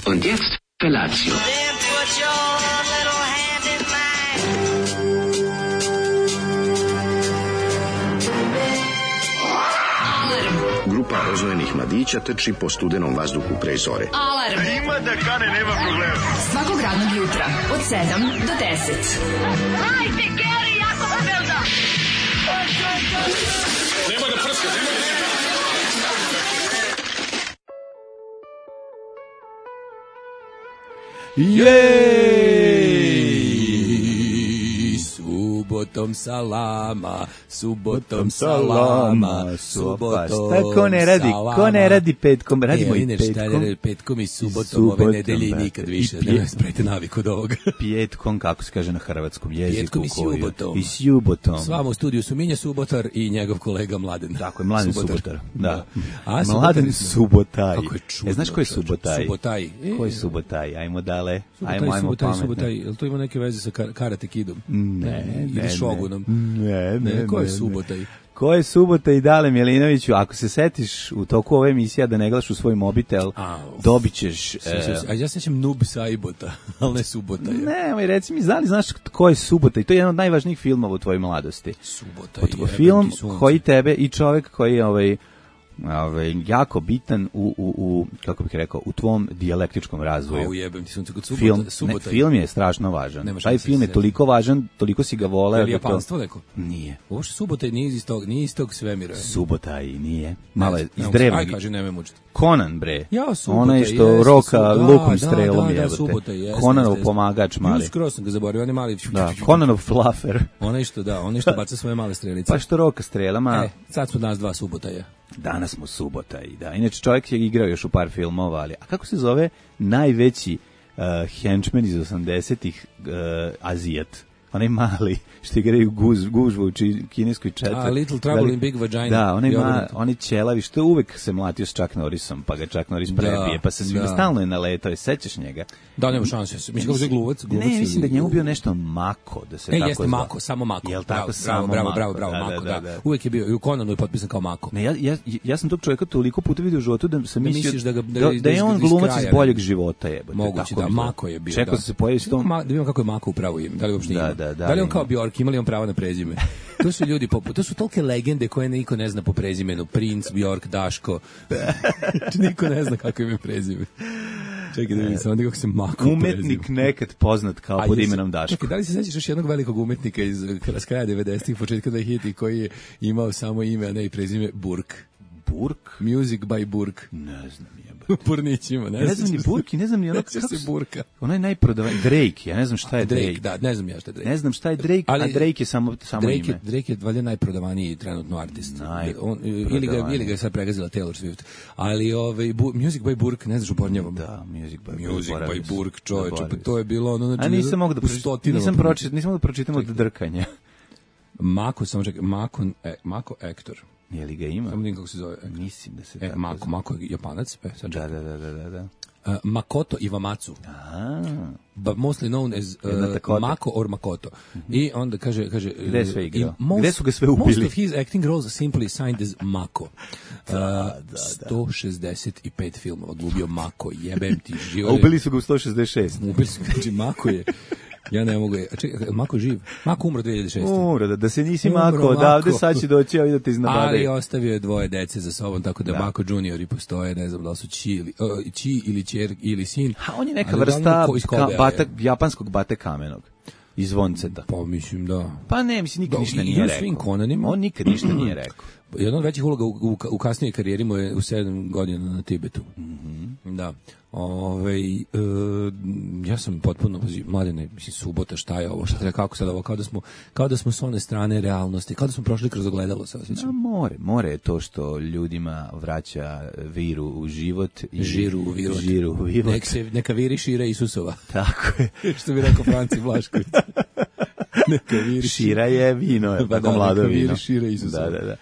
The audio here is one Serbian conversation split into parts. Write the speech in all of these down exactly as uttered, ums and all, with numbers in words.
Und jetzt Felatio. Grupa oznojenih mladića trči po studenom vazduhu pre zore. Alarm! Ima da kane, nema problema. Svakog radnog jutra, od sedam do deset. Hajde, Geri, jako se velda! Nema da prska, nema da prska. Jej! Subotom salama, subotom salama, subotom ko ne radi, salama. ko ne radi petkom, radimo e, i petkom. Šta je petkom i subotom, subotom ove nedelje brate. nikad više. I pje- Ne sprejte navik od ovoga. Petkom, kako se kaže na hrvatskom jeziku. Petkom i koju- subotom. I subotom. S vama u studiju su Minja Subotar i njegov kolega Mladen. Tako je, Mladen Subotar. Da. A, Mladen Subotaj. Kako je čudno. E, znaš ko je čovječe? Subotaj? Subotaj. E, Ko je Subotaj? Ajmo dale. Subotaj, Ajmo, ajmo Subotaj, pametno. Subotaj. Jel to ima neke veze sa kar- Karate Kidom? Ne, Ili ne, Šogunom? Ne, ne, Ne, ko je ne, ne. Subotaj? Ko je Subota i Dale Milinoviću? Ako se setiš u toku ove emisije da ne gledaš u svoj mobitel, A, uf. dobit ćeš... Sjećam se. A ja sećam Noob Saibota, ali ne Subota. Ne, moj reci mi, znali znaš ko je Subota? I to je jedan od najvažnijih filmova u tvojoj mladosti. Subota. Od film koji tebe i čovjek koji je ovaj, ovaj, jako bitan u, u, u, kako bih rekao, u tvom dijalektičkom razvoju. A ujebem ti sunce kod Subota. Film, Subota ne, film je strašno važan. Nema Taj šanse film da je se toliko važan, toliko si ga voleo. Je li da to- japanstvo neko? Nije. Ovo što Subota nije iz tog, nije iz tog svemira. Subota i nije. Malo je iz Aj, drevnog. kaže, nemoj mučiti. Conan, bre. Ja, Subota, Onaj što jeste, roka su- da, lukom da, strelom da, da, jebote. Subota, jeste, Conanov jeste. pomagač mali. Skoro sam ga zaboravio, on je mali. Da, Conanov fluffer. Onaj što, da, onaj što baca svoje male strelice. Pa što roka strelama. E, sad smo danas dva Subotaja. Danas smo Subota i da. Inače čovjek je igrao još u par filmova, ali a kako se zove najveći uh, henchman iz osamdesetih uh, Azijat? Onaj mali što igraju guz, gužvu u či- kineskoj četvrti. A, Little Trouble in Big Vagina. Da, onaj, I ma, obrnuto. onaj ćelavi što uvek se mlatio s Chuck Norrisom, pa ga Chuck Norris Da, prebije, pa se da. stalno je naletao, sećaš njega? Da, nema šanse. Mislim kako je gluvac, gluvac. Ne, mislim da ili- njemu bio nešto Mako, da se E, tako jeste zvao. Mako, samo Mako. Jel Bravo, tako, bravo, samo bravo, Mako? bravo, bravo, Da, Mako, da, da. da, da. Uvek je bio, i u Conanu je potpisan kao Mako. Ne, ja, ja, ja sam tog čovjeka toliko puta vidio u životu da sam Da mislio misliš da ga- da- da, da da je iz- on iz glumac kraja, iz boljeg života jebote. Moguće, tako da, mi Mako je bio, Čekao da. sam se pojavi s tom. Ma, da vidimo kako je Mako upravo ime. Da li uopšte Da, ima? da, da, Da li on ima. kao Bjork, ima li on pravo na prezime? To su ljudi poput, to su tolike legende koje niko ne zna po prezimenu. Prince, Bjork, Daško. Niko ne zna kako ime prezime. Čekaj da vidim samo da kako se Mako Umetnik prezime. nekad poznat kao A pod jesi- imenom Daško. Čekaj, da li se sećaš još jednog velikog umetnika iz s kraja devedesetih, početka dvehiljaditih koji je imao samo ime, a ne i prezime Burk? Burk? Music by Burk. Ne znam jebote. Burnićima, ne, Ja ne znam ni Burk i ne znam ni ono Ne sjećaš kako se Burka. Onaj najprodavan Drake, ja ne znam šta je Drake. Drake, da, ne znam ja šta je Drake. Ne znam šta je Drake, Ali- a Drake je samo samo Drake ime. je, Drake je valjda najprodavaniji trenutno artist. Najprodavaniji. On, ili, ga, ili ga je sad pregazila Taylor Swift. Ali ovaj, bu, Music by Burk, ne znaš upornjavam. Da, Music by Music zaboravio by sam, Burk, čoveče, pa zaboravio to je bilo ono... Znači, A nisam mogu da u pročitam, stotinama nisam pročitao. pročitam, nisam mogu da pročitam od drkanja. Mako, samo čekaj, Mako, e, Mako Ektor. Je li ga ima? Samo vidim kako se zove. Mislim da se E, tako Mako, zove. Mako je Japanac, e, sad Da, čekaj. da, da, da, da, da. Uh, Makoto Iwamatsu, A, but mostly known as Jedna uh, takota. Mako or Makoto. I onda kaže... kaže Gde je uh, sve igrao? i most- Gde su ga sve Most ubili? of his acting roles are simply signed as Mako. Uh, sto šezdeset pet filmova glumio Mako, jebem ti a život. ubili su ga u sto šezdeset šest. Ubili su, znači Mako je... Ja ne mogu... A čekaj, Mako živ? Mako umro dve hiljade šeste. Umro, da, da se nisi Umro Mako odavde, Mako. sad će doći ovi da te Ali iznabadaju. ostavio je dvoje dece za sobom, tako da, Da. Mako juniori postoje, ne znam da li su Ći ili, uh, Ći ili Ćer ili sin. A on je neka Ali vrsta uglavnom ko iz ka, Kobea je. bata, japanskog bate kamenog. Iz Zvonceta. Pa mislim da... Pa ne, mislim, nikad Da, ništa i nije u rekao. svim Conanima. On nikad ništa nije rekao. Jedna od većih uloga u, u, u kasnijoj karijeri mu je u sedam godina na Tibetu. Mhm. Da. Ove, e, ja sam potpuno, pazi, Mladene, mislim, subota, šta je ovo, šta treba, kako sad ovo, kao da smo, kao da smo s one strane realnosti, kao da smo prošli kroz ogledalo, se A osjećam. more, more je to što ljudima vraća viru u život. I Žiru u virot. Žiru u virot. Nek se, neka viri šira Isusova. Tako je. Što bi rekao Franci Vlašković. Neka viri Šira je vino, je Pa tako da, mlado neka vino. viri šira Isusova. Da, da, da.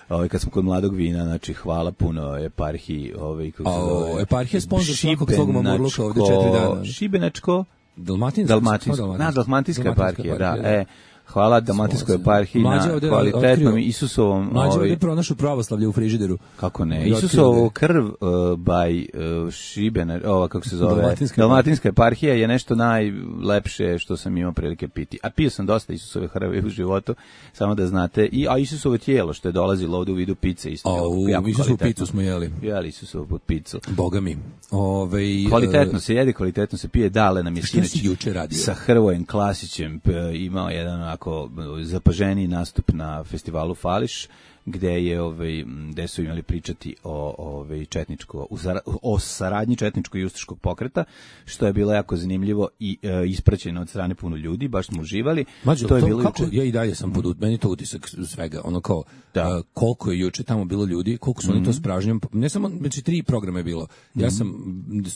Ovaj kad smo kod mladog vina, znači hvala puno eparhiji, ovaj kako se A, o, zove. eparhija je sponsor svakog svog mamurluka ovde četiri dana. Šibenačko, Dalmatinska, Dalmatinska, kao na Dalmatinska eparhija, da, e, Hvala Dalmatinskoj eparhiji na kvalitetnom Isusovom... Mlađe ovdje pronašu pravoslavlje u frižideru. Kako ne? Isusovo krv uh, by uh, Šibena, ova kako se zove, Dalmatinska, Dalmatinska eparhija je nešto najlepše što sam imao prilike piti. A pio sam dosta Isusove krvi u životu, samo da znate. I, a Isusovo tijelo što je dolazilo ovdje u vidu pice. Isto a u Isusovu picu smo jeli. Jeli Isusovu pod picu. Boga mi. Ove, kvalitetno se jede, kvalitetno se pije. Dale nam je sinoć juče radio sa Hrvojem Klasićem imao jedan ako zapaženiji nastup na festivalu Fališ, gde je ovaj gde su imali pričati o ovaj četničko o saradnji četničkog i ustaškog pokreta, što je bilo jako zanimljivo i e, ispraćeno od strane puno ljudi, baš smo uživali. Mađo, to je to, bilo kako, juče. Ja i dalje sam pod meni to utisak svega, ono kao da. Uh, koliko je juče tamo bilo ljudi, koliko su mm-hmm. oni to s pražnjom, ne samo, znači tri programa je bilo. Mm-hmm. Ja sam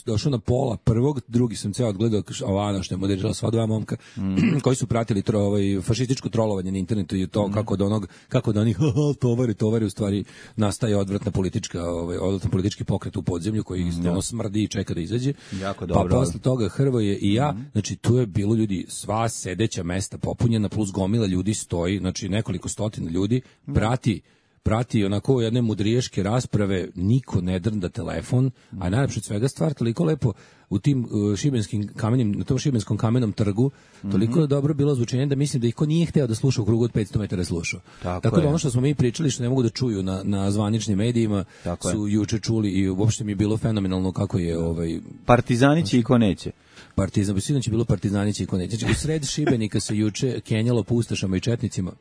došao na pola prvog, drugi sam ceo odgledao Ovana što je moderirala sva dva momka mm-hmm. koji su pratili tro, ovaj fašističko trolovanje na internetu i to mm-hmm. kako od onog kako da onih tovari tovari u stvari nastaje odvratna politička ovaj odvratna politički pokret u podzemlju koji mm-hmm. ono smrdi i čeka da izađe. Jako dobro. Pa posle toga Hrvoje i ja, mm-hmm. znači tu je bilo ljudi, sva sedeća mesta popunjena plus gomila ljudi stoji, znači nekoliko stotina ljudi prati prati onako jedne mudriješke rasprave, niko ne drnda telefon, a najlepše od svega stvar, toliko lepo u tim uh, šibenskim kamenjem, na tom šibenskom kamenom trgu, toliko mm-hmm. dobro bilo zvučenje da mislim da ih ko nije hteo da sluša u krugu od petsto metara slušao. Tako, Tako da ono što smo mi pričali, što ne mogu da čuju na, na zvaničnim medijima, Tako su je. juče čuli i uopšte mi je bilo fenomenalno kako je... ovaj Partizani će i ko neće. Partizan, bi sinoć je bilo Partizani će i ko neće. Znači, u sred Šibenika se juče kenjalo po ustašama i četnicima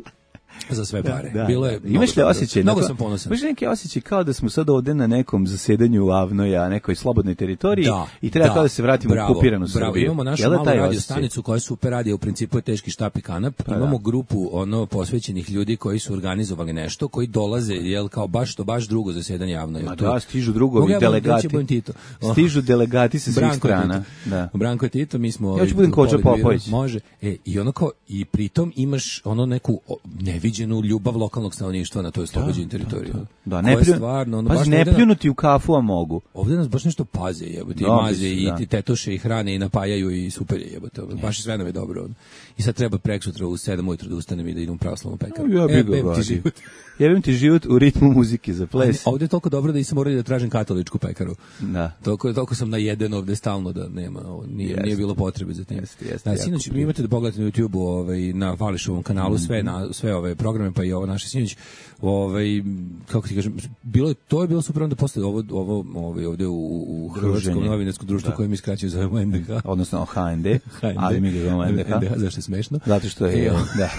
za sve pare. Da, da, bilo je. Imaš li osjećaj? Mnogo sam ponosan. Imaš neki osjećaj kao da smo sad ovde na nekom zasedanju u Avnoja, nekoj slobodnoj teritoriji da, i treba da, kao da se vratimo bravo, u okupiranu Srbiju. Bravo, imamo našu Jel malu radio stanicu koja je super radio, u principu je teški štap i kanap. Pa, imamo da. grupu ono posvećenih ljudi koji su organizovali nešto, koji dolaze jel kao baš to baš drugo zasedanje Avnoja. Ma da, stižu drugovi delegati. Stižu delegati sa svih strana. Da. Branko i Tito, mi smo Ja ću budem Koča Popović. Može. E, i ono kao i pritom imaš ono neku neviđenu ljubav lokalnog stanovništva na toj oslobođenoj teritoriji. Da, da. ne plju, stvarno, ono, baš ne pljunuti u kafu, a mogu. Ovdje nas baš nešto paze, jebote, i maze, i da. tetoše, i hrane, i napajaju, i super je, jebote. Baš sve nam je dobro. I sad treba preksutra u sedam ujutro da ustanem i da idem u pravoslavnu pekaru. Ja bih ga vadio. Jebem ti život u ritmu muzike za ples. Ovdje je toliko dobro da nisam morao da tražim katoličku pekaru. Da. Toliko, toliko sam najeden ovdje stalno da nema, ovo, nije, jest. nije bilo potrebe za tim. Jest, jest, da, sinoć, vi imate da pogledate na YouTube-u ovaj, na Fališovom kanalu mm-hmm. sve, na, sve ove programe, pa i ovo naše sinoć, ovaj, kako ti kažem, bilo, to je bilo super onda posle ovo, ovo ovaj, ovdje u, u Hrvatskom novinarskom društvu koje mi skraćaju zovemo N D H. Odnosno H N D, ali mi ga zovemo N D H. N D H, zašto je smešno? Zato što je, da.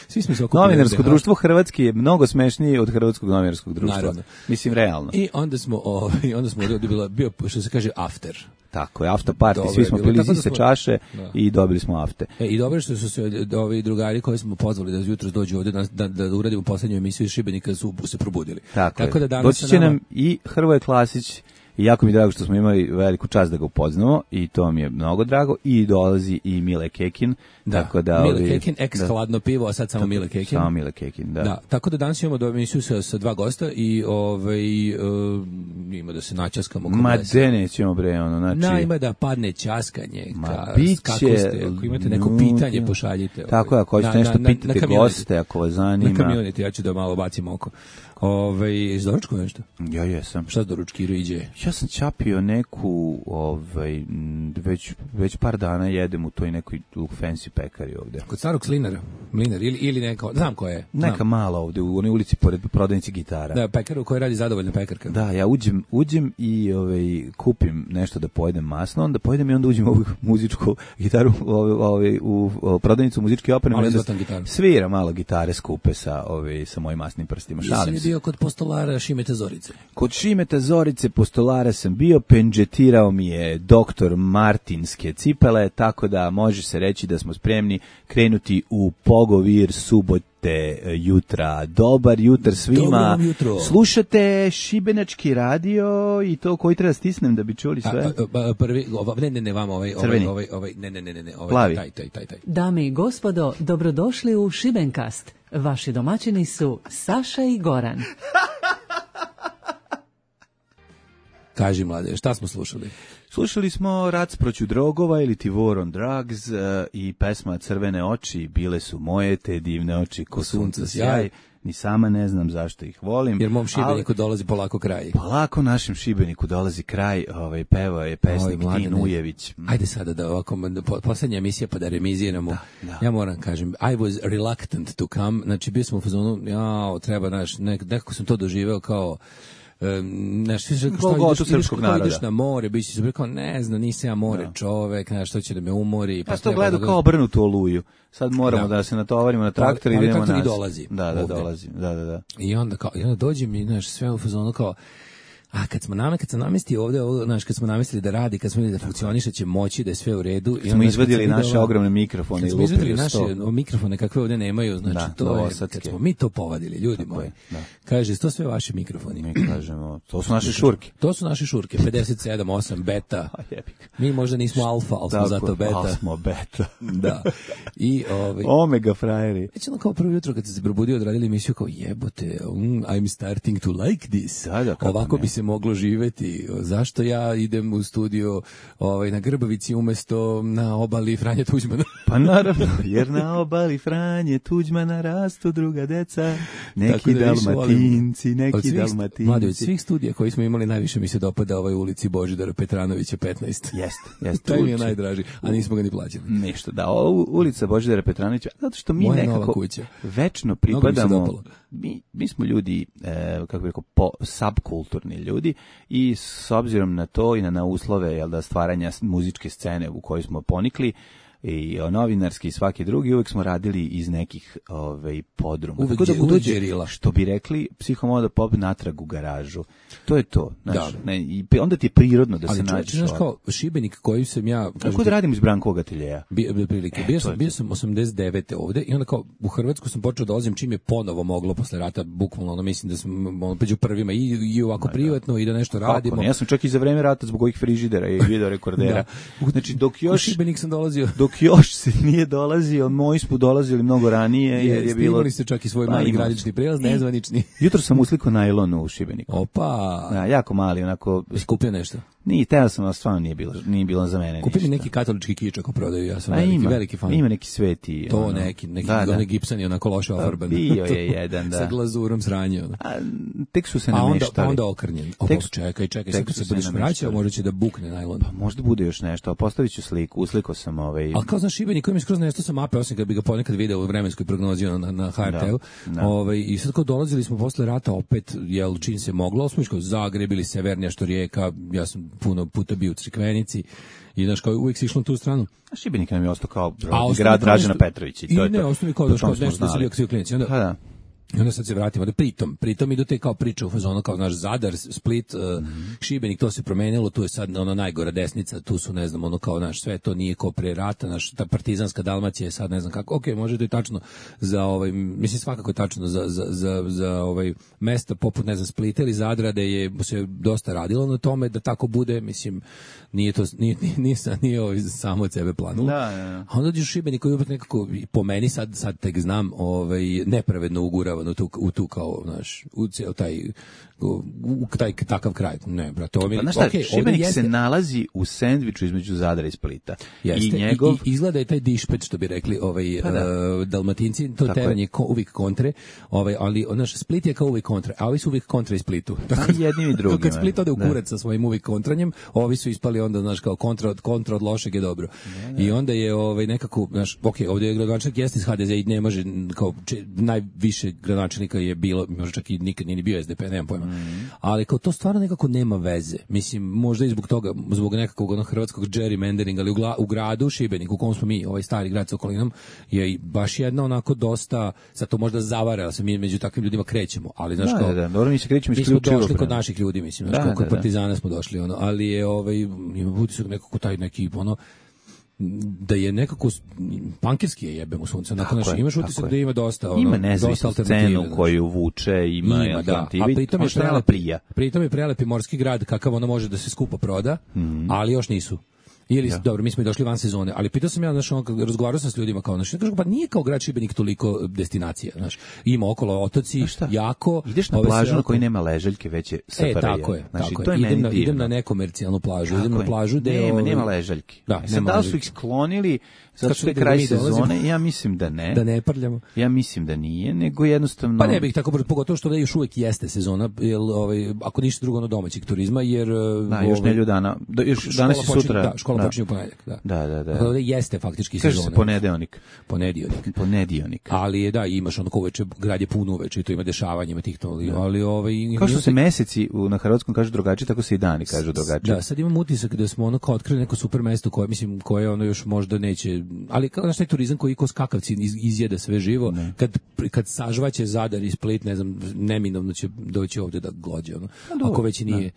Svi smo se okupili. Novinarsko društvo Hrvatski je mnogo smešnije od Hrvatskog novinarskog društva. Naravno. Mislim, realno. I onda smo, ovaj, onda smo ovdje bila, bio, što se kaže, after. Tako je, after party, Dobre, svi smo pili iz iste čaše da. i dobili smo afte. E, i dobro što su se ovi drugari koji smo pozvali da jutros dođu ovdje da, da, da uradimo poslednju emisiju iz Šibenika su se probudili. Tako, Tako da danas doći će nama... nam i Hrvoje Klasić. I jako mi je drago što smo imali veliku čast da ga upoznamo i to mi je mnogo drago. I dolazi i Mile Kekin. Da, tako da, Mile Kekin, ex da, hladno pivo, a sad samo tako, Mile Kekin. Samo Mile Kekin, da. da. Tako da danas imamo do emisiju sa, sa dva gosta i ovaj, uh, ima da se načaskamo. Ma de nećemo bre, ono, znači... Na, ima da padne časkanje. Ma ka, biće... Kako ste, ako imate neko pitanje, pošaljite. Ovaj. Tako je, ako hoćete nešto na, pitati na goste, ako vas zanima. Na kamioniti, ja ću da malo bacim oko. Ove, iz doručku nešto? Ja jesam. Šta s doručkiru iđe? Ja sam čapio neku, ovaj, već, već par dana jedem u toj nekoj fancy pekari ovde. Kod starog slinara, mlinar, ili, ili neko, znam ko je. Znam. Neka mala ovde, u onoj ulici pored prodavnici gitara. Da, pekaru koji radi zadovoljna pekarka. Da, ja uđem, uđem i ovaj, kupim nešto da pojedem masno, onda pojedem i onda uđem u ovu muzičku gitaru ovaj, ovaj, u, u prodavnicu muzičke opreme. Ali izvatan gitaru. Svira malo gitare skupe sa, ovaj, sa mojim masnim prstima. Šalim se. Bio kod postolara Šimeta Zorice. Kod Šimeta Zorice postolara sam bio, pendžetirao mi je doktor Martinske cipele, tako da može se reći da smo spremni krenuti u pogovir subote jutra. Dobar jutar svima. Slušate Šibenački radio i to koji treba stisnem da bi čuli sve. A, a, prvi, ova, ne, ne, ne, vama ovaj, ovaj, ovaj, ovaj, ne, ne, ne, ne, ovaj, plavi. Taj, taj, taj, taj. Dame i gospodo, dobrodošli u Šibenkast. Vaši domaćini su Saša i Goran. Kaži, mlade, šta smo slušali? Slušali smo Rac proću drogova ili ti War on Drugs uh, i pesma Crvene oči, bile su moje te divne oči ko sunca sjaj. Ni sama ne znam zašto ih volim. Jer mom Šibeniku ali, dolazi polako kraj. Polako našem Šibeniku dolazi kraj, ovaj, pevao je pesnik Oj, Tin Ujević. Ajde sada da ovako, poslednja emisija pa da remiziramo. Da, da. Ja moram kažem, I was reluctant to come, znači bio sam u fazonu, ja, treba, naš, nek, nekako sam to doživeo kao Um, znaš, što ideš, ideš, ideš na more, bići se rekao, ne znam, nisam ja more no. čovek, znaš, što će da me umori. Pa ja to gledao da... kao obrnutu oluju. Sad moramo da, da se natovarimo na traktor i idemo nas. Ali dolazi. Da, da, dolazi. Da, da, da. I onda, kao, i onda dođem i, znaš, sve u fazonu kao, a kad smo nam, kad sam namestio ovde, ovo, znaš, kad smo namestili da radi, kad smo vidjeli da funkcioniše, će moći da je sve u redu. I smo izvadili naše videla, ogromne mikrofone i lupili naše mikrofone kakve ovde nemaju, znači da, to je, kad smo mi to povadili, ljudi moji. Da. Kaže, to sve vaši mikrofoni. Mi kažemo, to su naše šurke. To su naše šurke, pedeset sedam, osam, beta. Mi možda nismo alfa, ali smo zato beta. Ali smo beta. Da. I, ovaj, Omega frajeri. Već ono kao prvo jutro kad se probudio, odradili emisiju kao jebote, um, I'm starting to like this. Da, da, ovako bi se moglo živeti. Zašto ja idem u studio ovaj, na Grbavici umesto na obali Franje Tuđmana? Pa naravno, jer na obali Franje Tuđmana rastu druga deca, neki da Dalmatinci, neki svih, Dalmatinci. Mladi, od svih studija koji smo imali najviše mi se dopada ovaj ulici Božidara Petranovića petnaest. Jeste, jeste. To mi je najdraži, a nismo ga ni plaćali. Nešto, da, ovo ulica Božidara Petranovića, zato što mi moja nekako večno pripadamo, mi, mi smo ljudi, e, kako bih rekao, po, subkulturni ljudi i s obzirom na to i na, na uslove jel da, stvaranja muzičke scene u kojoj smo ponikli, i novinarski i svaki drugi, uvek smo radili iz nekih ovaj podruma. Uvek tako da uđe, što bi rekli Psihomoda Pop natrag u garažu. To je to, znaš, ne, i onda ti je prirodno da ali se nađeš. Ali znaš kao Šibenik koji sam ja, kako da radim iz Brankovog ateljeja. Bio bi prilike. E, bio sam bio sam osamdeset devete ovde i onda kao u Hrvatsku sam počeo da dolazim čim je ponovo moglo posle rata, bukvalno ono mislim da sam ono među prvima i, i ovako da, privatno i da nešto kako radimo. Ne, ja sam čak i za vreme rata zbog ovih frižidera i video rekordera. Da. Znači dok još u Šibenik sam dolazio dok još se nije dolazio, moji smo dolazili mnogo ranije, jer je bilo... Imali ste čak i svoj pa, mali granični prijelaz, nezvanični. Jutro sam uslikao najlonu u Šibeniku. Opa! Ja, jako mali, onako... Skupio nešto? Nije, teo sam, ali stvarno nije bilo, nije bilo za mene Kupili neki katolički kič ako prodaju, ja sam A veliki, ima, veliki fan. Ima neki sveti. To ono, neki, neki da, da. gipsani, onako loše ofarban. Bio je jedan, da. Sa glazurom sranje. A, tek su se a nameštali. A onda okrnjen. O, tek, čekaj, čekaj, sad se budeš vraćao, možda će da bukne najlon. Pa možda bude još nešto, a postavit ću sliku, usliko sam ovaj... Ali kao znaš, Šibenik koji mi skroz nešto sam mape, osim kad bi ga ponekad video u vremenskoj prognozi na, na ha er te-u. Da, da. Ovaj, I sad kao dolazili smo posle rata opet, jel, čim se moglo, smo iško Zagreb ili Severnija, što Rijeka, ja sam puno puta bio u Crikvenici. I znaš kao uvijek si išlo na tu stranu. A Šibenik nam je ostao kao grad Dražena Petrovića. I, to I ne, ostao mi kao da što nešto da se bio klinici. Onda, ha, da. I onda sad se vratimo, da pritom, pritom idu te kao priče u fazonu, kao naš Zadar, Split, uh, mm-hmm. Šibenik, to se promenilo, tu je sad ono najgora desnica, tu su, ne znam, ono kao naš, sve to nije kao pre rata, naš, ta partizanska Dalmacija je sad, ne znam kako, ok, može to je tačno za ovaj, mislim svakako je tačno za, za, za, za ovaj mesta poput, ne znam, Splita ili Zadra, da je se dosta radilo na tome da tako bude, mislim, nije to, nije, nije, nije, nije ovaj samo od sebe planulo. Da, da. A onda dođe Šibenik koji je nekako, po meni sad, sad tek znam, ovaj, nepravedno ugurava u tu, u tu kao, znaš, u cijel taj, u, u taj takav kraj. Ne, brate, ovo mi... Pa, znaš šta, okay, Šibenik se nalazi u sendviču između Zadra i Splita. Jeste, i, njegov... i, i izgleda je taj dišpet, što bi rekli ovaj, pa da. uh, Dalmatinci, to teranje ko, uvijek kontre, ovaj, ali, naš, Split je kao uvijek kontre, a ovi su uvijek kontra i Splitu. Tako, jednim i drugim. Kad Split ode u kurac sa svojim uvijek kontranjem, ovi su ispali onda, znaš, kao kontra od, kontra od lošeg je dobro. Ne, ne. I onda je ovaj, nekako, znaš, ok, ovdje je gradonačelnik jeste iz ha de ze i ne može, kao, če, najviše gradonačelnika je bilo, možda čak i nikad nije bio es de pe, nemam pojma. Mm. Ali kao to stvarno nekako nema veze. Mislim, možda i zbog toga, zbog nekakvog onog hrvatskog gerrymanderinga, ali u, gla, u gradu Šibeniku, u kom smo mi, ovaj stari grad sa okolinom, je baš jedna onako dosta, sad to možda zavara, ali se mi među takvim ljudima krećemo, ali znaš kao... Da, da, dobro, mi se krećemo mi smo došli kod naših ljudi, mislim, znaš, da, kod da, partizana da. Smo došli, ono, ali je, ovaj, ima utisak nekako taj neki, ono, da je nekako pankirski je jebem u sunce. Nakon naš imaš utisak da ima dosta, ono, ima nezavisnu scenu koju vuče, ima, ima da. A pritom je prelepi, pritom je prelepi morski grad kakav ono može da se skupo proda, mm-hmm. ali još nisu. Ili, Ja. dobro, mi smo i došli van sezone, ali pitao sam ja, znaš, ono, kad razgovarao sam s ljudima kao, znaš, kažu, pa nije kao grad Šibenik toliko destinacija, znaš, ima okolo otoci, jako... Ideš na ove plažu sve na oko- kojoj nema ležaljke, već je S F R J. E, tako je, Znači, tako to je. je Idem meni na, idem divno. na nekomercijalnu plažu, idem Tako na je. plažu gde... Nema, ovaj, nema ležaljki. Da, E, sad, nema da li su ležaljki. ih sklonili zato Kad što je su kraj mi dolazimo. sezone? Ja mislim da ne. Da ne prljamo. Ja mislim da nije, nego jednostavno... Pa ne bih tako brzo, pogotovo što da još uvek jeste sezona, jer, ovaj, ako ništa drugo ono domaćeg turizma, jer... Da, još ovaj, nelju dana. Da, još škola danas i počinje- sutra. Da, škola počinje u ponedeljak, da. Da, da, da. Tako da jeste faktički Kaže sezona. se ponedeljnik. Ponedjeljak. Ponedjeljnik. Ali je, da, imaš ono kao uveče, grad je puno uveče i to ima dešavanja, ima tih to, ali, ali ovaj... Kao što se meseci u, na hrvatskom kažu drugačije, tako se i dani kažu drugačije. Da, sad imam utisak da smo ono kao otkrili neko super mesto koje, mislim, koje ono još možda neće, ali kao znaš taj turizam koji ko skakavci iz, izjeda sve živo, ne. kad, kad sažvaće Zadar i Split, ne znam, neminovno će doći ovde da glođe, ono, ako već i nije,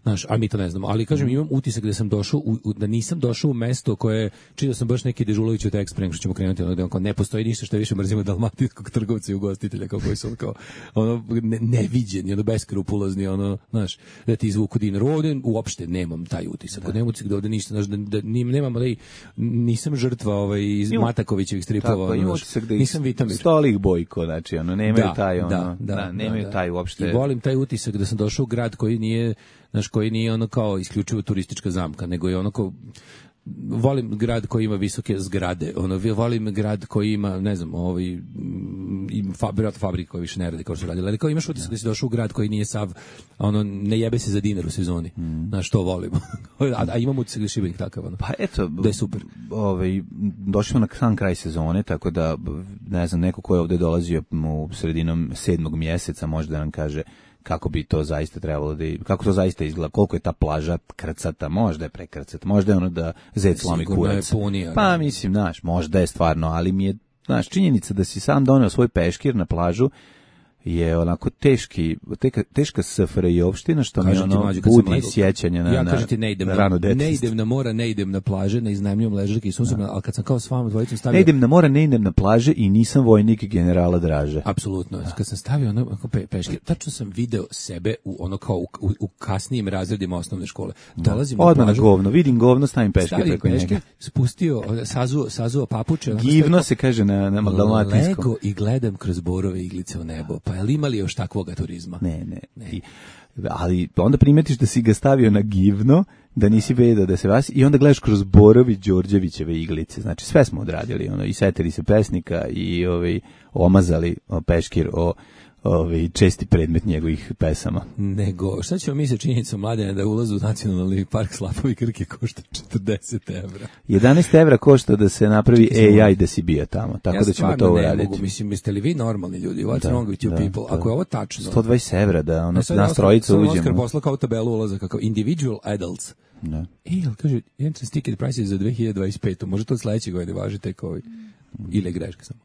znaš, a mi to ne znamo, ali kažem, imam utisak da sam došao, u, u, da nisam došao u mesto koje, čitao sam baš neki Dežulović od Express, što ćemo krenuti, ono, da on kao, ne postoji ništa što više mrzimo dalmatinskog trgovca i ugostitelja, kao koji su ono, kao, ono, ne, neviđeni, ono, beskrupulozni, ono, znaš, da ti izvuku dinar. Ovde uopšte nemam taj utisak, da. nemam utisak da ovde ništa, znaš, da, da nim, nemam, ali nisam žrtva ovaj, iz Imam- Matakovićevih stripova, Tako, ono, ima znaš, utisak da ih nisam Vitamir. Stolik Bojko, znači, ono, nemaju Da, taj, ono, da, da, da, nemaju da. taj uopšte... I volim taj utisak da sam došao u grad koji nije, znaš, koji nije ono kao isključivo turistička zamka, nego je ono kao, volim grad koji ima visoke zgrade, ono, volim grad koji ima, ne znam, ovaj, im fabrik, fabrika koja više ne radi kao što radi, ali kao imaš utisak da si došao u grad koji nije sav, ono, ne jebe se za dinar u sezoni, znaš, to volim. a, a imam utisak da je Šibenik takav, ono. Pa eto, Da je super. Ovaj, došli smo na sam kraj sezone, tako da, ne znam, neko ko je ovde dolazio u sredinom sedmog mjeseca može da nam kaže kako bi to zaista trebalo da, i- kako to zaista izgleda, koliko je ta plaža krcata, možda je prekrcata, možda je ono da zec slomi Sigurno je kurac. punija, Pa da. mislim, znaš, možda je stvarno, ali mi je, znaš, činjenica da si sam doneo svoj peškir na plažu je onako teški, teka, teška S F R J opština, što mi Kažem ti, ono mlađe, kad sam budi legao- sjećanje na, ja na, kažem ti, ne idem na na, rano ne detinjstvo. idem na mora, ne idem na plaže, ne iznajmljujem ležaljke i susrem, ali kad sam kao s vama dvojicom stavio... Ne idem na more, ne idem na plaže i nisam vojnik generala Draže. Apsolutno. Kad sam stavio ono onako pe, peške, tačno sam video sebe u ono kao u, u, u kasnijim razredima osnovne škole. Dolazim Odmah na na plažu, govno, vidim govno, stavim peške stavim preko peške, njega. spustio, sazuo, sazuo papuče. onako Givno stavio- se kaže na, na dalmatinskom. Lego i gledam kroz borove iglice u nebo. Pa je li imali još takvoga turizma? Ne, ne. I, ali onda primetiš da si ga stavio na givno, da nisi vedao da se vas i onda gledaš kroz Borovi Đorđevićeve iglice. Znači sve smo odradili, ono, i setili se pesnika i ovaj omazali o, peškir o ovaj česti predmet njegovih pesama. Nego, šta ćemo mi sa činjenicom Mladene da ulaz u nacionalni park Slapovi Krke košta četrdeset evra? jedanaest evra košta da se napravi A I da si bio tamo, tako ja da ćemo stvarno to ne uraditi. mogu, mislim, jeste li vi normalni ljudi? What's Da, wrong with you da, people? da. Ako je ovo tačno... sto dvadeset evra da ono, E, sad nas Oskar- trojica sad Oskar uđemo. poslao kao tabelu ulaza, kako individual adults. Da. E, jel kaže, entrance ticket price je za dve hiljade dvadeset pete. Može to od sledeće godine važi tek ovaj, ili je greška samo.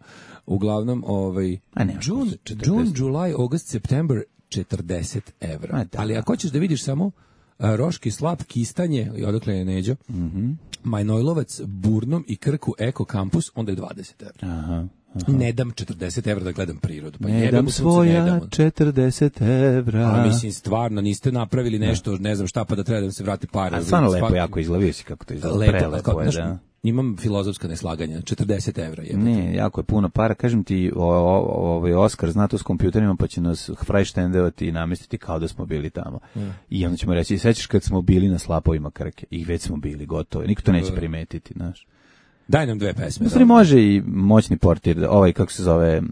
Uglavnom, ovaj, A ne, June, četrdeset. June, July, August, September, četrdeset evra. A, da. Ali ako hoćeš da vidiš samo a, Roški slap, Kistanje, i odakle je Neđo, Mhm. Majnojlovac, Burnom i Krku Eko Kampus, onda je dvadeset evra. Aha. Ne dam četrdeset evra da gledam prirodu. Pa Ne jebe dam mu sunce, ne dam. svoja četrdeset evra. A mislim, stvarno, niste napravili nešto, ne znam šta, pa da treba da vam se vrati para. A stvarno lepo Svaki- jako izgleda, vidio si kako to izgleda. Lepo, Prelepo kao, je, znaš, da. imam filozofska neslaganja, četrdeset evra je. Ne, jako je puno para. Kažem ti, o- o- ovaj Oskar zna to s kompjuterima, pa će nas frajštendevati i namestiti kao da smo bili tamo. I onda ćemo reći, sećaš kad smo bili na Slapovima Krke? I već smo bili, gotovo. Niko to neće primetiti, znaš. Daj nam dve pesme. U stvari može i moćni portir, da- ovaj, kako se zove, mm,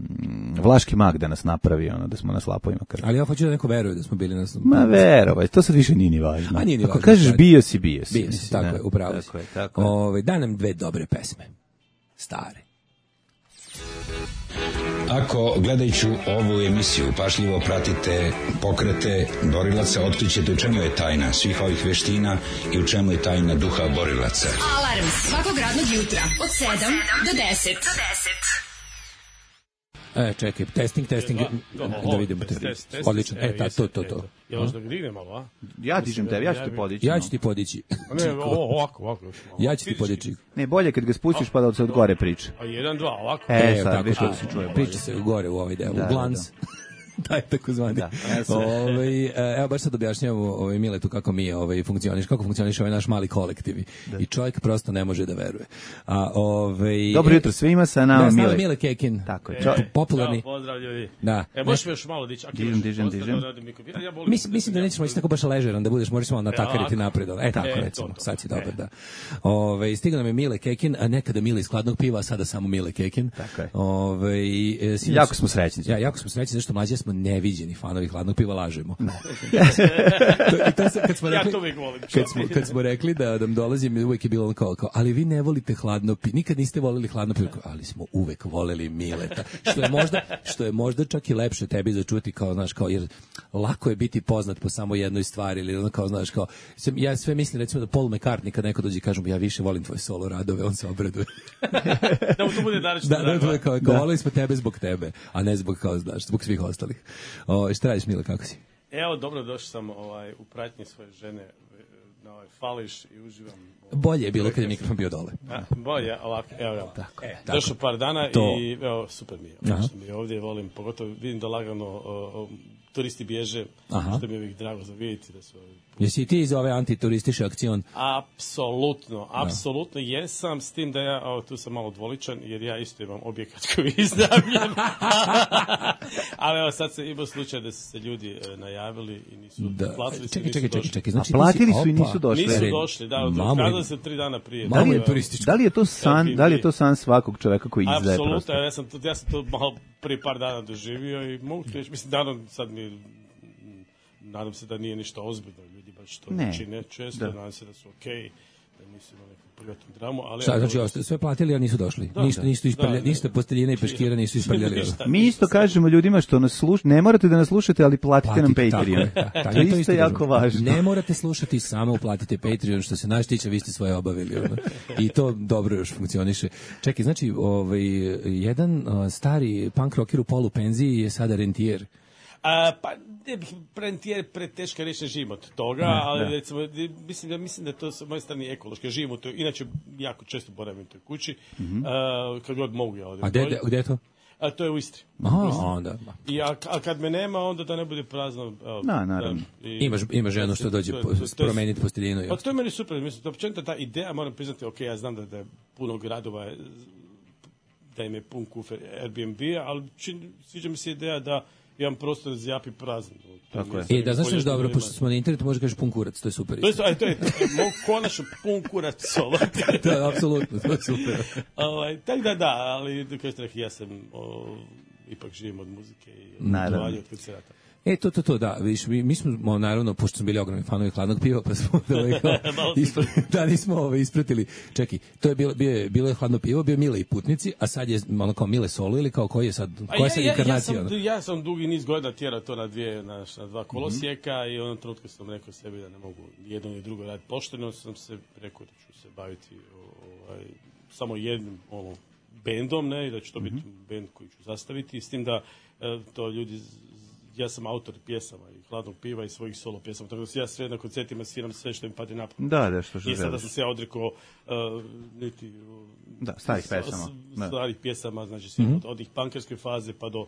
Vlaški mag da nas napravi, ono, da smo na Slapovima Krke. Ali ja hoću da neko veruje da smo bili na... Ma verovaj, to sad više nije ni važno. A nije ni Ako važno, kažeš stvari. bio si, bio si. Bio si, mislim, tako da. je, upravo si. Tako je, tako je. Ove, daj nam dve dobre pesme. Stare. Ako gledajući ovu emisiju pašljivo pratite pokrete borilaca, otkrićete u čemu je tajna svih ovih veština i u čemu je tajna duha borilaca. Alarm svakog radnog jutra od sedam do deset. E, čekaj, testing, testing, da vidimo te. Odlično, e, ta, to, to, to. Ja vas da dignem malo, a? Ja dižem tebe, ja ću te podići. Ja no. ću ti podići. A ne, ovo, ovako, ovako još malo. Ja ću ti Fizički. podići. Ne, bolje kad ga spustiš pa da se od gore priča. A jedan, dva, ovako. E, E, sad, tako, viš to kako se čuje bolje. Priča se gore u ovaj deo, Da, u glans. taj takozvani. Da, ovaj, evo baš sad objašnjavamo ovaj Miletu kako mi ovaj funkcioniš, kako funkcioniše ovaj naš mali kolektiv. Da. I čovjek prosto ne može da veruje. A ovaj Dobro jutro svima, sa nama da, Mile. Mile Kekin. Tako je. E, popularni. Ćao, pozdrav ljudi. Da. E, možeš još malo dići. Dižem, dižem, dižem. Ja Mislim, mislim da nećeš moći tako baš ležeran da budeš, možeš malo natakariti napred. E, tako e, recimo, to, to. sad si dobar, da. Ove, stigao nam je Mile Kekin, a nekada Mile iz Hladnog piva, a sada samo Mile Kekin. Tako je. Ove, e, sinoć, jako smo srećni. Ja, jako smo srećni, zašto mlađe smo neviđeni fanovi Hladnog piva, lažemo. to, i to sam, kad smo rekli, ja to uvijek volim. Kad smo, kad smo rekli da nam dolazim, uvijek je bilo ono kao, kao, ali vi ne volite Hladno pivo, nikad niste volili Hladno pivo, ali smo uvek voleli Mileta. Što je možda, što je možda čak i lepše tebi začuti, kao, znaš, kao, jer lako je biti poznat po samo jednoj stvari, ili ono kao, znaš, kao, ja sve mislim, recimo da Paul McCartney, kad neko dođe i kažem, ja više volim tvoje solo radove, on se obraduje. Da mu to bude današnji da, da, da, kao, kao, volili smo tebe zbog tebe, a ne zbog, kao, znaš, zbog svih ostalih. O, šta radiš, Mile, kako si? Evo, dobro, došao sam ovaj, u pratnji svoje žene na ovaj fališ i uživam. Bolje je bilo kad je mikrofon bio dole. A, bolje, ovako, evo, evo. Tako, e, tako. Došao par dana To. i evo, super mi je. Ono što mi je ovdje, volim, pogotovo vidim da lagano o, o, turisti bježe, Aha. što mi je uvijek drago za vidjeti da su... Jesi ti iz ove antiturističke akcion? Apsolutno, apsolutno jesam, s tim da ja, o, tu sam malo dvoličan, jer ja isto imam objekat koji je iznajmljen. Ali evo, sad se imao slučaj da su se ljudi e, najavili i nisu Da. platili. Čekaj, čekaj, čekaj, čekaj. Znači, A platili ti si- su i nisu opa. došli. Nisu Red. došli, da, Mamu odkazali im- se tri dana prije. Mamu im Tako, turistički. Da li je to san, da li je to san svakog čoveka koji izdaje apsolutno, prostor? ja sam, to, ja sam to malo prije par dana doživio i mogu ti reći, mislim, nadam, sad mi, nadam se da nije ništa ozbiljno, ljudi baš to Ne. čine često, Da. nadam se da su okej, da nisu imali neku privatnu dramu, ali... Šta, znači, osta- sve platili, a nisu došli. Da, ništa, da. ništa isprljali, Da, da. ništa posteljina i peškira nisu isprljali. Ništa. Mi isto kažemo ljudima što nas slušate, ne morate da nas slušate, ali platite nam Platite, tako Patreon. je, da, da, To je to isto jako kažem. važno. Ne morate slušati, samo uplatite Patreon, što se naš tiče, vi ste svoje obavili. Ono. I to dobro još funkcioniše. Čekaj, znači, ovaj, jedan o, stari punk rocker u polu penziji je sada rentijer. A, pa ne bih prentijer preteška reći, ne živim od toga, ali recimo, mislim da mislim da je to sa moje strane ekološki, živim u toj, inače jako često boravim u toj kući, a, kad god mogu ja odem. A gde, gde je to? A to je u Istri. Aha, onda. I a, a kad me nema, onda da ne bude prazno. Evo, Da, naravno. i- Imaš, ima ženu što dođe to je- po- to je- to je- promeniti posteljinu. i Pa ostalo. to je meni super, mislim, to općenito ta ideja, moram priznati, ok, ja znam da, da je puno gradova, je- da im je pun kufer Airbnb-a, ali čin, sviđa mi se ideja da jedan prostor zjapi prazan. Tako je. E, da, znaš još dobro, Poljoprivrednima. pošto smo na internetu, može kažeš pun kurac, to je super. To je, isto. aj, to je, to je moj konačno pun kurac solo. Da, apsolutno, to je super. ovaj, tako da da, ali kao što rekli, ja sam o, ipak živim od muzike i od Naravno. putovanja, od koncerata. E, to, to, to, da, viš, mi, mi smo, naravno, pošto smo bili ogromni fanovi Hladnog piva, pa smo ovaj, kao, Malo ispra, da, nismo ovaj, ispratili. Čekaj, to je bilo, bio je, bilo je Hladno pivo, bio Mile i Putnici, a sad je ono kao Mile solo ili kao koji je sad, A koja je sad ja, ja, inkarnacija? ja, ono? sam, ja sam dugi niz godina tjerao to na dvije, na, na dva kolosijeka i u onom trenutku sam rekao sebi da ne mogu ni jedno ni drugo raditi pošteno, sam se rekao da ću se baviti ovaj, samo jednim ono, bendom, ne, i da će to biti bend koji ću zastaviti, s tim da e, to ljudi, ja sam autor pjesama i Hladnog piva i svojih solo pjesama, tako da ja sve na koncertima sviram sve što mi pade na pamet. Da, da, što što I sada želiš. sam se ja odrekao uh, niti uh, Da, starih s- pesama. s- Da. starih pjesama, znači svi od, od ih pankerske faze pa do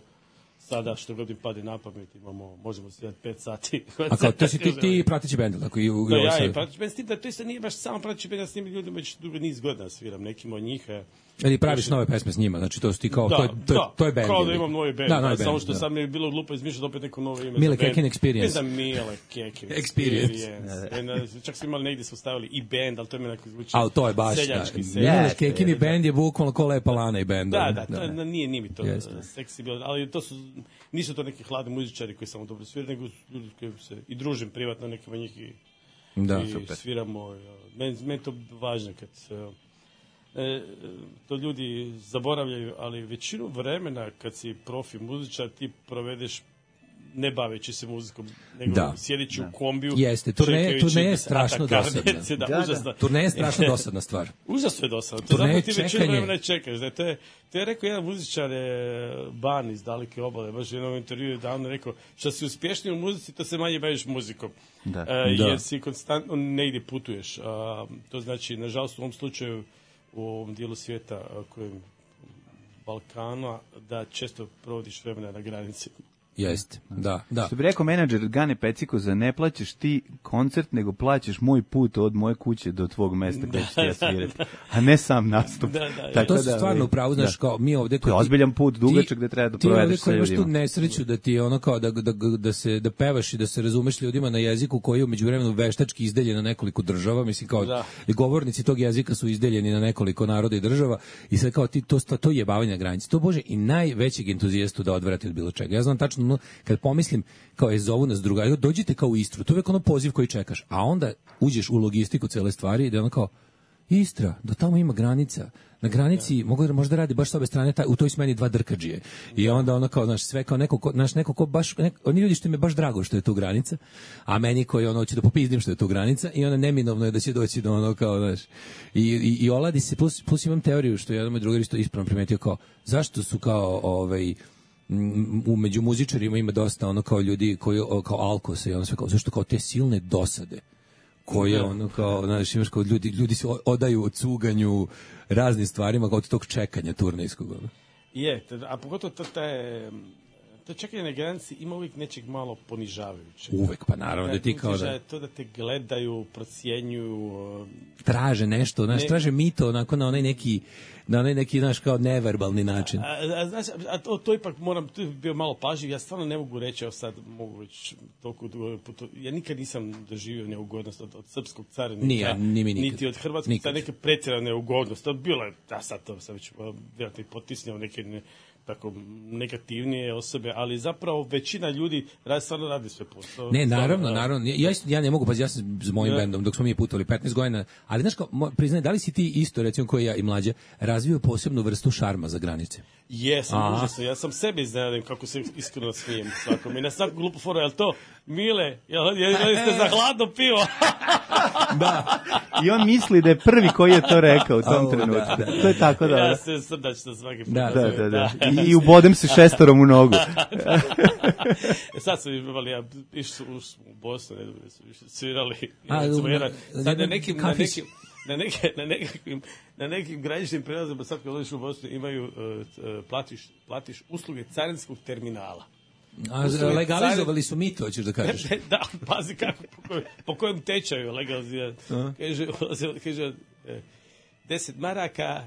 sada što god im pade na pamet, imamo, možemo svirati pet sati. A kao, to si ti, ti pratići bend, tako i u, Da, i ovo ja sad. i pratići bend, s tim da to isto nije baš samo pratići bend, ja s njim ljudima već dugo niz godina sviram, nekim od njih. e, Ili praviš nove pesme s njima, znači to su ti kao, to je, to je, da, to je band. kao da ili? imam novi band, Da, da, novi samo band, što da. sad mi je bilo glupo izmišljati opet neko novo ime. Mile za band. Kekin Experience. Mislim da Mile Kekin Experience. Experience. Čak smo imali negdje su stavili i band, ali to mi nekako zvuči Ali to je baš, seljački. da. seljački. Mile Kekin i band je bukvalno ko Lepa Lana i band. Da, ono. da, to je, na- nije, nije mi to Jeste. uh, seksi bilo, ali to su, nisu to neki hladni muzičari koji samo dobro sviraju, nego su ljudi koji se i družim privatno, nekima njih i, Da, i super. sviramo. uh, Meni, meni to važno kad uh, e, to ljudi zaboravljaju, ali većinu vremena kad si profi muzičar ti provedeš ne baveći se muzikom, nego Da. sjedeći u kombiju. Jeste, turneje- čekajući turneje je da se strašno Atakar dosadna. dece, Da, Da, da. užasno. Turneja je strašno dosadna stvar. Užasno je dosadno. To Turneje, zapravo ti većinu čekanje. vremena čekaš. Da, to, je, to je rekao jedan muzičar, je, Ban iz Daleke obale, baš u jednom intervju davno rekao, što si uspješniji u muzici, to se manje baviš muzikom. Da. E, Da. Jer si konstantno negdje putuješ. A, to znači, nažalost, u ovom slučaju, u ovom dijelu svijeta, a, kojem Balkana, da često provodiš vremena na granici. Jeste, da, da. Što bi rekao menadžer Gane Peciko, za ne plaćaš ti koncert, nego plaćaš moj put od moje kuće do tvog mesta gde ćeš ti ja svirati, a ne sam nastup. Da, da, tako to su da, stvarno upravo, znaš, kao mi ovde... To je ozbiljan put, dugačak gde treba da provedeš sa ljudima. Ti ovde koji imaš tu nesreću da ti ono kao da, da, da, se, da pevaš i da se razumeš ljudima na jeziku koji je u međuvremenu veštački izdeljen na nekoliko država, mislim kao da. I govornici tog jezika su izdeljeni na nekoliko naroda i država i sad kao ti to, to jebavanje na granici. To bože i najvećeg entuzijastu da odvrati od bilo čega. Ja znam tačno no, kad pomislim kao je zovu nas drugari, dođite kao u Istru, to je uvek ono poziv koji čekaš, a onda uđeš u logistiku cele stvari i da ono kao Istra, do tamo ima granica. Na granici ja. mogu možda radi baš s obe strane taj, u toj smeni dva drkadžije. I onda ono kao znaš sve kao neko ko, naš neko ko baš neko, oni ljudi što mi je baš drago što je tu granica, a meni koji ono hoće da popizdim što je tu granica i ona neminovno je da će doći do ono kao znaš. I i, i oladi se plus plus imam teoriju što jedan moj drugar isto ispravno primetio kao zašto su kao ovaj u među muzičarima ima dosta ono kao ljudi koji kao alkose i ono sve kao zašto kao te silne dosade koje ono kao znaš imaš kao ljudi ljudi se odaju od cuganju raznim stvarima kao od tog čekanja turnejskog. Je, a pogotovo to taj to čekanje na granici ima uvijek nečeg malo ponižavajuće. Uvek, pa naravno da ti kao da... To da te gledaju, procjenjuju... Traže nešto, znaš, ne... traže mito onako na onaj neki, na onaj neki, znaš, kao neverbalni način. A, a, znaš, a to, to ipak moram, to je bio malo pažljiv, ja stvarno ne mogu reći, evo sad mogu već toliko dugo, ja nikad nisam doživio neugodnost od, od srpskog carinika, Nije, ni mi niti od hrvatskog, ta neke pretjerane neugodnost, to bilo je, ja sad to sam već vjerojatno potisnio neke... Ne, tako negativnije osobe, ali zapravo većina ljudi radi, stvarno radi sve posao. Ne, naravno, naravno. Ja, ja ne mogu, pa ja sam s mojim ja. bendom, dok smo mi putovali petnaest godina, ali znaš kao, priznaj, da li si ti isto, recimo koji ja i mlađe, razvio posebnu vrstu šarma za granice? Jesam, užasno. Ja sam sebi iznenadim kako se iskreno smijem svakom. I na svaku glupu foru, je li to Mile, jel, jel, jel ste za hladno pivo? Da. I on misli da je prvi koji je to rekao u tom trenutku. Da, da, to je tako da... Ja se srdačno svaki put. Da, da, da, da. I, I ubodem se šestorom u nogu. E sad su imali, ja išli u Bosnu, ne znam, su svirali. A, sad na nekim, na nekim, na neke, na nekim, na nekim graničnim prelazima, sad kad odeš u Bosnu, imaju, uh, platiš, platiš usluge carinskog terminala. A legalizovali su mito, hoćeš da kažeš? Da, pazi kako, po kojem, po kojem tečaju legalizirati. Kaže, kaže, deset maraka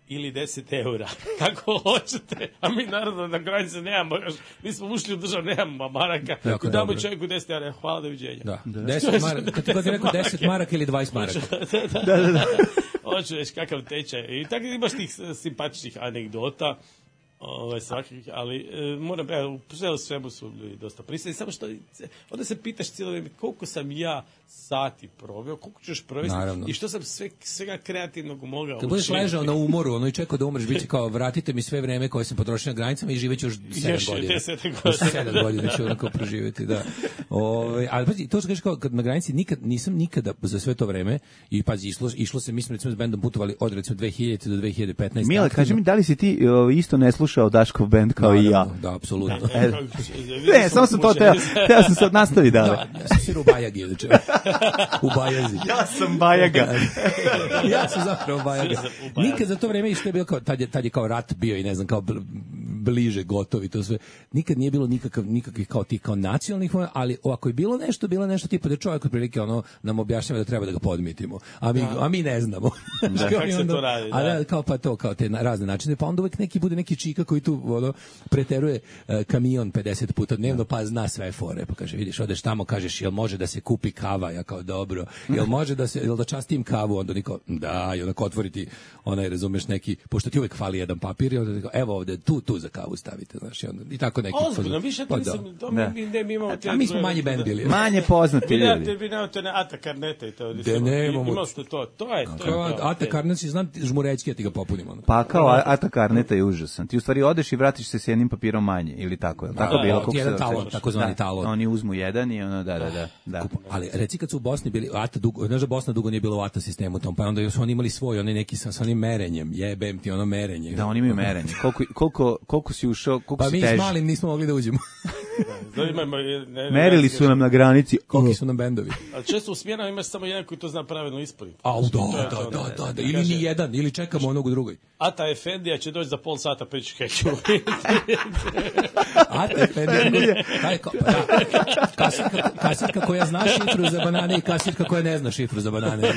ili deset eura. Kako hoćete, a mi naravno na granici nemamo, mi smo ušli u državu, nemamo maraka. Jako damo dobro. Čovjeku deset eura, hvala, doviđenja. Da, da. deset maraka, kad ti god je rekao deset maraka ili dvadeset maraka. Da, da, da. da. Hoću već kakav tečaj. I tako imaš tih simpatičnih anegdota. Ovaj svakih, ali e, moram evo u svemu su ljudi dosta prisutni, samo što onda se pitaš cijelo vrijeme koliko sam ja sati proveo, koliko ćeš provesti i što sam sve svega kreativnog mogao. Kad budeš ležao na umoru, ono i čekao da umreš, biće kao vratite mi sve vreme koje sam potrošio na granicama i živeću još sedam godina. sedam godina ću onako proživjeti, da. Ovaj, ali pazi, to što kažeš kao kad na granici nikad nisam nikada za sve to vreme i pazi išlo išlo se mi smo recimo s bendom putovali od recimo dve hiljadite do dve hiljade petnaeste. Mile, kaži mi da li si ti o, isto ne slušao Daškov bend kao da, i ja? Da, apsolutno. Da, e, ne, samo sam to teo, teo sam se nastavi dalje. Da, ja sam svirao u Bajagi, inače. U Bajazi. Ja sam Bajaga. Ja sam zapravo Bajaga. Nikad za to vreme isto je bilo kao, tad je, tad je kao rat bio i ne znam, kao bliže, gotovi, to sve. Nikad nije bilo nikakav, nikakvih kao tih kao nacionalnih, ali ako je bilo nešto, bilo nešto tipa da čovjek otprilike ono nam objašnjava da treba da ga podmitimo. A mi, a mi ne znamo. Da, kako se to radi, da. A da, kao pa to, kao te razne načine, pa onda uvek neki bude neki čika koji tu ono, preteruje uh, kamion pedeset puta dnevno, pa zna sve fore, pa kaže, vidiš, odeš tamo, kažeš, jel može da se kupi kava, ja kao dobro, jel može da se, jel da častim kavu, onda niko, da, i onako otvoriti onaj, razumeš, neki, pošto ti uvek fali jedan papir, i onda niko, evo ovde, tu, tu za kavu stavite, znaš, i, onda, i tako neki. Ozbiljno, više to nisam, to mi, mi, mi imamo... A mi smo manji bend bili. Manje poznati ljudi. Vi nemate ne Ata Karneta i to. De nemamo. Imali ste to, to je to. Ata Karnet si znam žmurećki, ja ti ga popunim. Pa kao Ata Karneta je užasan. Ti u stvari odeš i vratiš se s jednim papirom manje, ili tako, je li tako bilo? Jedan talon, takozvani talon. Oni uzmu jedan i ono, da, da, da. da. Ali reci kad su u Bosni bili, Ata dugo, znaš da Bosna dugo nije bilo u Ata sistemu tom, pa onda su oni imali svoj, oni neki sa, sa onim merenjem, jebem ti ono merenje. Da, oni imaju merenje. Koliko, koliko, koliko si ušao, koliko pa si teži? Pa mi s malim nismo mogli da uđemo. Merili su nam na granici. Koliki su nam bendovi. A često u smjenama imaš samo jedan koji to zna pravilno ispuniti. A, da, da, da, da, da, ili ni jedan, ili čekamo onog u drugoj. Ata Efendija će doći za pol sata pa će heću. Ata Efendija, kasetka, kasetka koja zna šifru za banane i kasetka koja ne zna šifru za banane.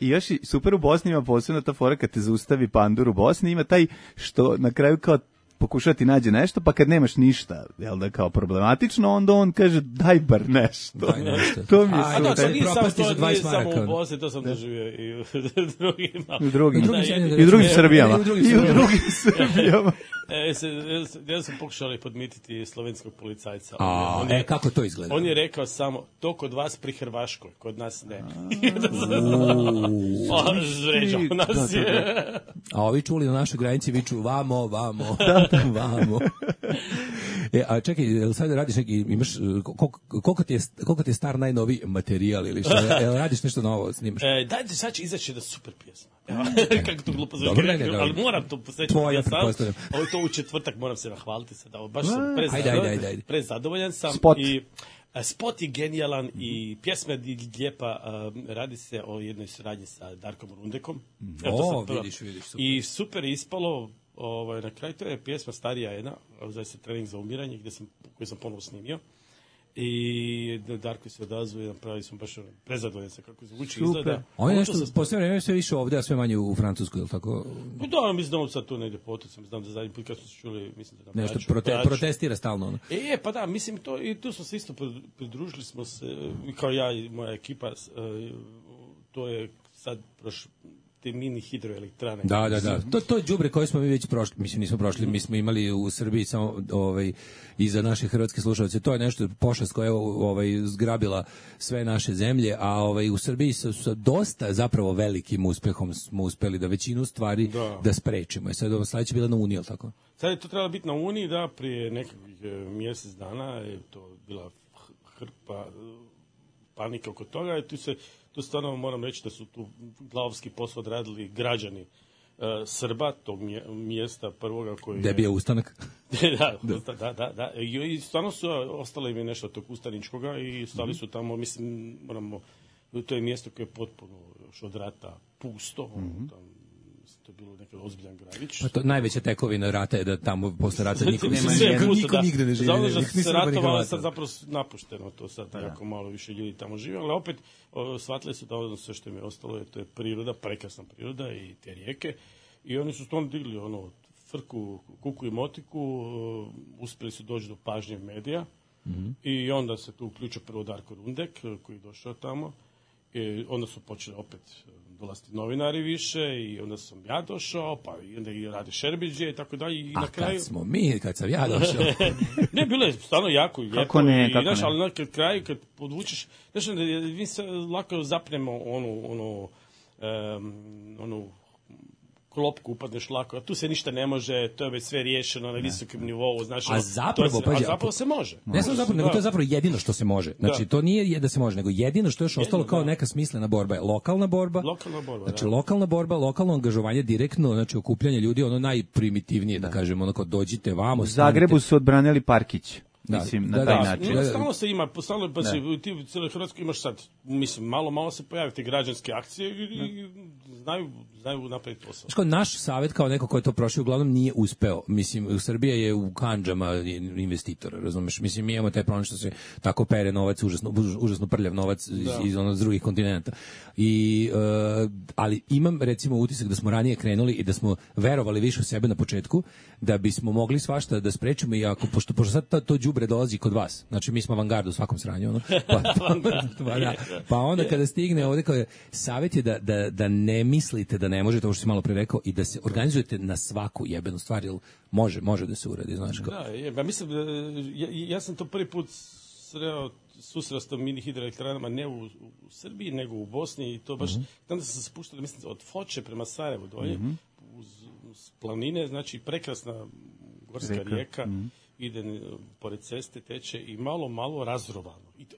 I još i super u Bosni ima posebno ta fora kad te zaustavi pandur u Bosni, ima taj što na kraju kao pokušati nađe nešto, pa kad nemaš ništa, jel da, kao problematično, onda on kaže daj bar nešto. Daj nešto. To mi je a, super. to nije samo, to nije samo u Bosni, to sam doživio i u drugima. I u drugim, I u drugim, I u drugim Srbijama. I u drugim I u drugim Srbijama. E, se, ja sam pokušali podmititi slovenskog policajca. A, on je, e, kako to izgleda? On je rekao samo, to kod vas pri Hrvaškoj, kod nas ne. Zređao nas je. A ovi čuli na našoj granici viču vamo, vamo, vamo. E, a čekaj, jel sad radiš neki, imaš, koliko, koliko, ti je, koliko ti je star najnoviji materijal ili što? Jel radiš nešto novo, snimaš? E, dajte, sad će izaći da super pjesma. Evo, kako to glupo zove. Dobro, ne, ne, ali moram to posjećati. Tvoja, sam. pretpostavljam. Ovo je to u četvrtak, moram se nahvaliti sad. Ovo, baš sam ajde, ajde, ajde, ajde. prezadovoljan sam. Spot. I, a, spot je genijalan i pjesma je lijepa. A, radi se o jednoj suradnji sa Darkom Rundekom. O, vidiš, vidiš, super. I super je ispalo. Ovaj, na kraju to je pjesma starija jedna, zove se Trening za umiranje, gdje sam, koju sam ponovo snimio. I Darko se odazvuje, napravili smo baš prezadovoljan sa kako zvuči izgleda. On je nešto, posljedno vreme sve više ovdje, a sve manje u Francuskoj, je li tako? Pa da, mislim da on sad tu negdje potocem, znam da zadnji put kad smo se čuli, mislim da... Nešto prote, protestira stalno. Ono. E, pa da, mislim to, i tu smo se isto pridružili smo se, kao ja i moja ekipa, to je sad prošlo, te mini hidroelektrane. Da, da, da. To to je đubre koje smo mi već prošli, mislim nismo prošli, mi smo imali u Srbiji samo ovaj i za naše hrvatske slušaoce. To je nešto pošast koja je ovaj zgrabila sve naše zemlje, a ovaj u Srbiji sa, sa dosta zapravo velikim uspehom smo uspeli da većinu stvari da, da sprečimo. Sad ovo sledeće bila na Uniji, al tako? Sad je to trebalo biti na Uniji, da, prije nekakvih mjesec dana je to bila hrpa panike oko toga i tu se tu stvarno moram reći da su tu glavski posao odradili građani uh, Srba, tog mjesta prvoga koji je... bio ustanak. da, da, da, da, da. I, i stvarno su, ostalo im je nešto tog ustaničkoga i stali su tamo, mislim, moramo, to je mjesto koje je potpuno još od rata pusto, mm-hmm. tam, to je bilo neki ozbiljan gradić. Pa to najveća tekovina rata je da tamo posle rata niko, niko, niko, niko nigde ne živi. Zato što se ratovalo sad zapravo napušteno to sad, da. Jako malo više ljudi tamo živi, ali opet o, shvatili su da ono sve što im je ostalo je, to je priroda, prekrasna priroda i te rijeke i oni su stvarno digli ono, frku, kuku i motiku, uh, uspjeli su doći do pažnje medija mm-hmm. i onda se tu uključio prvo Darko Rundek koji je došao tamo i onda su počeli opet dolaziti novinari više i onda sam ja došao, pa i onda i Rade Šerbeđije i tako dalje. I a na kraju... kad smo mi, kad sam ja došao? Ne, bilo je stvarno jako i lijepo. Kako ne, i, kako znaš, ne. ali na kraju kad podvučeš, znaš, mi se lako zapnemo onu, onu, um, onu klopku upadneš lako, a tu se ništa ne može, to je već sve riješeno na visokom nivou, znači, a zapravo, se, a zapravo se može. Ne samo zapravo, nego to je zapravo jedino što se može. Znači, da. To nije da se može, nego jedino što je još ostalo kao neka smislena borba je lokalna borba. Lokalna borba, znači, da. lokalna borba, lokalno angažovanje direktno, znači okupljanje ljudi, ono najprimitivnije, da, da kažemo, ono kao dođite vamo. U Zagrebu su odbranili Parkić. Da, mislim, da, na taj da, način. Da, stalno se ima, stalno, pa se, ti u cijeloj Hrvatskoj imaš sad, mislim, malo, malo se pojaviti građanske akcije i, i znaju, znaju napraviti posao. Znači, naš savjet kao neko ko je to prošao, uglavnom nije uspeo. Mislim, Srbija je u kandžama investitora, razumeš? Mislim, mi imamo taj problem što se tako pere novac, užasno, užasno prljav novac iz, iz ono drugih kontinenta. I, uh, ali imam, recimo, utisak da smo ranije krenuli i da smo verovali više u sebe na početku, da bismo mogli svašta da sprečimo i ako, pošto, pošto sad to, to đubre dolazi kod vas. Znači, mi smo avangarda u svakom sranju. Ono. Pa, pa, da. Pa onda kada stigne ovdje, kao je, savjet je da, da, da ne mislite da ne možete, ovo što si malo pre rekao, i da se organizujete na svaku jebenu stvar, jer može, može da se uradi, znaš kao. Da, je, ba, mislim, ja, ja sam to prvi put sreo, susreo s tom mini hidroelektranama ne u, u Srbiji, nego u Bosni i to baš, mm-hmm. tamo sam se spuštao, mislim, od Foče prema Sarajevu dolje, mm-hmm. uz, uz planine, znači prekrasna gorska rijeka, rijeka mm-hmm. ide pored ceste, teče i malo, malo razrovano. I, to,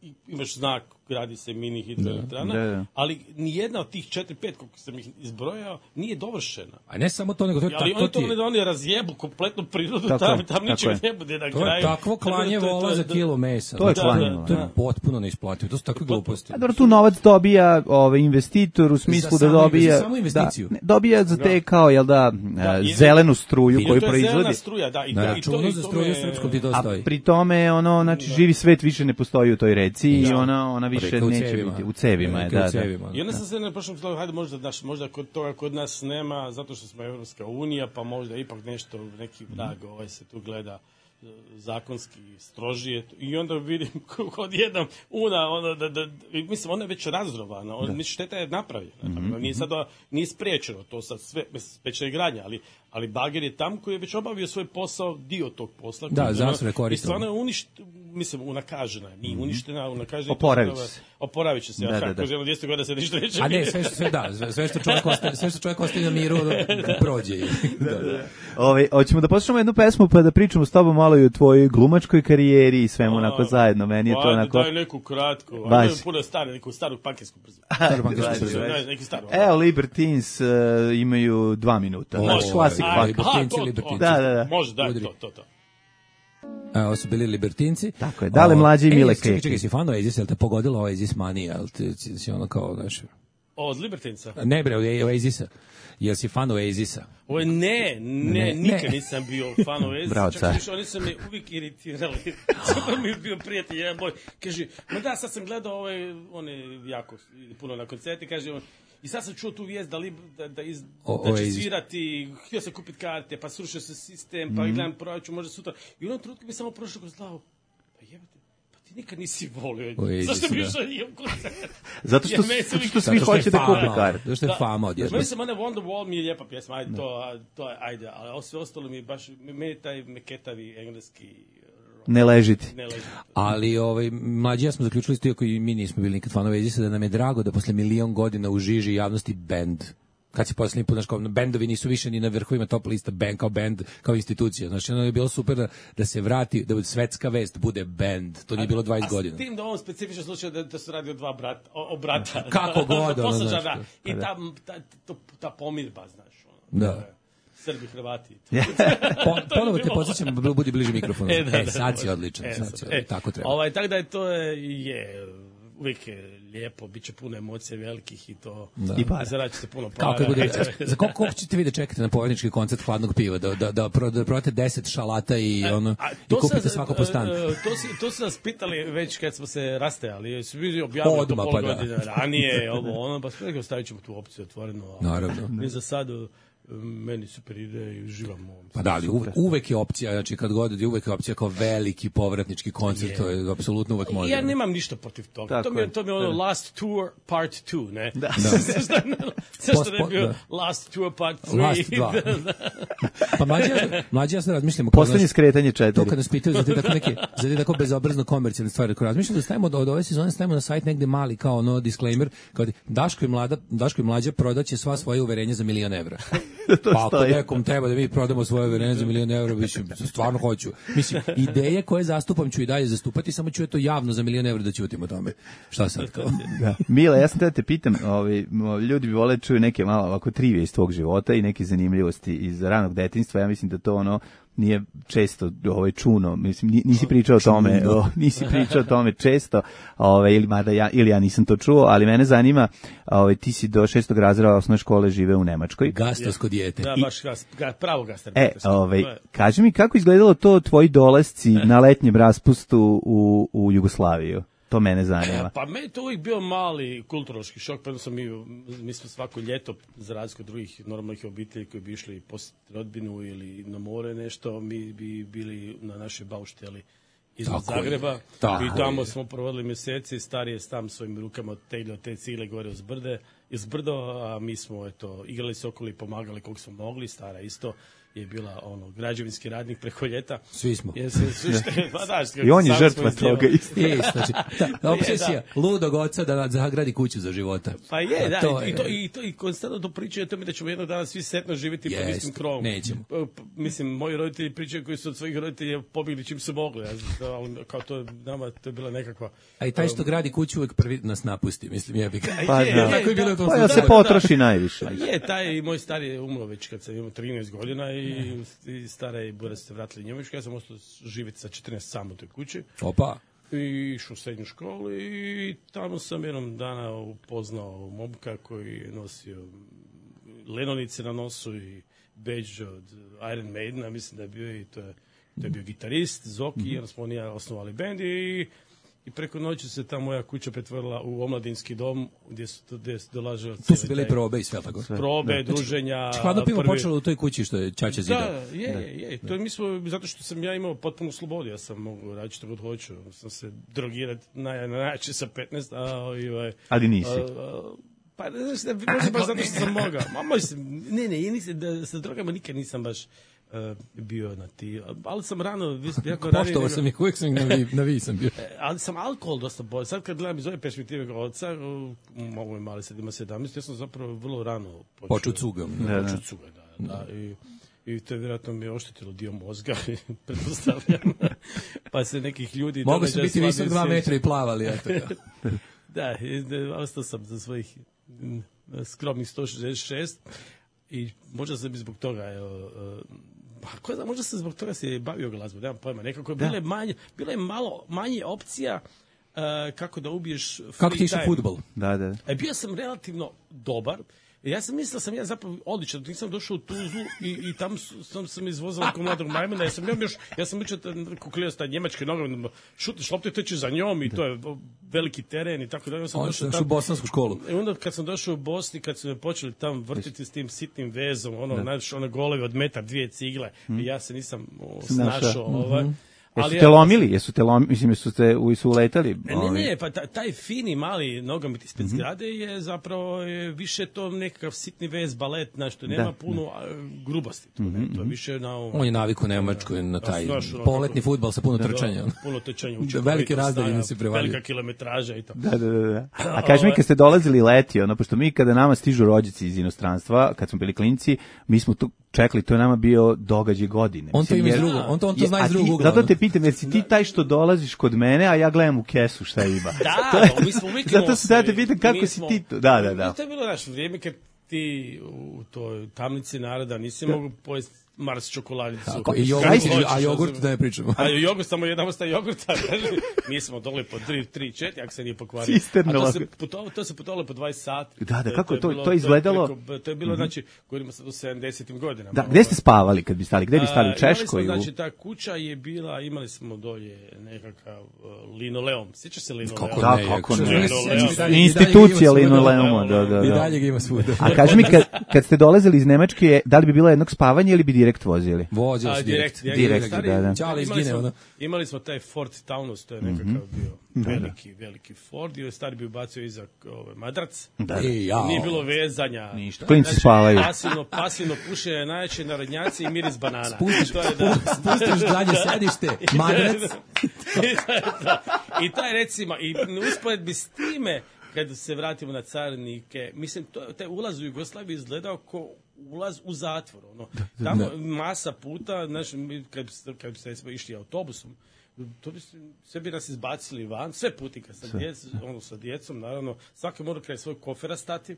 i imaš znak gradi se mini hidroelektrana, Da, da. ali nijedna od tih četiri pet koliko sam ih izbrojao nije dovršena. A ne samo to, nego to je Ali tako oni ti to je. ne da oni razjebu kompletnu prirodu, Tako tam, je, tam tako ničega je. ne bude na To je kraju. takvo klanje Tako da to je- vola to je- za kilo mesa. To je Da, klanje da, vola, To je da. potpuno neisplativo. To su takve gluposti. A dobro, tu novac dobija ovaj investitor u smislu Za da samu- dobija za samu investiciju. Da, ne, dobija za te kao jel da, Da, e, i- zelenu struju I koju to je proizvodi. zelena struja, da, i, Na da, i to, računu i za to struju me- srpskom ti to A stoji. pri tome ono znači živi svet više ne postoji u toj reci i Da. ona ona više Reka u neće cevima. biti u cevima je, Reka u da, da. cevima. I onda sam se na prošlom slovu, hajde možda, naš, možda kod toga kod nas nema, zato što smo Evropska unija, pa možda ipak nešto, neki vrag ovaj se tu gleda e, zakonski strožije i onda vidim kod jednom una ona da, da, i mislim ona je već razrovana, on, mislim šteta je napravljena, mm-hmm. nije sad nije spriječeno to sad sve spriječena je gradnja, ali ali bager je tam koji je već obavio svoj posao, dio tog posla. Da, koji- zasve I koristio. stvarno je uništ, mislim unakažena, je, nije uništena, unakažena. je to Oporavit zapravo- će se. Oporavit će se, Da, ja da, kako da. želim dvjesto godina se ništa neće A ne, biti. sve što sve da, sve- sve što čovjek ostaje, sve što čovjek ostaje na miru da prođe. Da, da. Ovaj hoćemo da poslušamo jednu pesmu pa da pričamo s tobom malo i o tvojoj glumačkoj karijeri i svemu onako zajedno. Meni je to Ajde, onako. daj neku kratku, Baš. ajde puno stare, neku staru pankijsku brzu. Staro bankarsko Ajde, brzo. ajde. Daj, neki staru. Evo Libertines uh, imaju dva minuta. O, Znači klasik a, punk. Libertinci, to, to. Libertinci. Da, da, da. Može, daj, Udri. to, to, to. A, ovo su bili Libertinci. Tako je, Dale Mlađe i E, Mile čekaj, Keki. čekaj, si fan Oasis, jel te pogodilo Oasis manija, jel ti si, si ono kao, znaš, Od Libertinca. ne bre, Oasisa, jel si fan Oasisa? Ovo je ne, ne, Ne, nikad ne. nisam bio fan Oasis. Bravo, Čak car. više, oni su me uvijek iritirali. Super mi je bio prijatelj, jedan boj. Kaže, ma da, sad sam gledao ove, one jako puno na koncerti, kaže on, i sad sam čuo tu vijest da, li, da, da, iz, O- da će Oasis. svirati, htio sam kupiti karte, pa srušio se sistem, Mhm. pa gledam proračun, možda sutra. I u jednom trenutku mi samo prošlo kroz glavu, pa jebate, pa ti nikad nisi volio. Oasis, Zašto bi da. išao i u koncert? Zato što, Jer meni se zato uvijek- što svi Zato što je hoće da kupe fama, karte. zato što je fama odjedno. Mislim, ona Wonderwall mi je lijepa pjesma, ajde, to, to je, ajde, ali ovo sve ostalo mi je baš, meni je taj meketavi engleski Ne ležiti. ne leži. Ali ovaj mlađi ja smo zaključili isto iako i mi nismo bili nikad fanovi Oasisa da nam je drago da posle milion godina u žiži javnosti bend. Kad se poslednji put, znaš, kao, bendovi nisu više ni na vrhovima top lista, band kao band, kao institucija. Znači, ono je bilo super da, da se vrati, da bude svetska vest, bude band. To nije bilo dvadeset A godina. s tim da u ovom specifičnom slučaju da, da se radi o dva brata, o, o brata. Kako god, ono, Poslušaj, znaš, da. to. I ta, ta, to, ta pomirba, znaš. Ono, Da. Srbi, Hrvati. Po, ponovo te podsjećam, budi bliže mikrofonu. E, E, da, da, sad si može. odličan, E, sad sad, si e, odličan, tako treba. Ovaj, tako da je to je, je uvijek je lijepo, bit će puno emocija velikih i to. Da. I para. Zaradit ćete puno para. Kao kad bude, za koliko, koliko ćete vi da čekate na povednički koncert hladnog piva, da, da, da, pro, da prodate deset šalata i, ono, A, i to kupite sam- svako po stan? e, To su, to su nas pitali već kad smo se rastajali. Su bili objavili to Odmah, pol pa da. godine ranije, ovo, ono, pa sve ostavit ćemo tu opciju otvoreno. a Naravno. Mi za sad, e, meni super ide i uživam u ovom. Pa da, ali uvek, uvek je opcija, znači kad god je uvek je opcija kao veliki povratnički koncert, to je apsolutno uvek može. Ja nemam ništa protiv toga. Tako To mi je, je. to mi je ono last tour part two, ne? Da. Zašto ne, zašto ne Post- bio da. last tour part three? Last dva. Da, da. Pa mlađi, ja- mlađi ja sad razmišljamo kao, Poslednje znaš, skretanje to četiri. kad nas pitaju za te tako neke, za te tako bezobrazno komercijalne stvari, ko razmišljam da stavimo od, od ove sezone stavimo na sajt negde mali kao ono disclaimer, kao Daško i mlada, Daško i mlađa prodaće sva svoje uverenja za milion evra. Pa ako stoji. nekom treba da mi prodamo svoje uverenje za milion evra, mislim, stvarno hoću. Mislim, ideje koje zastupam ću i dalje zastupati, samo ću je to javno za milion evra da ćutim o tome. Šta sad kao? Da. Mila, ja sam te da te pitam, ovaj, mo- ljudi bi vole da čuju neke malo ovako trivije iz tvog života i neke zanimljivosti iz ranog detinjstva. Ja mislim da to ono nije često ovaj čuno, mislim ni- nisi pričao o tome, o, nisi pričao o tome često, ovaj ili mada ja ili ja nisam to čuo, ali mene zanima, ovaj ti si do šestog razreda osnovne škole žive u Nemačkoj. Gastosko dijete. Da, baš gas, ga, pravo E, gastarbetersko. ovaj, To je- kaži mi kako izgledalo to tvoji dolasci na letnjem raspustu u, u Jugoslaviju? To mene zanima. Pa meni je to uvijek bio mali kulturološki šok, pa smo mi, mi smo svako ljeto, za razliku od drugih normalnih obitelji koji bi išli posjetiti rodbinu ili na more nešto, mi bi bili na našoj baušteli iznad Tako je, Zagreba tako i tamo je. smo provodili mjeseci, starije sam svojim rukama teglio te cigle gore uz brde iz brdo, a mi smo eto, igrali se okolo i pomagali koliko smo mogli, stara isto je bila ono građevinski radnik preko ljeta. Svi smo. Jer se, su šte, pa da, što, I on je žrtva toga isto. Je, znači, ta obsesija ludog oca da zagradi kuću za života. Pa je, da, to i, je. to, i, to, i konstantno to pričaju o tome da ćemo jednog dana svi setno živjeti pod Jest, istim krovom. nećemo. Mislim, moji roditelji pričaju koji su od svojih roditelja pobjegli čim su mogli. Ja, znam, kao to, nama, to je bila nekakva... A i taj što gradi kuću uvek prvi nas napusti, mislim, jebi ga. Pa je, da. je, Tako je bilo u tom Pa ja slučaju. se potroši najviše. Pa je, taj moj stari je umro već kad sam imao trinaest godina i, i stara i Bura se vratili Njemačku. Ja sam ostao živjeti sa četrnaest sam u toj kući. Opa. I išao u srednju školu i tamo sam jednom dana upoznao momka koji je nosio lenonice na nosu i badge od Iron Maidena, mislim da je bio i to je, to je bio gitarist, Zoki, mm-hmm. jer smo oni osnovali bend i I preko noći se ta moja kuća pretvorila u omladinski dom gdje su, gdje su dolažili tu su bile probe i sve tako. Probe, da. druženja. Hladno pivo prvi... počelo u toj kući što je Čača zidao. Da, je, je, je. To je, mi smo, zato što sam ja imao potpunu slobodu, ja sam mogu raditi što god hoću. Sam se drogirati na najjače sa petnaest, a ovaj... Ali nisi. A, a, pa ne znaš, ne, možda baš zato što sam mogao. Ma možda, ne, ne, nisam, da, sa drogama nikad nisam baš Uh, bio na ti, ali sam rano jako poštovao sam ih, uvijek sam na vi, na vi sam bio. Ali sam alkohol dosta bolj. Sad kad gledam iz ove perspektive kao oca, ovo je mali sad ima sedamnaest, ja sam zapravo vrlo rano počeo cugam. Počeo cugam, da. da, da. I, I to je vjerojatno mi je oštetilo dio mozga, pretpostavljam. Pa se nekih ljudi... Mogu se biti visok dva metra i plavali, eto ga. Da, ostao sam za svojih skromnih sto šezdeset šest i možda sam i zbog toga, evo, pa ko zna, možda sam zbog toga se bavio glazbom, nemam pojma, nekako je bilo je manje, bilo je malo manje opcija uh, kako da ubiješ free time. Kako ti išao fudbal? Da, da. E, bio sam relativno dobar. Ja sam mislio sam ja zapravo odličan, nisam došao u Tuzlu i, i tam sam sam izvozao kao mladog majmuna, ja sam ja još ja sam učio kuklio sta njemačke nogomet, šutiš loptu i teče za njom i to je veliki teren i tako dalje. Ja sam on došao tamo u bosansku školu. I onda kad sam došao u Bosni, kad su me počeli tam vrtiti s tim sitnim vezom, ono znaš, one golove od metar, dvije cigle, mm. i ja se nisam o, snašao, ovaj. Mm-hmm. Jesu te lomili? Jesu te lomili? Mislim, jesu te su uletali? Ne, ne, pa taj fini mali nogomet ispred mm-hmm. zgrade je zapravo je više to nekakav sitni vez, balet, znaš, to nema da, puno da. grubosti. To, mm-hmm. ne, to je više na... On je naviku Nemačkoj na taj poletni fudbal sa puno trčanja. Puno trčanja. Velike razdaljine se prevalio. Velika kilometraža i to. Da, da, da. A kaži mi, kad ste dolazili leti, ono, pošto mi kada nama stižu rođaci iz inostranstva, kad smo bili klinci, mi smo tu čekali, to je nama bio događaj godine. On to ima iz drugog, on to, on to zna iz drugog ugla. Zato te pitam, jer si ti taj što dolaziš kod mene, a ja gledam u kesu šta ima. Da, mi smo uvijek zato se da te pitam kako si ti to. Da, da, da. To je bilo naše vrijeme kad ti u toj tamnici naroda nisi mogu pojesti Mars čokoladicu. Tako, i jogurt, a jogurt da ne pričamo. A jogurt, samo jedna vrsta jogurta. Mi smo doli po tri četiri, ako se nije pokvario. A to se putovalo, to se putovalo po dvadeset sati. Da, da, kako to, to, to izgledalo? To je, preko, to je bilo, znači, govorimo sad o sedamdesetim godinama. Da, gde ste spavali kad bi stali? Gde bi stali u Češkoj? Znači, ta kuća je bila, imali smo dolje nekakav uh, linoleum. Sjećaš se linoleum? Kako da, kako ne. Institucija linoleuma, da, da. I dalje ga ima svuda. A kaži mi, kad, kad ste dolazili iz Nemačke, da li bi bilo jednog spavanja ili bi direkt vozili? Vozili su direkt. Direkt, direkt, stari, da, da. Čale imali, izgine, smo, imali smo taj Ford Taunus, to je nekakav bio veliki, veliki Ford, i stari bi ubacio iza ovaj, madrac. Da. I, jao. Nije bilo vezanja. Ništa. Klinci znači, spavaju. Pasivno, pasivno pušenje, najjače narodnjaci i miris banana. Spustiš, to je, da. Spustiš dalje sedište, madrac. I taj recimo, i usporedbi s time, kad se vratimo na carinike, mislim, to, taj ulaz u Jugoslaviju izgledao kao ulaz u zatvor. Ono. Tamo da. Masa puta, znaš, kad, kad ste išli autobusom, to bi se, sve bi nas izbacili van, sve putika sa, djec, ono, sa djecom, naravno, svaki mora kraj svoj kofera stati,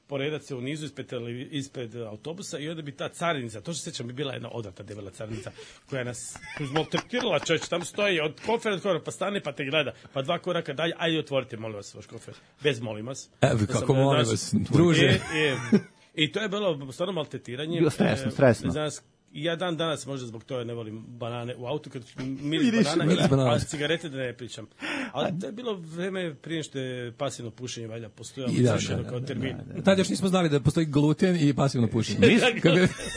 poredat se u nizu ispred, ispred autobusa i onda bi ta carinica, to što se sjećam, bi bila jedna odrata debela carinica koja nas maltretirala, čovječ, tam stoji od kofera do kofera, pa stane pa te gleda, pa dva koraka dalje, ajde otvorite, molim vas, vaš kofer, bez molim vas. Evo, kako molim vas, druže. I, i, I to je bilo stvarno maltretiranje. Bilo stresno, stresno. Znaš, ja dan danas možda zbog toga ne volim banane u autu, kad miris banana, banana, a cigarete da ne pričam. Ali to je bilo vreme prije što je pasivno pušenje valjda postojalo da, da, da, kao termin. Da, da, da. Tad još nismo znali da postoji gluten i pasivno pušenje. Mi,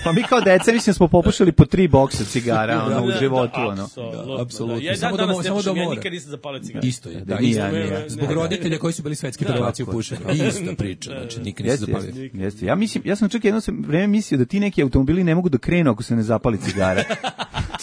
pa mi kao deca, mislim, smo popušili po tri boksa cigara ono, u životu. Ono. Da, apsolutno. Ja samo danas ne pušem, ja nikad nisam zapalio cigaret. Isto je, da, isto je. Zbog roditelja koji su bili svetski prvaci u pušenju. Ista priča, znači nikad nisam zapalio. Jeste, ja mislim, ja sam čak jedno vreme mislio da ti neki automobili ne mogu da krenu ako se ne zapali cigara.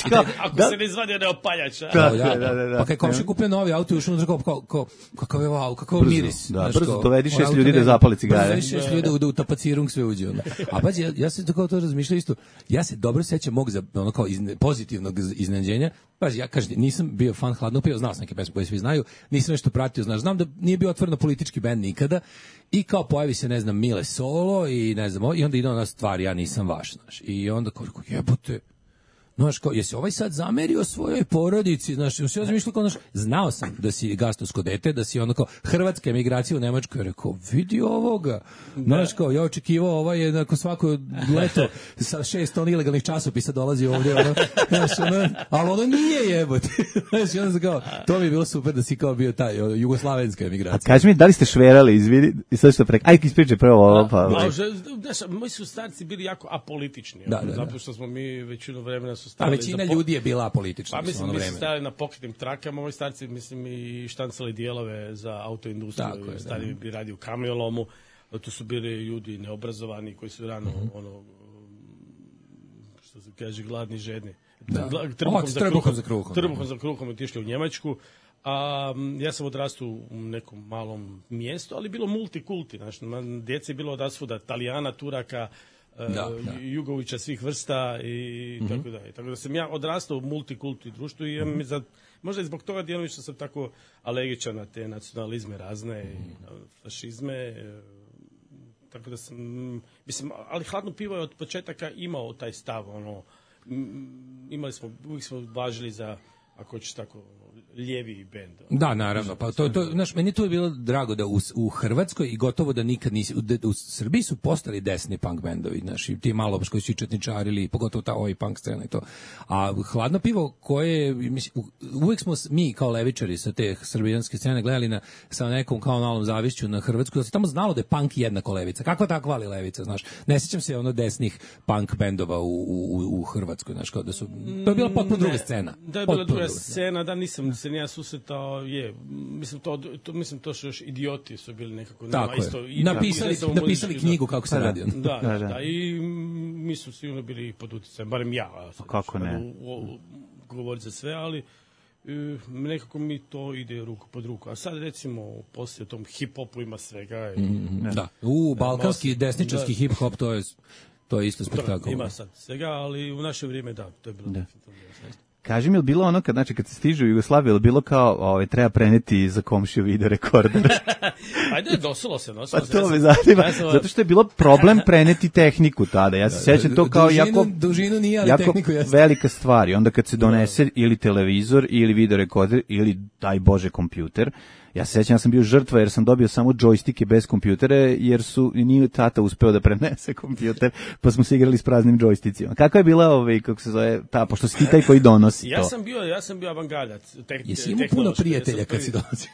Kao, ako da, se ne izvadi od opaljača. Da, da, da, da, da. Pa kaj komši kupio novi auto i ušao unutra kao, kao, kao, kakav je wow, kakav brzo, miris. Da, brzo to dovedi šest ljudi da zapali cigare. Brzo šest ljudi da u tapacirung sve uđe. Onda. A pazi, ja, ja se tako to razmišljao isto, ja se dobro sećam mog za, ono kao izne, pozitivnog iznenađenja. Pazi, ja kažem, nisam bio fan Hladnog piva, znao sam neke pesme koje svi znaju, nisam nešto pratio, znaš, znam da nije bio otvoreno politički bend nikada i kao pojavi se, ne znam, Mile Solo i ne znam, i onda ide ona stvar, ja nisam vaš, znaš, i onda kao, jebote, znaš, kao, jesi ovaj sad zamerio svojoj porodici, znaš, ja sam razmišljao kao, znaš, znao sam da si gastosko dete, da si ono kao, hrvatska emigracija u Nemačkoj, rekao, vidi ovoga, znaš, kao, ja očekivao, ovaj je, nakon svako leto, sa šest ton ilegalnih časopisa dolazi ovdje, ono, znaš, ono, ali ono nije jebote, znaš, i onda sam kao, to mi je bilo super da si kao bio taj, ono, jugoslavenska emigracija. A kaži mi, da li ste šverali, izvini, i sad što prek, ajde ispričaj prvo ovo, pa. Znaš, moji su starci bili jako apolitični, da, da, zato što smo mi većinu vremena su a većina po... ljudi je bila apolitična. Pa mislim, mi smo stali na pokretnim trakama, moji starci, mislim, i štancali dijelove za autoindustriju, stari bi radio u kamiolomu, tu su bili ljudi neobrazovani koji su rano, mm-hmm. ono, što se kaže, gladni, žedni. Da. Trbuhom, o, za trbuhom za kruhom. Trbuhom za kruhom otišli u Njemačku. A, ja sam odrastao u nekom malom mjestu, ali bilo multikulti. Znači, djece je bilo odasvuda, Talijana, Turaka, Da, da. Jugovića svih vrsta i mm-hmm. tako da. Tako da sam ja odrastao u multikulti društvu i mm-hmm. za, možda i zbog toga djelomično sam tako alergičan na te nacionalizme razne, mm-hmm. na fašizme. E, tako da sam, mislim, ali Hladno pivo je od početaka imao taj stav, ono, m, imali smo, uvijek smo važili za, ako hoćeš tako, lijevi bend. Da, naravno. Pa to to znaš, meni to je bilo drago da u, u Hrvatskoj i gotovo da nikad nisi u, u Srbiji su postali desni punk bendovi, znači ti malo koji su četničarili, pogotovo ta ovaj punk scena i to. A Hladno pivo koje mislim uvek smo mi kao levičari sa te srbijanske scene gledali na sa nekom kao malom zavišću na Hrvatsku, da se tamo znalo da je punk jednako levica. Kakva takva ali levica, znaš. Ne sećam se ono desnih punk bendova u u u Hrvatskoj, znaš, kao da su to je bila potpuno druga scena. Da je bila druga scena, da nisam se ja susretao, je, mislim to, to mislim to što još idioti su bili nekako nema isto i napisali da, napisali knjigu kako se radi. Da, da, da, i mi smo sigurno bili pod utjecajem, barem ja. Kako ne? Govorim za sve, ali e, nekako mi to ide ruku pod ruku. A sad recimo poslije tom hip-hopu ima svega. I, mm, da. U, balkanski desničarski da, hip-hop, to je to je isto spektakl. Ima sad svega, ali u naše vrijeme da, to je bilo da. Kaži mi, je li bilo ono kad, znači, kad se stižu u Jugoslaviju, je li bilo kao, ovaj, treba preneti za komšiju video rekorder? Ajde, dosilo se, nosilo se. Pa to me zanima, zato što je bilo problem preneti tehniku tada. Ja se sjećam to kao dužinu, jako, dužinu nije, ali jako tehniku jeste. Velika stvar. I onda kad se donese ili televizor, ili video rekorder, ili, daj Bože, kompjuter, ja se sjećam, ja sam bio žrtva jer sam dobio samo džojstike bez kompjutera, jer su nije tata uspeo da prenese kompjuter, pa smo se igrali s praznim džojsticima. Kako je bila, ovaj, kako se zove, ta, pošto si ti taj koji donosi ja to? Sam bio, ja sam bio avangardac. Te, Jesi imao puno prijatelja kad si dolazio?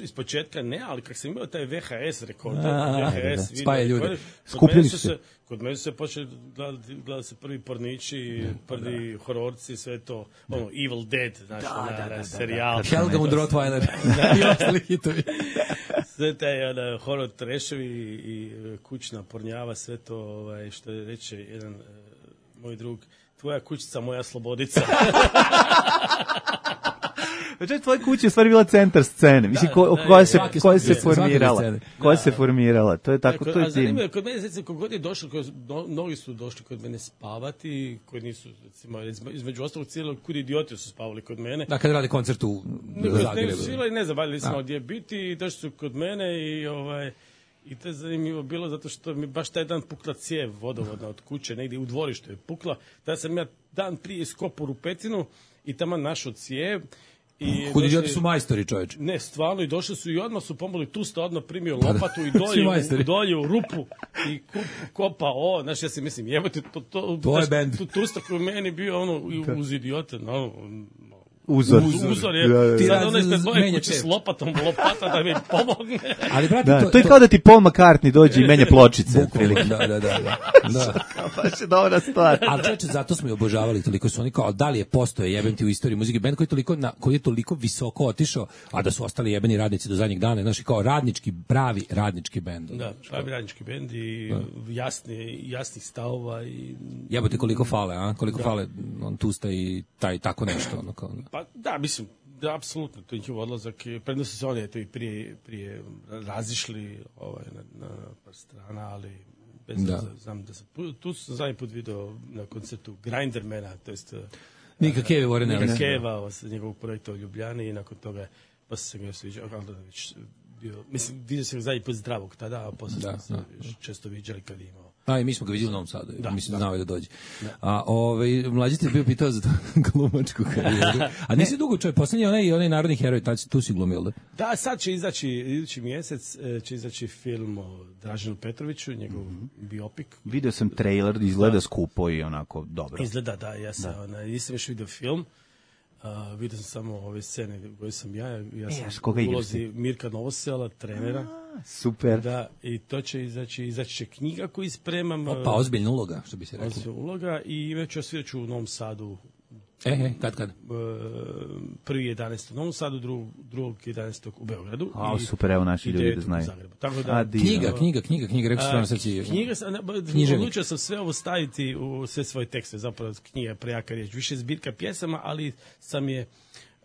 Iz početka ne, ali kad sam imao taj V H S rekorder, V H S video spaje ljude. Skupljeni su se. Kod mene se počeli gledati gleda se prvi pornići, prvi da. hororci, sve to, ono, Evil Dead, znači, da, na, da, da, serijal. Helga und Rottweiler i ostali hitovi. Sve taj ono, horor treševi i kućna pornjava, sve to, ovaj, što je reče jedan uh, moj drug, tvoja kućica, moja slobodica. Znači, tvoja kuća je stvari bila centar scene. Mislim, ko, koja se, koja se formirala. Koja se formirala. To je tako, to je tim. Kod mene, recimo, kod god je došlo, mnogi su došli kod mene spavati, koji nisu, recimo, između ostalog cijelog, kud idioti su spavali kod mene. Da, kad radi koncert u Zagrebu. Ne, ne znam, valjali smo gdje biti, došli su kod mene i, ovaj, i to je zanimljivo bilo, zato što mi baš taj dan pukla cijev vodovodna od kuće, negdje u dvorištu je pukla. Tada sam ja dan prije iskopao rupecinu i tamo našao cijev. I Hudi idioti su majstori, čoveče. Ne, stvarno, i došli su i odmah su pomogli, tu sta odmah primio lopatu i dolje, dolje u rupu i kup, kopa, o, znaš, ja si mislim, jebote, to, to, to je bend. Tu, tu sta koji meni bio ono, uz idiote, no, Uzor. Uzor, uzor je. Da, da, da. Sad ono ispred moje kuće s lopatom, lopata da mi pomogne. Ali, brate, da, to, to je kao da ti Paul McCartney dođe i menja pločice. Da, da, da. da. da. Baš je dobra stvar. Ali čeče, zato smo i obožavali toliko su oni kao, da li je postoje jebem ti u istoriji muzike bend koji je toliko, na, koji je toliko visoko otišao, a da su ostali jebeni radnici do zadnjih dana, znači kao radnički, pravi radnički bend. Da, pravi radnički bend i da. jasni, jasnih stavova. I... Jebote koliko fale, a? Koliko da. fale on tusta i taj, tako nešto. Ono kao, pa da, mislim, da, apsolutno, to je njihov odlazak. Predno su se oni eto, i prije, prije razišli ovaj, na, na par strana, ali bez da. znam da sam, tu sam zadnji put video na koncertu Grindermana, to jest Nika Keve Vorene. Nika Keva, sa njegovog projekta u Ljubljani i nakon toga pa se ga sviđao, ali da već bio, mislim, vidio sam ga zadnji put zdravog tada, a posle da, smo se često viđali kad je imao. A i mi smo ga vidjeli u Novom Sadu, da, mislim da znao je da dođe. Da. A ovaj mlađi ti je bio pitao za glumačku karijeru. A nisi dugo čovjek, poslednji onaj onaj narodni heroj, tad tu si glumio, da? Da, sad će izaći idući mjesec će izaći film o Draženu Petroviću, njegov mm-hmm. biopik. Video sam trailer, izgleda da. skupo i onako dobro. Izgleda da, ja sam, da. Ona, nisam još vidio film. Uh, vidio sam samo ove scene koje sam ja, ja sam e, ulozi Mirka Novosela, trenera. A, super. Da, i to će izaći, izaći će knjiga koju spremam. Opa, ozbiljna uloga, što bi se reklo. Ozbiljna uloga i već osviraću u Novom Sadu. E, e, kad, kad? Prvi jedanaestog u Novom Sadu, drugog, drugog jedanaestog u Beogradu. A, super, evo naši ljudi da znaju. Tako da, A, knjiga, knjiga, knjiga, knjiga, rekao sam sad si... Knjiga, odlučio sam sve ovo staviti u sve svoje tekste, zapravo knjiga prejaka riječ. Više zbirka pjesama, ali sam je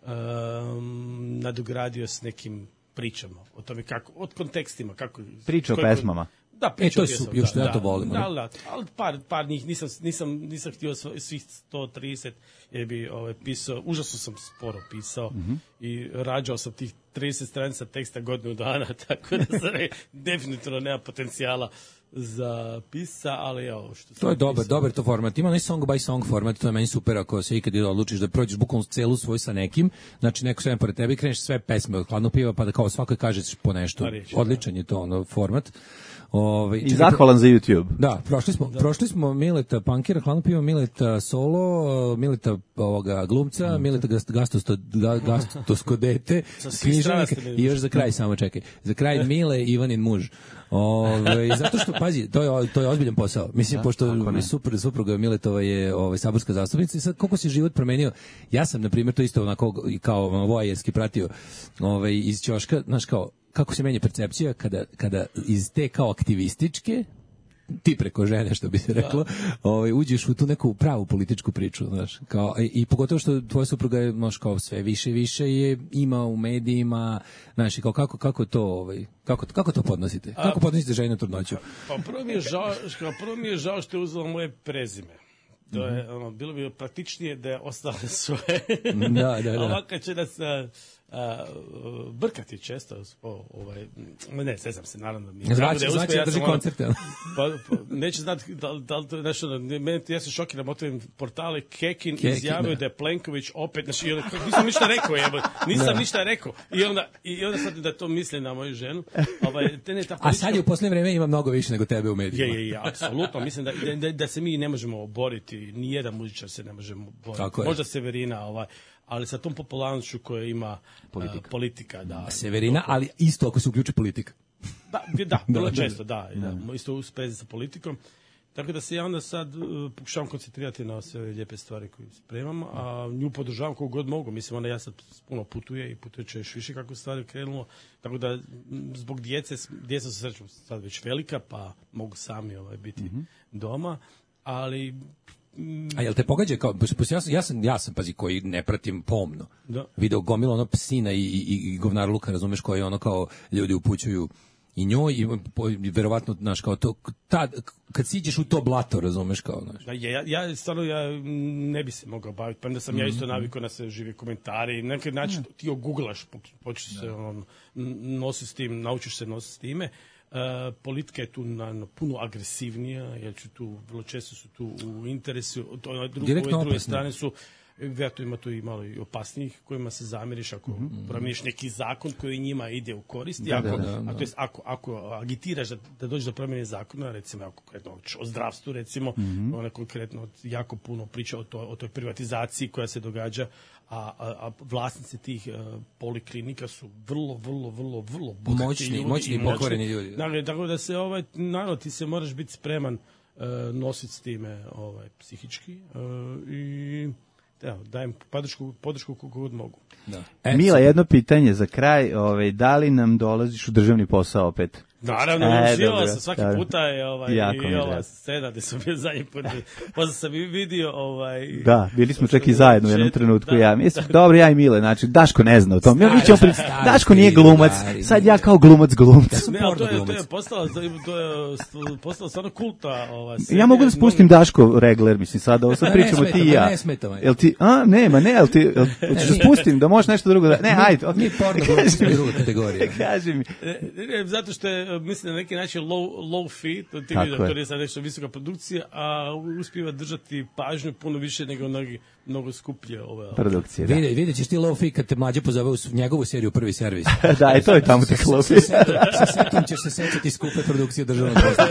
um, nadogradio s nekim pričama o tome kako, od kontekstima. Kako, Priča o pesmama. Da, priča e, to je super, još da, ja to volim. Da, da, ali par, par njih nisam, nisam, nisam htio svih sto trideset, jer bi ovaj, pisao, užasno sam sporo pisao mm-hmm. i rađao sam tih trideset stranica teksta godinu dana, tako da sam ne, definitivno nema potencijala za pisa, ali evo što to je dobar, dobar to format. Ima onaj song by song format, to je meni super ako se ikad odlučiš da prođeš bukvalno celu svoj sa nekim, znači neko sve pored tebe i kreneš sve pesme od Hladnog piva pa da kao svakoj kažeš po nešto. Reći, odličan da. je to ono format. Ove, I zahvalan za YouTube. Da, prošli smo, da. prošli smo Mileta Pankera, Hladno pivo, Mileta Solo, Mileta ovoga glumca, mm. Mileta gastosto, gastosko dete, književnika i još za kraj samo čekaj. Za kraj Mile Ivanin muž. Ove, zato što pazi, to je to je ozbiljan posao. Mislim da, pošto super supruga Miletova je ovaj saborska zastupnica i sad koliko se život promenio. Ja sam na primjer to isto onako kao voajerski pratio ovaj iz ćoška, znaš kao kako se menja percepcija kada, kada iz te kao aktivističke ti preko žene, što bi se reklo, ovaj, uđeš u tu neku pravu političku priču, znaš, kao, i, i pogotovo što tvoja supruga je, znaš, kao sve više i više je ima u medijima, znaš, kao kako, kako to, ovaj, kako, kako to podnosite? Kako A, podnosite ženu trudnoću? Pa prvo mi je žao, prvo mi je žao što je uzela moje prezime. To je, mm-hmm. ono, bilo bi praktičnije da je ostale svoje. Da, da, da. Ovako će nas a, a, brkati često. O, ovaj, ne, ne znam se, naravno. Mi znači, da znači ja drži koncerte. Pa, pa, neće znati da, da li to je nešto, meni, ja se šokiram o tvojim portale. Kekin, Kekin izjavio da. da je Plenković opet, znači, nisam ništa rekao, jebo, nisam da. ništa rekao. I onda, i onda sad da to misli na moju ženu. Ovaj, te ne, ta politička... A sad je u posljednje vreme ima mnogo više nego tebe u medijima. Je, je, je, apsolutno. Mislim da, da, da se mi ne možemo boriti, nijedan muzičar se ne može boriti. Možda Severina, ovaj, ali sa tom popularnošću koja ima politika, uh, politika da. Severina, ali isto ako se uključi politika. Da, da, vrlo da, često, da, da, da. Isto u sprezi sa politikom. Tako da se ja onda sad uh, pokušavam koncentrirati na sve lijepe stvari koje spremam, a nju podržavam koliko god mogu. Mislim, ona ja sad puno putuje i putuje će još više kako stvari krenulo. Tako da zbog djece, djeca su srećom sad već velika, pa mogu sami ovaj, biti mm-hmm. doma, ali... A jel te pogađa kao, ja sam, ja sam, ja sam, pazi, koji ne pratim pomno, da. Video gomilo ono psina i, i, i govnar luka, razumeš, koji ono kao ljudi upućuju i njoj i, i verovatno, znaš, kao to, tad, kad siđeš u to blato, razumeš, kao, znaš. Da, ja, ja, stvarno, ja ne bi se mogao baviti, pa onda sam mm-hmm. ja isto navikao na se žive komentari i na neki način ti oguglaš, počeš se on, nosi s tim, naučiš se nositi s time. Uh, politika je tu na, na puno agresivnija, jer ću tu, vrlo često su tu u interesu, to, drugo, ove druge strane su vjerojatno ima tu i malo i opasnijih kojima se zamiriš ako mm-hmm. promijeniš neki zakon koji njima ide u korist. Da, ako, da, da, da. A to jest, ako, ako agitiraš da, da dođe do promjene zakona, recimo ako konkretno o zdravstvu, recimo, mm-hmm. ona konkretno jako puno priča o, to, o toj privatizaciji koja se događa, a, a, a vlasnici tih uh, poliklinika su vrlo, vrlo, vrlo, vrlo bogati moćni, ljudi. Moćni i pokvareni ljudi. Dakle, tako da se, ovaj, naravno, ti se moraš biti spreman uh, nositi s time ovaj, psihički uh, i evo, dajem podršku, podršku koliko god mogu. Da. E, Mila, jedno pitanje za kraj, ovaj, da li nam dolaziš u državni posao opet? Naravno, e, živao sam svaki dobro. puta je ovaj, i ova scena gde sam bio zadnji put, posle sam i vidio ovaj... Da, bili smo čak i zajedno u jednom trenutku, da, ja mislim, da. dobro, ja i Mile, znači, Daško ne zna o tom, stari, mi ćemo pri... stari, Daško nije glumac, stari, sad ja kao glumac glumca. Ne, ali to je, to je postalo, to je postalo stvarno kulta ova serija. Ja mogu da spustim mnogo... Daško regler, mislim, sad ovo sad pričamo ti i ja. Ne smeta, jel ti, a, nema, ne, jel ti, hoćeš da spustim, da možeš nešto drugo da... Ne, ajde, okej. Mi porno glumci u drugu kategoriju. Kaži mi. Zato što je, mislim, na neki način low, low fee, to ti vidio, to je sad nešto visoka produkcija, a uspijeva držati pažnju puno više nego mnogi, mnogo skuplje ove produkcije. Da. Vidi, vidjet ćeš ti low fee kad te mlađe pozove u njegovu seriju Prvi servis. Da, i to je tamo tek low fee. Sa setom ćeš se sećati skupe produkcije državnog posla.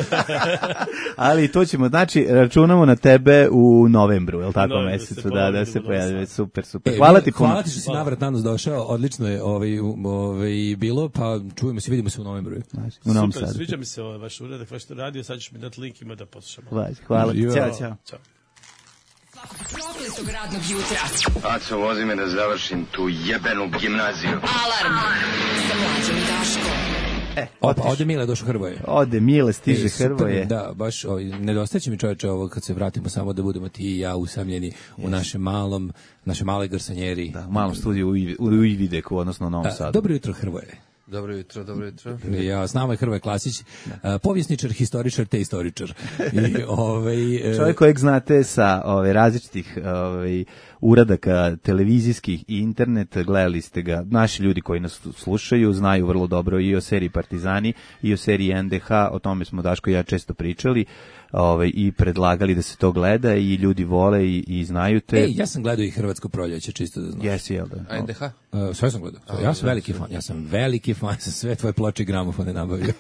Ali to ćemo, znači, računamo na tebe u novembru, je li tako, mesecu, da, da se pojavi, super, super. Hvala ti puno. Hvala ti što si navrat na nos došao, odlično je ovaj, ovaj, bilo, pa čujemo se, vidimo se u novembru. U Novom Sadu. Sadu. Sviđa mi se ovaj vaš uradak, vaš radio, sad ćeš mi dati link, ima da poslušamo. Hvala ti, ćao, ćao. Prokletog radnog jutra. Aco, vozi me da završim tu jebenu gimnaziju. Alarm sa Mlađom i Daškom. E, Opa, ode Mile došao Hrvoje. Ode Mile, stiže e, Hrvoje. Da, baš ovaj, nedostaće mi čoveče ovo kad se vratimo samo da budemo ti i ja usamljeni yes. u našem malom, naše male garsanjeri. Da, u malom studiju u, u, u Ivideku, odnosno u Novom Sadu. Dobro jutro, Hrvoje. Dobro jutro, dobro jutro. Ja, s nama je Hrvoje Klasić, uh, povjesničar, historičar te istoričar. I, ovaj, uh, čovjek kojeg znate sa ove, različitih ovaj, uradaka televizijskih i internet, gledali ste ga, naši ljudi koji nas slušaju znaju vrlo dobro i o seriji Partizani i o seriji N D H, o tome smo Daško i ja često pričali. Ove, i predlagali da se to gleda i ljudi vole i, i znaju te. Ej, ja sam gledao i Hrvatsko proljeće, čisto da znaš. Jesi, jel da? A N D H? Uh, sve sam gledao. Ja sam veliki fan, ja sam veliki fan, sam sve tvoje ploče i gramofone nabavio.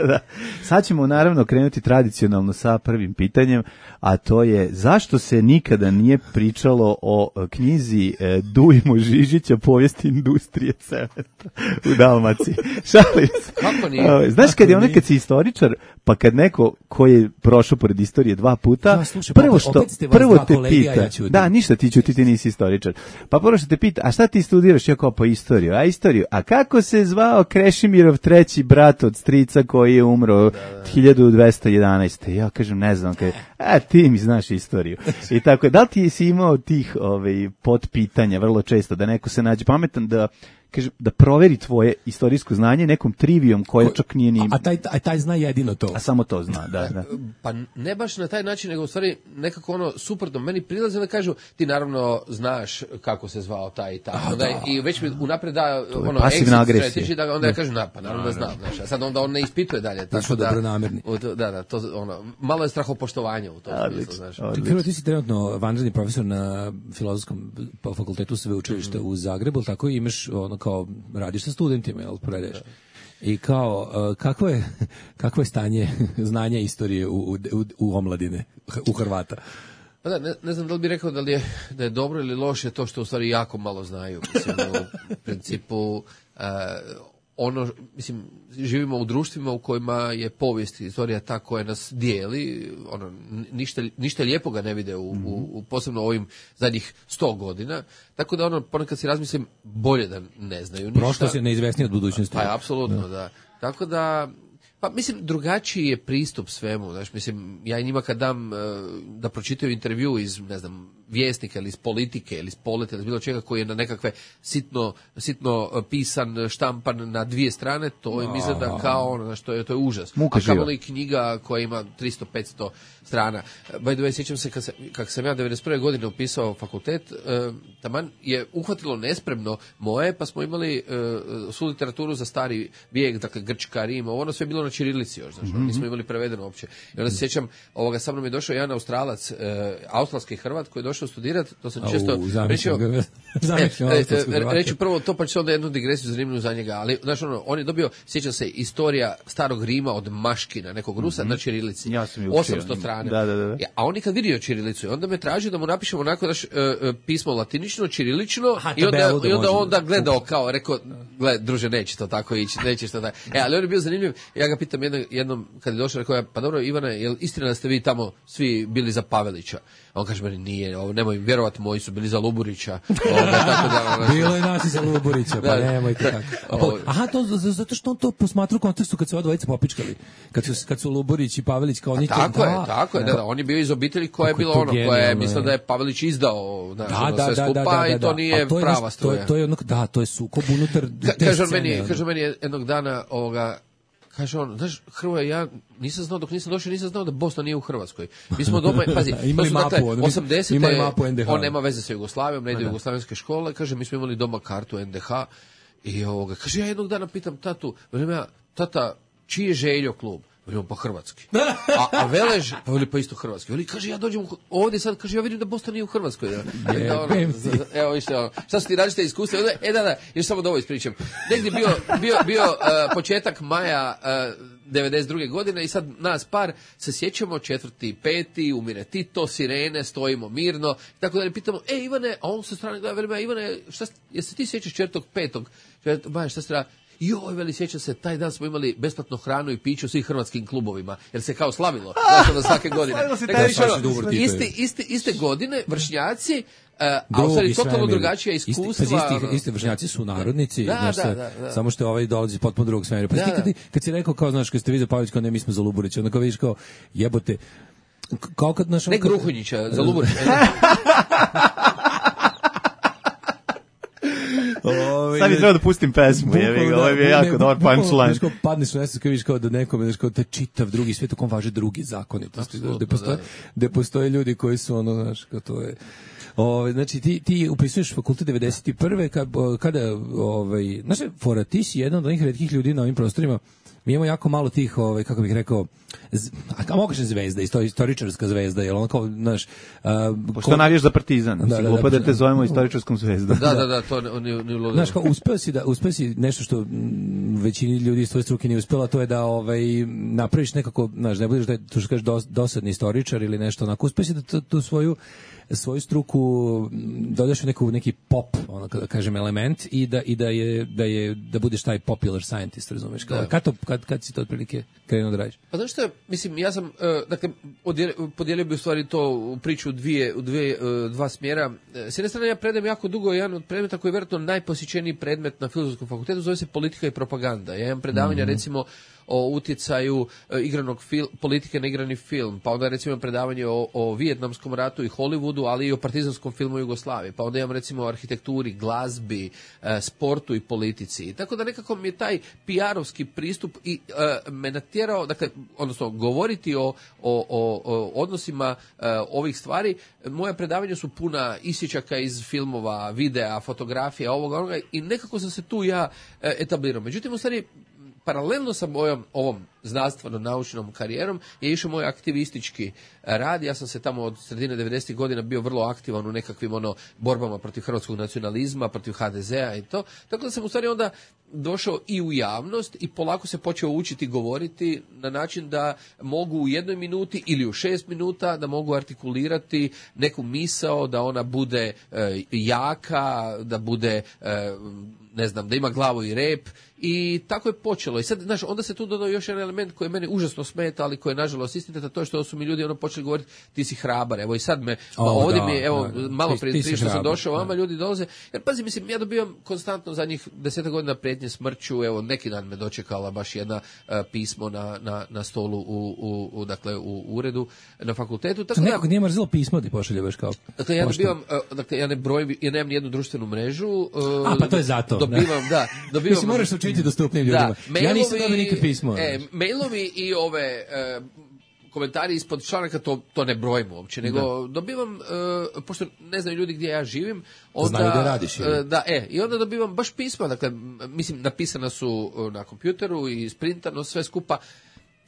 Da. Sad ćemo naravno krenuti tradicionalno sa prvim pitanjem, a to je zašto se nikada nije pričalo o knjizi e, Dujmo Žižića, povijesti industrije cementa u Dalmaciji. Šalim se. Kako nije? Znaš, kad je ono kad si istoričar, pa kad neko koji je prošao pored istorije dva puta, ja, slušaj, prvo što prvo te kolegija, pita, ja da, ništa ti ćuti, ti nisi istoričar. Pa prvo što te pita, a šta ti studiraš? Ja kao pa istoriju, a istoriju. A kako se zvao Krešimirov treći brat od strica koji je umro da, da. hiljadu dvesta jedanaeste. Ja kažem, ne znam, kaj, a ti mi znaš istoriju. I tako, da li ti si imao tih ovaj, potpitanja vrlo često, da neko se nađe pametan da kaže da proveri tvoje istorijsko znanje nekom trivijom koja čak nije ni... A taj, a taj zna jedino to. A samo to zna, da, da. Pa ne baš na taj način, nego u stvari nekako ono suprotno. Meni prilaze da kažu, ti naravno znaš kako se zvao taj i taj. A, onda, da. I već mi unapred da ono, pasivna agresija. Da, onda ja kažem, na, pa naravno da znam. Znaš, a sad onda on ne ispituje dalje. Tako da, dobronamerni. Da, da, to, ono, malo je strahopoštovanja u tom smislu. Znaš. Hrvo, ti si trenutno vanredni profesor na Filozofskom fakultetu sveučilišta mm-hmm. u Zagrebu, tako imaš ono kao radiš sa studentima, jel, predaješ. I kao, kakvo je, kakvo je stanje znanja istorije u, u, u omladine, u Hrvata? Pa da, ne, ne znam da li bih rekao da li je, da je dobro ili loše to što u stvari jako malo znaju. Mislim, u principu, uh, ono, mislim, živimo u društvima u kojima je povijest i istorija ta koja nas dijeli, ono, ništa, ništa lijepoga ne vide u, u, u posebno ovim zadnjih sto godina, tako da ono, ponekad si razmislim, bolje da ne znaju ništa. Prošlost je neizvesnija od budućnosti. Pa, apsolutno, da. da. Tako da, pa mislim, drugačiji je pristup svemu, znaš, mislim, ja i njima kad dam uh, da pročitaju intervju iz, ne znam, vjesnika ili iz politike ili iz poleta ili iz bilo čega koji je na nekakve sitno, sitno pisan, štampan na dvije strane, to im izgleda kao ono, znaš, to je, to je užas. Muka a kamoli knjiga koja ima tristo do petsto strana. By the way, sjećam se kad, se, kad sam ja devedeset prve godine upisao fakultet, uh, taman je uhvatilo nespremno moje, pa smo imali uh, svu literaturu za stari vijek, dakle Grčka, Rim, ono sve je bilo na ćirilici još, znaš, mm-hmm. nismo imali prevedeno uopće. I onda se sjećam, ovoga, sa mnom je došao jedan Australac, uh, australski Hrvat koji je došao došao studirati, to sam Au, često zamišljam rečio, ga. Zamišljam e, e, austrijskog e, prvaka. reću prvo to, pa ću onda jednu digresiju zanimljivu za njega, ali znaš ono, on je dobio, sjećam se, istorija starog Rima od Maškina, nekog Rusa, na ćirilici. Ja sam je učio. osamsto strana. Da, da, da. Ja, a on nikad vidio ćirilicu i onda me traži da mu napišemo onako daš, e, e, pismo latinično, ćirilično Aha, i onda, tabelu da i onda može. onda gledao kao, rekao, gle, druže, neće to tako ići, neće to tako. E, ali on je bio zanimljiv, ja ga pitam jednom, jednom kad je došao, rekao ja, pa dobro, Ivane, je li istina da ste vi tamo svi bili za Pavelića? A on kaže meni, nije, ovo, nemoj vjerovati, moji su bili za Luburića. Ovoga, tako da, ono, Bilo je nas i za Luburića, pa Da. nemojte tako. A Ovo- po- Aha, to z- zato što on to posmatra u kontekstu kad su ova dvojica popičkali. Kad su, kad su Luburić i Pavelić kao oni to- Tako je, da, tako je, da, da, on je bio iz obitelji koja je Kako je bila to ono, koja je genijalno, mislila je. da je Pavelić izdao, znaš, Da, ono, da, sve da, skupa da, da, i to da. nije A to je prava nešto- to je- struja. To je jednog, da, to je sukob unutar Ka- te kaže on scene, meni, ono. kaže on meni jednog dana, ovoga, kaže on, znaš, Hrvoje, ja nisam znao, dok nisam došao, nisam znao da Bosna nije u Hrvatskoj. Mi smo doma, pazi, to Imali su mapu, dakle, ono, osamdesete, imali mapu en de ha. on nema veze sa Jugoslavijom, ne ide u jugoslavenske škole, kaže, mi smo imali doma kartu en de ha i ovoga, kaže, ja jednog dana pitam tatu, velim ja, tata, čiji je Željo klub? Velim, pa hrvatski. A, a Velež, pa veli, pa isto hrvatski. Veli, kaže, ja dođem u- ovdje sad, kaže, ja vidim da Bosna nije u Hrvatskoj. Ja. I da, ono, Jebem ti. evo, vište, ono, šta su ti različite iskustva? Onda, E, da, da, još samo da ovo ispričam. Negdje bio, bio, bio uh, početak maja uh, devedeset druge godine i sad nas par se sjećamo, četvrti, peti, umire Tito, sirene, stojimo mirno, tako da ne pitamo, e, Ivane, a on sa strane gleda, veli, Ivane, šta, jesi ti sjećaš četvrtog, petog? Maja, šta se treba? Joj, veli, sjeća se, taj dan smo imali besplatnu hranu i piću u svim hrvatskim klubovima, jer se kao slavilo, znaš, ono, svake godine. Slavilo se Rekao, taj viš, dan. ono, Dobro, Tito je. iste, iste, iste godine, vršnjaci, uh, a u Drugi stvari totalno svemir. drugačija Isti- iskustva. pazi, isti, ono. isti vršnjaci su narodnici, Da, znaš, da, sa- da, da. samo što je ovaj dolazi iz potpuno drugog svemira. Pa Da, ti kad, da. kad si rekao kao, znaš, kad ste vi za Pavelić, kao ne, mi smo za Luburića, onda kao vidiš kao, jebote, k- kao kad, znaš, Ne ono kad- Gruhunjića, za Luburić. Ovaj, Sad bi trebao da pustim pesmu, Bukvalno, jevi ga, da, ovo je bio ne, jako bu- dobar bukvalno, punchline. znaš, kao padneš u nesvest, kao vidiš kao da nekome, znaš, kao da čitav drugi svijet u kom važe drugi zakonitosti, znaš, Apsolutno, gde postoje, da. gde postoje ljudi koji su ono, znaš, kao to je. Ove, znači ti ti upisuješ fakultet devedeset prve kad, kada ovaj znaš fora ti si jedan od onih retkih ljudi na ovim prostorima. Mi imamo jako malo tih, ovaj kako bih rekao, z, a mogu kažem zvezda, isto istoričarska zvezda, jel on kao, znaš, a, Pošto navijaš za Partizan, Da, da, da, da, glupo da te da. zovemo istoričarskom zvezdom. Da, da, da, to ne, ne, ne ludilo. Znaš, kao uspeo si da uspeo si nešto što mm, većini ljudi iz tvoje struke nije uspela, to je da ovaj napraviš nekako, znaš, ne budeš da je, to što kažeš dos, dosadni istoričar ili nešto onako, uspeo si da tu, tu svoju svoju struku mm, dodaš u neku neki pop, ono kada kažem element i da i da je da je da budeš taj popular scientist, razumeš? Kao Da. kad to kad kad si to otprilike krenuo da radiš? Pa znaš što, mislim, ja sam, uh, dakle, odjel- podijelio bi u stvari to u priču u dvije, u dvije, uh, dva smjera. E, S jedne strane, ja predajem jako dugo jedan od predmeta koji je vjerojatno najposjećeniji predmet na Filozofskom fakultetu, zove se politika i propaganda. Ja imam predavanja, recimo, o utjecaju e, igranog fil, politike na igrani film, pa onda recimo imam predavanje o, o Vijetnamskom ratu i Hollywoodu, ali i o partizanskom filmu u Jugoslaviji, pa onda imam recimo o arhitekturi, glazbi, e, sportu i politici. I tako da nekako mi je taj P R-ovski pristup i e, me natjerao, dakle, odnosno govoriti o, o, o, o odnosima e, ovih stvari. Moja predavanja su puna isječaka iz filmova, videa, fotografija, ovoga, onoga i nekako sam se tu ja e, etablirao. Međutim, u stvari, paralelno sa mojom ovom znanstveno-naučnom karijerom je išao moj aktivistički rad. Ja sam se tamo od sredine devedesetih godina bio vrlo aktivan u nekakvim ono borbama protiv hrvatskog nacionalizma, protiv H D Z-a i to. Tako da sam u stvari onda došao i u javnost i polako se počeo učiti govoriti na način da mogu u jednoj minuti ili u šest minuta da mogu artikulirati neku misao, da ona bude e, jaka, da bude e, ne znam, da ima glavu i rep i tako je počelo. I sad, znaš, onda se tu dodao još jedan element koji meni užasno smeta, ali koji je nažalost istinita, to je što su mi ljudi ono počeli govoriti ti si hrabar. Evo i sad me, O, ma, ovdje da, mi je, evo, da, da. malo Ti- prije ti si prije što sam hrabar, došao, da. vama ljudi dolaze. Jer pazi, mislim, ja dobivam konstantno zadnjih desetak godina prijetnje smrću, evo, neki dan me dočekala baš jedna uh, pismo na, na, na stolu u, u, u, dakle, u uredu na fakultetu. Tako da, Nekog nije mrzilo pismo ti pošalje baš kao. dakle, ja pošto- dobivam, uh, dakle, ja ne brojim, ja nemam ni jednu društvenu mrežu. uh, A, pa to je zato, da. Dobivam, da, dobivam. Mislim, moraš se učiniti dostupnim ljudima. Da, Ja nisam mailovi- dobio nikad pismo. E, mailovi i ove e, komentari ispod članaka, to, to ne brojim uopće, nego dobivam, e, pošto ne znaju ljudi gdje ja živim, onda, Znaju da radiš, je li? e, da, e, i onda dobivam baš pisma, dakle, m, mislim, napisana su e, na kompjuteru i sprintano sve skupa.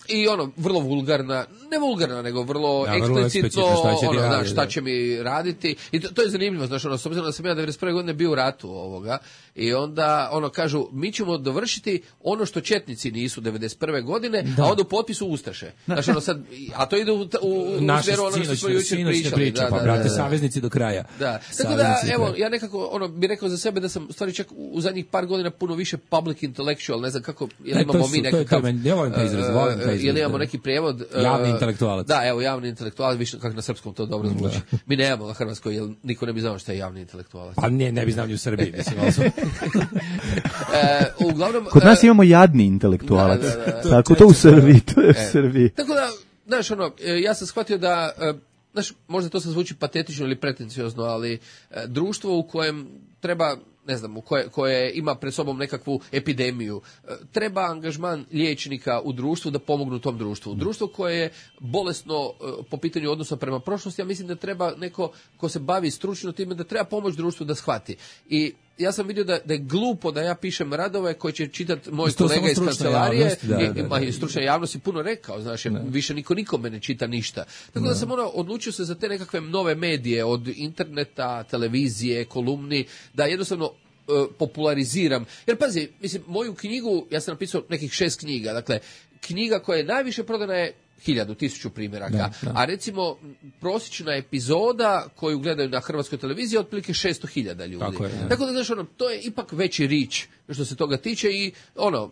I ono, vrlo vulgarna, ne vulgarna, nego vrlo da, vrlo eksplicitno, šta će, ono, radi, da, šta da. će mi raditi. I to, to je zanimljivo, znaš, ono, s obzirom da sam ja devedeset prve godine bio u ratu ovoga, i onda, ono, kažu, mi ćemo dovršiti ono što četnici nisu devedeset prve godine, da. A onda u potpisu Ustaše. Znaš, ono, sad, a to ide u, u, u naša smjeru ono što smo jučer pričali. Priča, da, pa, da, brate, da, da. saveznici do kraja. Da, tako da, evo, ja nekako, ono, bih rekao za sebe da sam, u stvari, čak u zadnjih par godina puno više public intellectual, ne znam kako, jel ne, imamo su, mi nekakav... Ja volim taj izraz, volim taj izraz. Jel imamo neki prijevod... Javni intelektualac. Da, evo, javni intelektualac, više kako na srpskom to dobro zvuči. Da. Mi nemamo na hrvatskoj, jer niko ne bi znao šta je javni intelektualac. Pa ne, ne bi znao ni u Srbiji, mislim. e, uglavnom... Kod nas imamo jadni intelektualac. Da, da, da, da. Tako to u Srbiji, to je u Srbiji. Tako da, znaš, ono, ja sam shvatio da... Znaš, možda to sad zvuči patetično ili pretenciozno, ali e, društvo u kojem treba, ne znam, u koje, koje ima pred sobom nekakvu epidemiju, e, treba angažman liječnika u društvu da pomognu tom društvu. Društvo koje je bolesno e, po pitanju odnosa prema prošlosti, ja mislim da treba neko ko se bavi stručno time, da treba pomoći društvu da shvati. I ja sam vidio da, da je glupo da ja pišem radove koje će čitati moj to kolega iz kancelarije javnost, da, i, da, da, da. i stručna javnost je puno rekao, znaš, da. Više niko nikome ne čita ništa. Tako da, da sam ono, odlučio se za te nekakve nove medije, od interneta, televizije, kolumni, da jednostavno uh, populariziram. Jer pazi, mislim, moju knjigu, ja sam napisao nekih šest knjiga, dakle, knjiga koja je najviše prodana je hiljadu, tisuću primjeraka, da, da. A recimo prosječna epizoda koju gledaju na hrvatskoj televiziji je otprilike šesto hiljada ljudi. Tako, je, Tako da, znaš, ono, to je ipak veći rič što se toga tiče i, ono,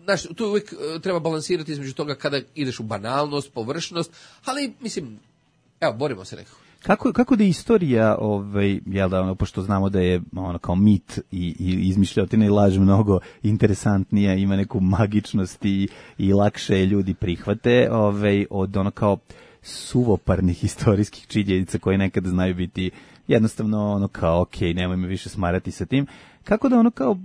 znaš, tu uvijek treba balansirati između toga kada ideš u banalnost, površnost, ali, mislim, evo, borimo se nekako. Kako, kako da je istorija, ovaj, jel da, ono, pošto znamo da je ono kao mit i, i izmišljotina i laž mnogo interesantnija, ima neku magičnost i, i lakše ljudi prihvate, ovaj, od ono kao suvoparnih istorijskih činjenica koje nekada znaju biti jednostavno ono kao, ok, nemoj me više smarati sa tim. Kako da ono kao,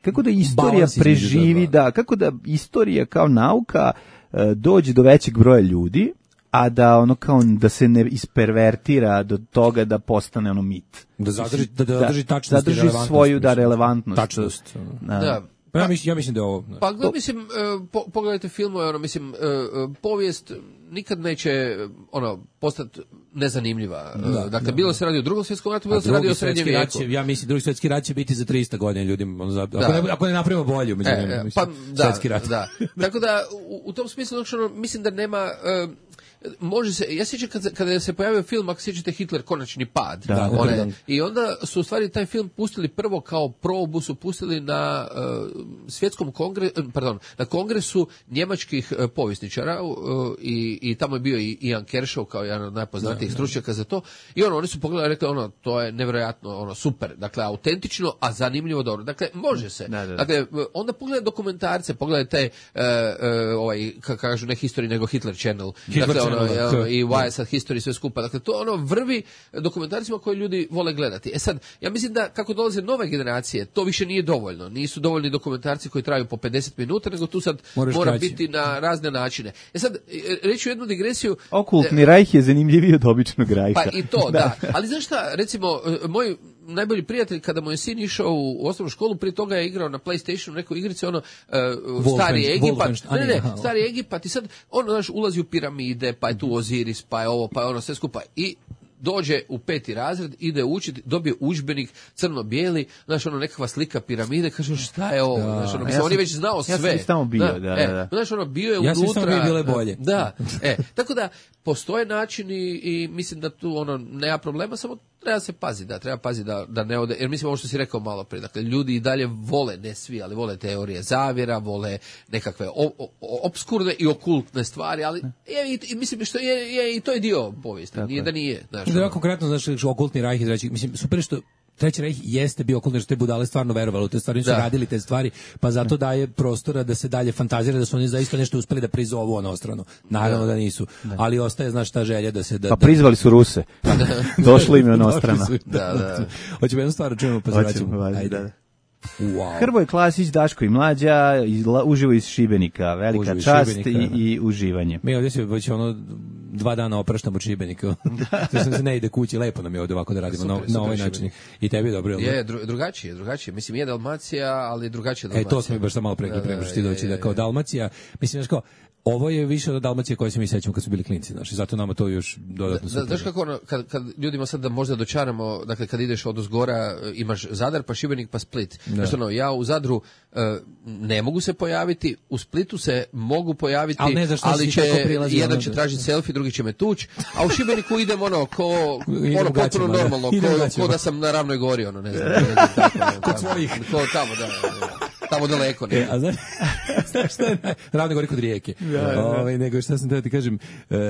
kako da istorija Balans preživi, da, kako da istorija kao nauka e, dođe do većeg broja ljudi, a da ono kao da se ne ispervertira do toga da postane ono mit. Da zadrži da, da zadrži tačnost i relevantnost. Svoju da relevantnost. Tačnost. Da. da. Pa ja mislim, ja mislim da je ovo... Pa gledaj, mislim, po, pogledajte filmove, ono, mislim, povijest nikad neće, ono, postati nezanimljiva. Da, dakle, da, bilo se radi o drugom svjetskom ratu, bilo se radi o srednjem vijeku. Će, ja mislim, drugi svjetski rat će biti za trista godina ljudima. Ono, ako, da. ne, ako ne napravimo bolju, među e, nema, mislim, pa, da, svjetski rat. Da. Tako da, u, u tom smislu, ono, mislim da nema... Uh, može se, ja sjećam kada, kada se pojavio film, ako sjećate Hitler, Konačni pad, da, one, da, da. I onda su u stvari taj film pustili prvo kao probu, su pustili na uh, svjetskom kongresu, pardon, na kongresu njemačkih uh, povjesničara uh, i, i tamo je bio i Ian Kershaw kao jedan od najpoznatijih stručnjaka za to i ono, oni su pogledali i rekli, ono, to je nevjerojatno, ono, super, dakle, autentično, a zanimljivo dobro, dakle, može se, da, da, da. Dakle, onda pogledaj dokumentarce, pogledaj taj, uh, uh, ovaj, kako kažu, ne History, nego Hitler Channel, Hitler dakle, Channel. Ono, i Wiresat History, sve skupa. Dakle, to ono vrvi dokumentarcima koje ljudi vole gledati. E sad, ja mislim da kako dolaze nove generacije, to više nije dovoljno. Nisu dovoljni dokumentarci koji traju po pedeset minuta, nego tu sad Moraš mora kraći. biti na razne načine. E sad, reći jednu digresiju. Okultni rajh je zanimljiviji od običnog rajha. Pa i to, da. da. Ali znaš šta, recimo, moj najbolji prijatelj, kada mu je sin išao u osnovnu školu, prije toga je igrao na PlayStationu neku igricu, ono, uh, stari Egipat, ne, ne, stari Egipat i sad, ono, znaš, ulazi u piramide, pa je tu Oziris, pa je ovo, pa je ono, sve skupa i dođe u peti razred, ide učiti, dobije udžbenik crno-bijeli, znaš, ono, nekakva slika piramide, kaže, šta je ovo, da, znaš, ono, ja on je već znao ja sve. Ja sam tamo bio, da, da, e, da. Znaš, ono, bio je ja unutra. Ja sam bio bile bolje. Da, e, tako da, postoje načini i mislim da tu, ono, nema problema, samo treba se paziti, da, treba paziti da, da ne ode, jer mislim ovo što si rekao malo prije, dakle, ljudi i dalje vole, ne svi, ali vole teorije zavjera, vole nekakve o, o, obskurne i okultne stvari, ali je, i, mislim što je, je i to je dio povijesti, tako nije da nije. Znaš, da, ono, konkretno, znaš, okultni rajh izreći, mislim, super što Treći rejh jeste bio okultni, jer te budale stvarno verovali u te stvari, su radili te stvari, pa zato daje prostora da se dalje fantazira da su oni zaista nešto uspeli da prizovu onostrano. Naravno da, da nisu, da. Ali ostaje, znaš, ta želja da se... Da, pa prizvali su Ruse, došli im je onostrano. Da, da. Hoćemo jednu stvar, čujemo, pa se vraćamo. Ajde, da. Wow. Hrvoje Klasić, Daško i Mlađa, izla, uživo iz Šibenika, velika uživo čast Šibenika, i, i uživanje. Mi ovdje se već ono dva dana opraštamo od Šibenika. Zato se ne ide kući, lepo nam je ovdje ovako da radimo super, na, super, na ovaj način. Šibenik. I tebi je dobro. Je, dru, drugačije, drugačije. Mislim, je Dalmacija, ali drugačije Dalmacija. E, to smo mi baš malo pre, pre, pre, što ti doći, da kao Dalmacija, mislim, znaš kao, ovo je više od Dalmacije koje se mi sećamo kad su bili klinci, znači zato nama to još dodatno super. Znaš kako ono, kad, kad ljudima sad da možda dočaramo, dakle kad ideš od uzgora imaš Zadar, pa Šibenik, pa Split. Znači ono, ja u Zadru uh, ne mogu se pojaviti, u Splitu se mogu pojaviti, ali, ne, ali će jedan će tražiti selfie, drugi će me tući, a u Šibeniku idem ono, ko, ono potpuno normalno, ko, ko da sam na Ravnoj gori, ono, ne znam. Ne znam tako, ne, kod svojih. Ko tamo, da, da. Tamo daleko. Ne. E, a znaš, znaš šta je naj... Ravne gori kod rijeke. Ja, ja. Ove, nego šta sam teo ti kažem,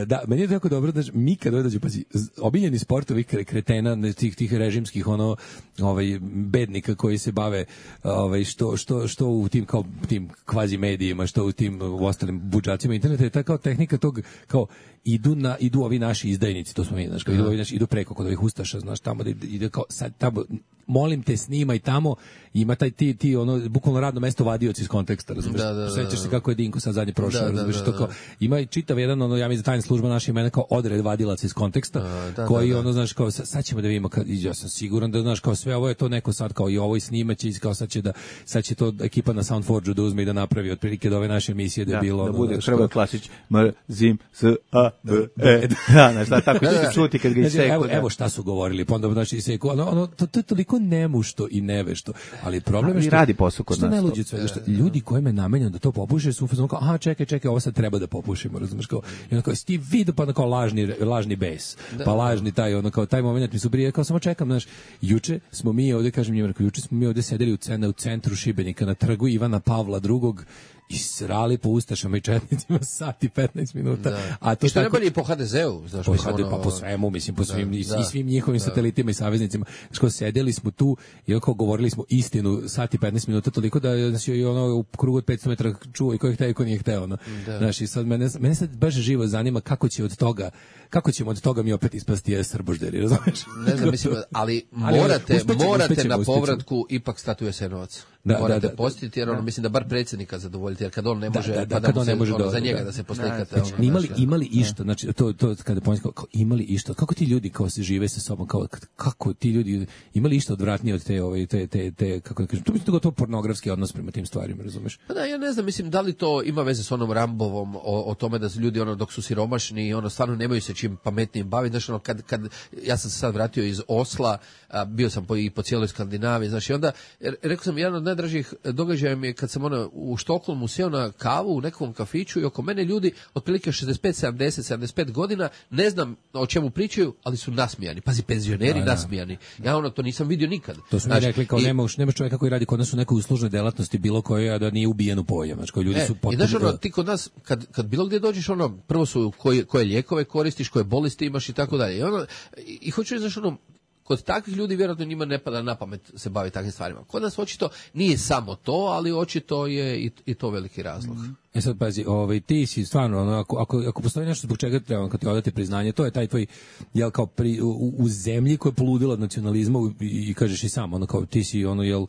da, meni je to jako dobro, da mi kad dođu, pazi, obiljeni sportovi kretena, tih, tih režimskih, ono, ovaj, bednika koji se bave, ovaj, što, što, što u tim, kao, tim kvazi medijima, što u tim u ostalim budžacima interneta, je ta kao tehnika tog, kao, idu na idu ovi naši izdajnici, to smo mi, znači, idu ovi naši, idu preko kod ovih ustaša, znaš, tamo da ide kao sad tamo, molim te, snimaj tamo, ima taj ti ti ono bukvalno radno mesto vadioci iz konteksta, razumiješ? Da, da, da, sećaš se kako je Dinko sad zadnje prošao, razumiješ, to kao ima i čitav jedan ono, ja mislim tajna služba naša ima kao odred vadilaca iz konteksta, da, da, koji da, da. ono, znaš, kao sad ćemo da vidimo, kad ja sam siguran da, znaš, kao sve ovo je to neko sad kao i ovo i snimaće i kao sad će da sad će to ekipa na Soundforgeu da uzme i da napravi otprilike do ove naše emisije da je bilo da bude Hrvoje Klasić mrzim s a b e da, znaš, da, tako će čuti kad ga iseku. Evo, evo šta su govorili, pa onda znači iseku, ono, ono, to, to je toliko nemušto i nevešto, ali problem je što radi posao kod nas. Najluđe sve, što ljudi kojima je namenjeno da to popuše su fazon kao, aha, čekaj, čekaj, ovo sad treba da popušimo, razumeš, kao, i onda kao, sti vidio, pa onda kao lažni, lažni bes, pa lažni taj, ono kao, taj moment mi su prije, kao, samo čekam, znaš, juče smo mi ovde, kažem njima, juče smo mi ovde sedeli u, cena, u centru Šibenika, na trgu Ivana Pavla drugog, i srali po ustašama i četnicima sat i petnaest minuta. Da. A to I što tako, ne bili po ha de zeu, znaš, po, ha de, ono, pa po svemu, mislim, po svim, da, i, da, i svim njihovim da. satelitima i saveznicima. Što sedeli smo tu i oko govorili smo istinu sat i petnaest minuta, toliko da nas je ono u krugu od petsto metara čuo i ko je hteo i ko nije hteo. No. Da. Znaš, i sad mene, mene sad baš živo zanima kako će od toga, kako ćemo od toga mi opet ispasti je srbožderi, razumiješ? Ne znam, mislim, ali morate, uspećemo, morate uspećemo, na povratku uspećemo. Ipak stati u Jasenovac. Da, morate da, da, postiti, jer ono, da. mislim da bar predsjednika zadovoljiti, jer kad on ne može, da, da, pa da, da, se, ne može ono, do, za njega da, da se poslikate. Znači, ono, imali, imali išta, znači, to, to kada pomislim, kao, imali išta, kako ti ljudi kao se žive sa sobom, kao, kako ti ljudi, imali išta odvratnije od te, ove, te, te, te, kako da kažem, to mislim da to pornografski odnos prema tim stvarima, razumeš? Pa da, ja ne znam, mislim, da li to ima veze s onom Rambovom, o, o tome da su ljudi, ono, dok su siromašni, ono, stvarno nemaju se čim pametnijim baviti, znači, ono, kad, kad, ja sam se sad vratio iz Osla, a, bio sam po, i po cijeloj Skandinaviji, znači, onda, rekao sam, jedan od najdražih događaja mi je kad sam ono, u Štokholmu seo na kavu u nekom kafiću i oko mene ljudi otprilike šezdeset pet, sedamdeset, sedamdeset pet godina, ne znam o čemu pričaju, ali su nasmijani. Pazi, penzioneri da, da. nasmijani. Ja ono to nisam vidio nikad. To smo mi rekli kao i, nemaš, nemaš čovjeka koji radi kod nas u nekoj uslužnoj delatnosti bilo koje, a da nije ubijen u pojam. Znači, koji ljudi e, su potpuno... I znaš ono, ti kod nas, kad, kad bilo gdje dođeš, ono, prvo su koje, koje lijekove koristiš, koje bolesti imaš i tako dalje. I, ono, i, i hoću reći, znaš, ono, kod takvih ljudi vjerojatno njima ne pada na pamet se bavi takvim stvarima. Kod nas očito nije samo to, ali očito je i, i to veliki razlog. E sad pazi, ovaj ti si stvarno ono, ako ako ako postoji nešto zbog čega treba kad ti odati priznanje, to je taj tvoj jel kao pri, u, u zemlji koja je poludila od nacionalizma i, i kažeš i sam ono kao ti si ono jel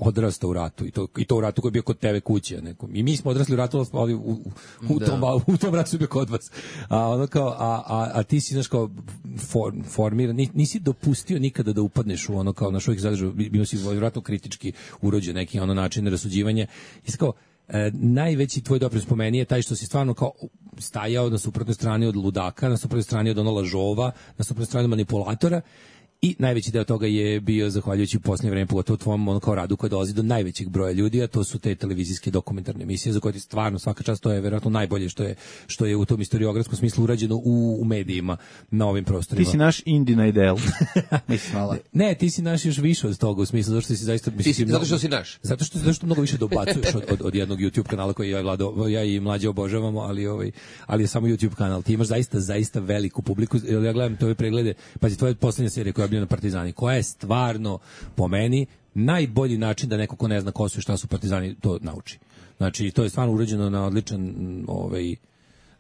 odrastao u ratu i to i to u ratu koji je bio kod tebe kuće nekom. I mi smo odrasli u ratu, ali u, u, u tom u tom ratu je bio kod vas. A ono kao a a, a ti si znaš kao for, formiran, nisi dopustio nikada da upadneš u ono kao na što ih zadržao, bio si vjerojatno kritički urođen neki ono način rasuđivanja. I kao E, najveći tvoj doprinos po meni je taj što si stvarno kao stajao na suprotnoj strani od ludaka, na suprotnoj strani od ono lažova, na suprotnoj strani od manipulatora. I najveći deo toga je bio zahvaljujući u posljednje vreme, pogotovo tvom ono kao radu koji dolazi do najvećeg broja ljudi, a to su te televizijske dokumentarne emisije za koje ti stvarno svaka čast, to je vjerojatno najbolje što je što je u tom istoriografskom smislu urađeno u, u medijima na ovim prostorima. Ti si naš Indina ideal. Mislim, hvala. Ne, ti si naš još više od toga u smislu, zato što si zaista... Ti si, zato što si naš. Zato što, zato što mnogo više dobacuješ od, od, od jednog YouTube kanala koji ja i, Vlado, ja i mlađe obožavamo, ali, ovaj, ali je samo YouTube kanal. Ti imaš zaista, zaista veliku publiku. Ja gledam te ove preglede, pazi, tvoja posljednja serija koja je bila na Partizani, koja je stvarno po meni najbolji način da neko ko ne zna ko su i šta su Partizani to nauči. Znači to je stvarno urađeno na odličan ovaj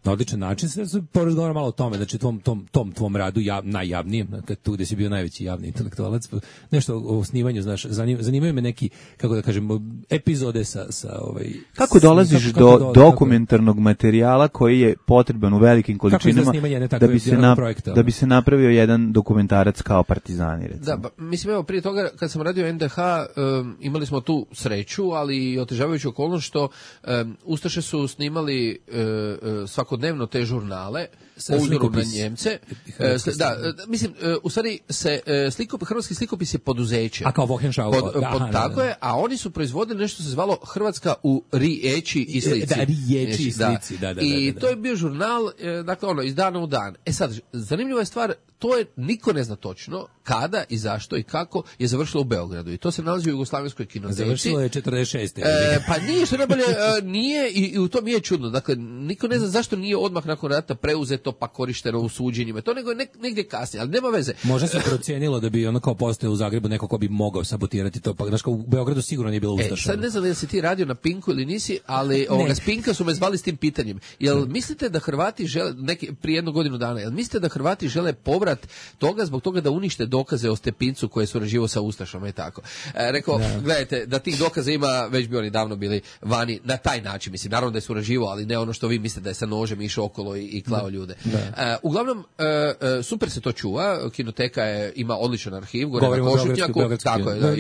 na odličan način. Sve se porazgovara malo o tome, znači tom, tom, tom tvom radu jav, najjavnijem, kad tu gde si bio najveći javni intelektualac, nešto o osnivanju, znaš, zanim, zanimaju me neki, kako da kažem, epizode sa, sa ovaj... Kako dolaziš kako, do kako do, dokumentarnog kako... materijala koji je potreban u velikim količinama da bi, se na, projekta, da bi se napravio jedan dokumentarac kao Partizani, recimo? Da, ba, mislim, evo, prije toga, kad sam radio en de ha, um, imali smo tu sreću, ali i otežavajuću okolnost što um, Ustaše su snimali uh, svakodnevno te žurnale po uzoru na Njemce. Uh, da, uh, mislim, uh, u stvari se uh, slikop, hrvatski slikopis je poduzeće. A kao Wochenschau. Pod, pod, tako je, a oni su proizvodili nešto što se zvalo Hrvatska u riječi i slici. Da, riječi i slici, da, da, da. I da, da. to je bio žurnal, dakle, ono, iz dana u dan. E sad, zanimljiva je stvar, to je, niko ne zna točno kada i zašto i kako je završilo u Beogradu. I to se nalazi u Jugoslavenskoj kinoteci. Završilo je četrdeset šeste E, pa nije, što najbolje, nije i, i u tom je čudno. Dakle, niko ne zna zašto nije odmah nakon rata preuzeto pa korišteno u suđenjima. To nego je nek, negdje kasnije, ali nema veze. Možda se procijenilo da bi ono kao postojao u Zagrebu neko ko bi mogao sabotirati to. Pa, znaš, kao u Beogradu sigurno nije bilo Ustaša. E, sad ne znam da si ti radio na Pinku ili nisi, ali ovoga, s Pinka su me zvali s tim pitanjem. Jel mislite da Hrvati žele, neki, prije jednu godinu dana, jel mislite da Hrvati žele povrat toga zbog toga da unište dokaze o Stepincu koje je surađivao sa Ustašama i tako. E, rekao, da. Gledajte, da tih dokaza ima, već bi oni davno bili vani na taj način. Mislim, naravno da je surađivao, ali ne ono što vi mislite da je sa nožem išao okolo i, i klao ljude. E, uglavnom, e, e, super se to čuva. Kinoteka je, ima odličan arhiv. Gore Govorimo na Košutnjaku. Tako je. Da,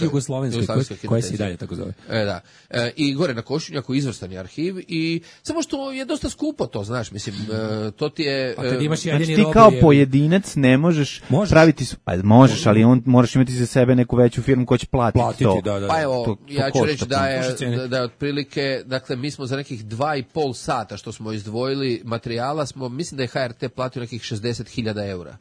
Jugoslovenski, koja se i dalje tako zove. E, da. E, I gore na Košutnjaku izvrstan je arhiv i samo što je dosta skupo to, znaš, mislim, e, to ti je... A kad imaš znači ti kao je... pojedinac ne možeš, možeš praviti, pa možeš, ali on moraš imati za sebe neku veću firmu koja će platiti, platiti to. Da, da, da. Pa evo, to, to ja ću reći da je, da, da je otprilike, dakle, mi smo za nekih dva i pol sata što smo izdvojili materijala, smo, mislim da je ha er te platio nekih šezdeset hiljada eura.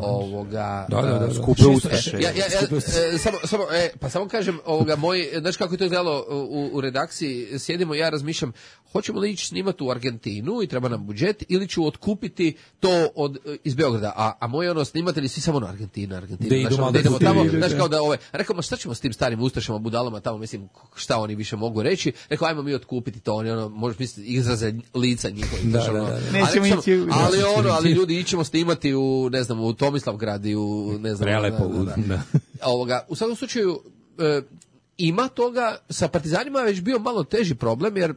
Ovoga... Da, da, da. Skupe Ustaše. Ja, ja, ja, e, samo, samo, e, pa samo kažem, ovoga, moj, znaš kako je to izgledalo u, u redakciji, sjedimo, ja razmišljam, hoćemo li ići snimati u Argentinu i treba nam budžet, ili ću otkupiti to od, iz Beograda, a, a moji ono snimatelji svi samo na Argentina, Argentina, da, znaš, ono, da idemo tamo, znaš kao da ove, rekao, šta ćemo s tim starim Ustašama, budalama tamo, mislim, šta oni više mogu reći, rekao, ajmo mi otkupiti to, oni ono, možeš misliti, izraze lica njihovih, da, znaš, ono, da, da, da. Nećemo ali, ići, ali ono, ali ljudi ićemo snimati u, ne znam, u Tomislavgrad i u, ne znam, Prelepo, da, da, da. da. Ovoga, u svakom slučaju, e, ima toga, sa Partizanima je već bio malo teži problem, jer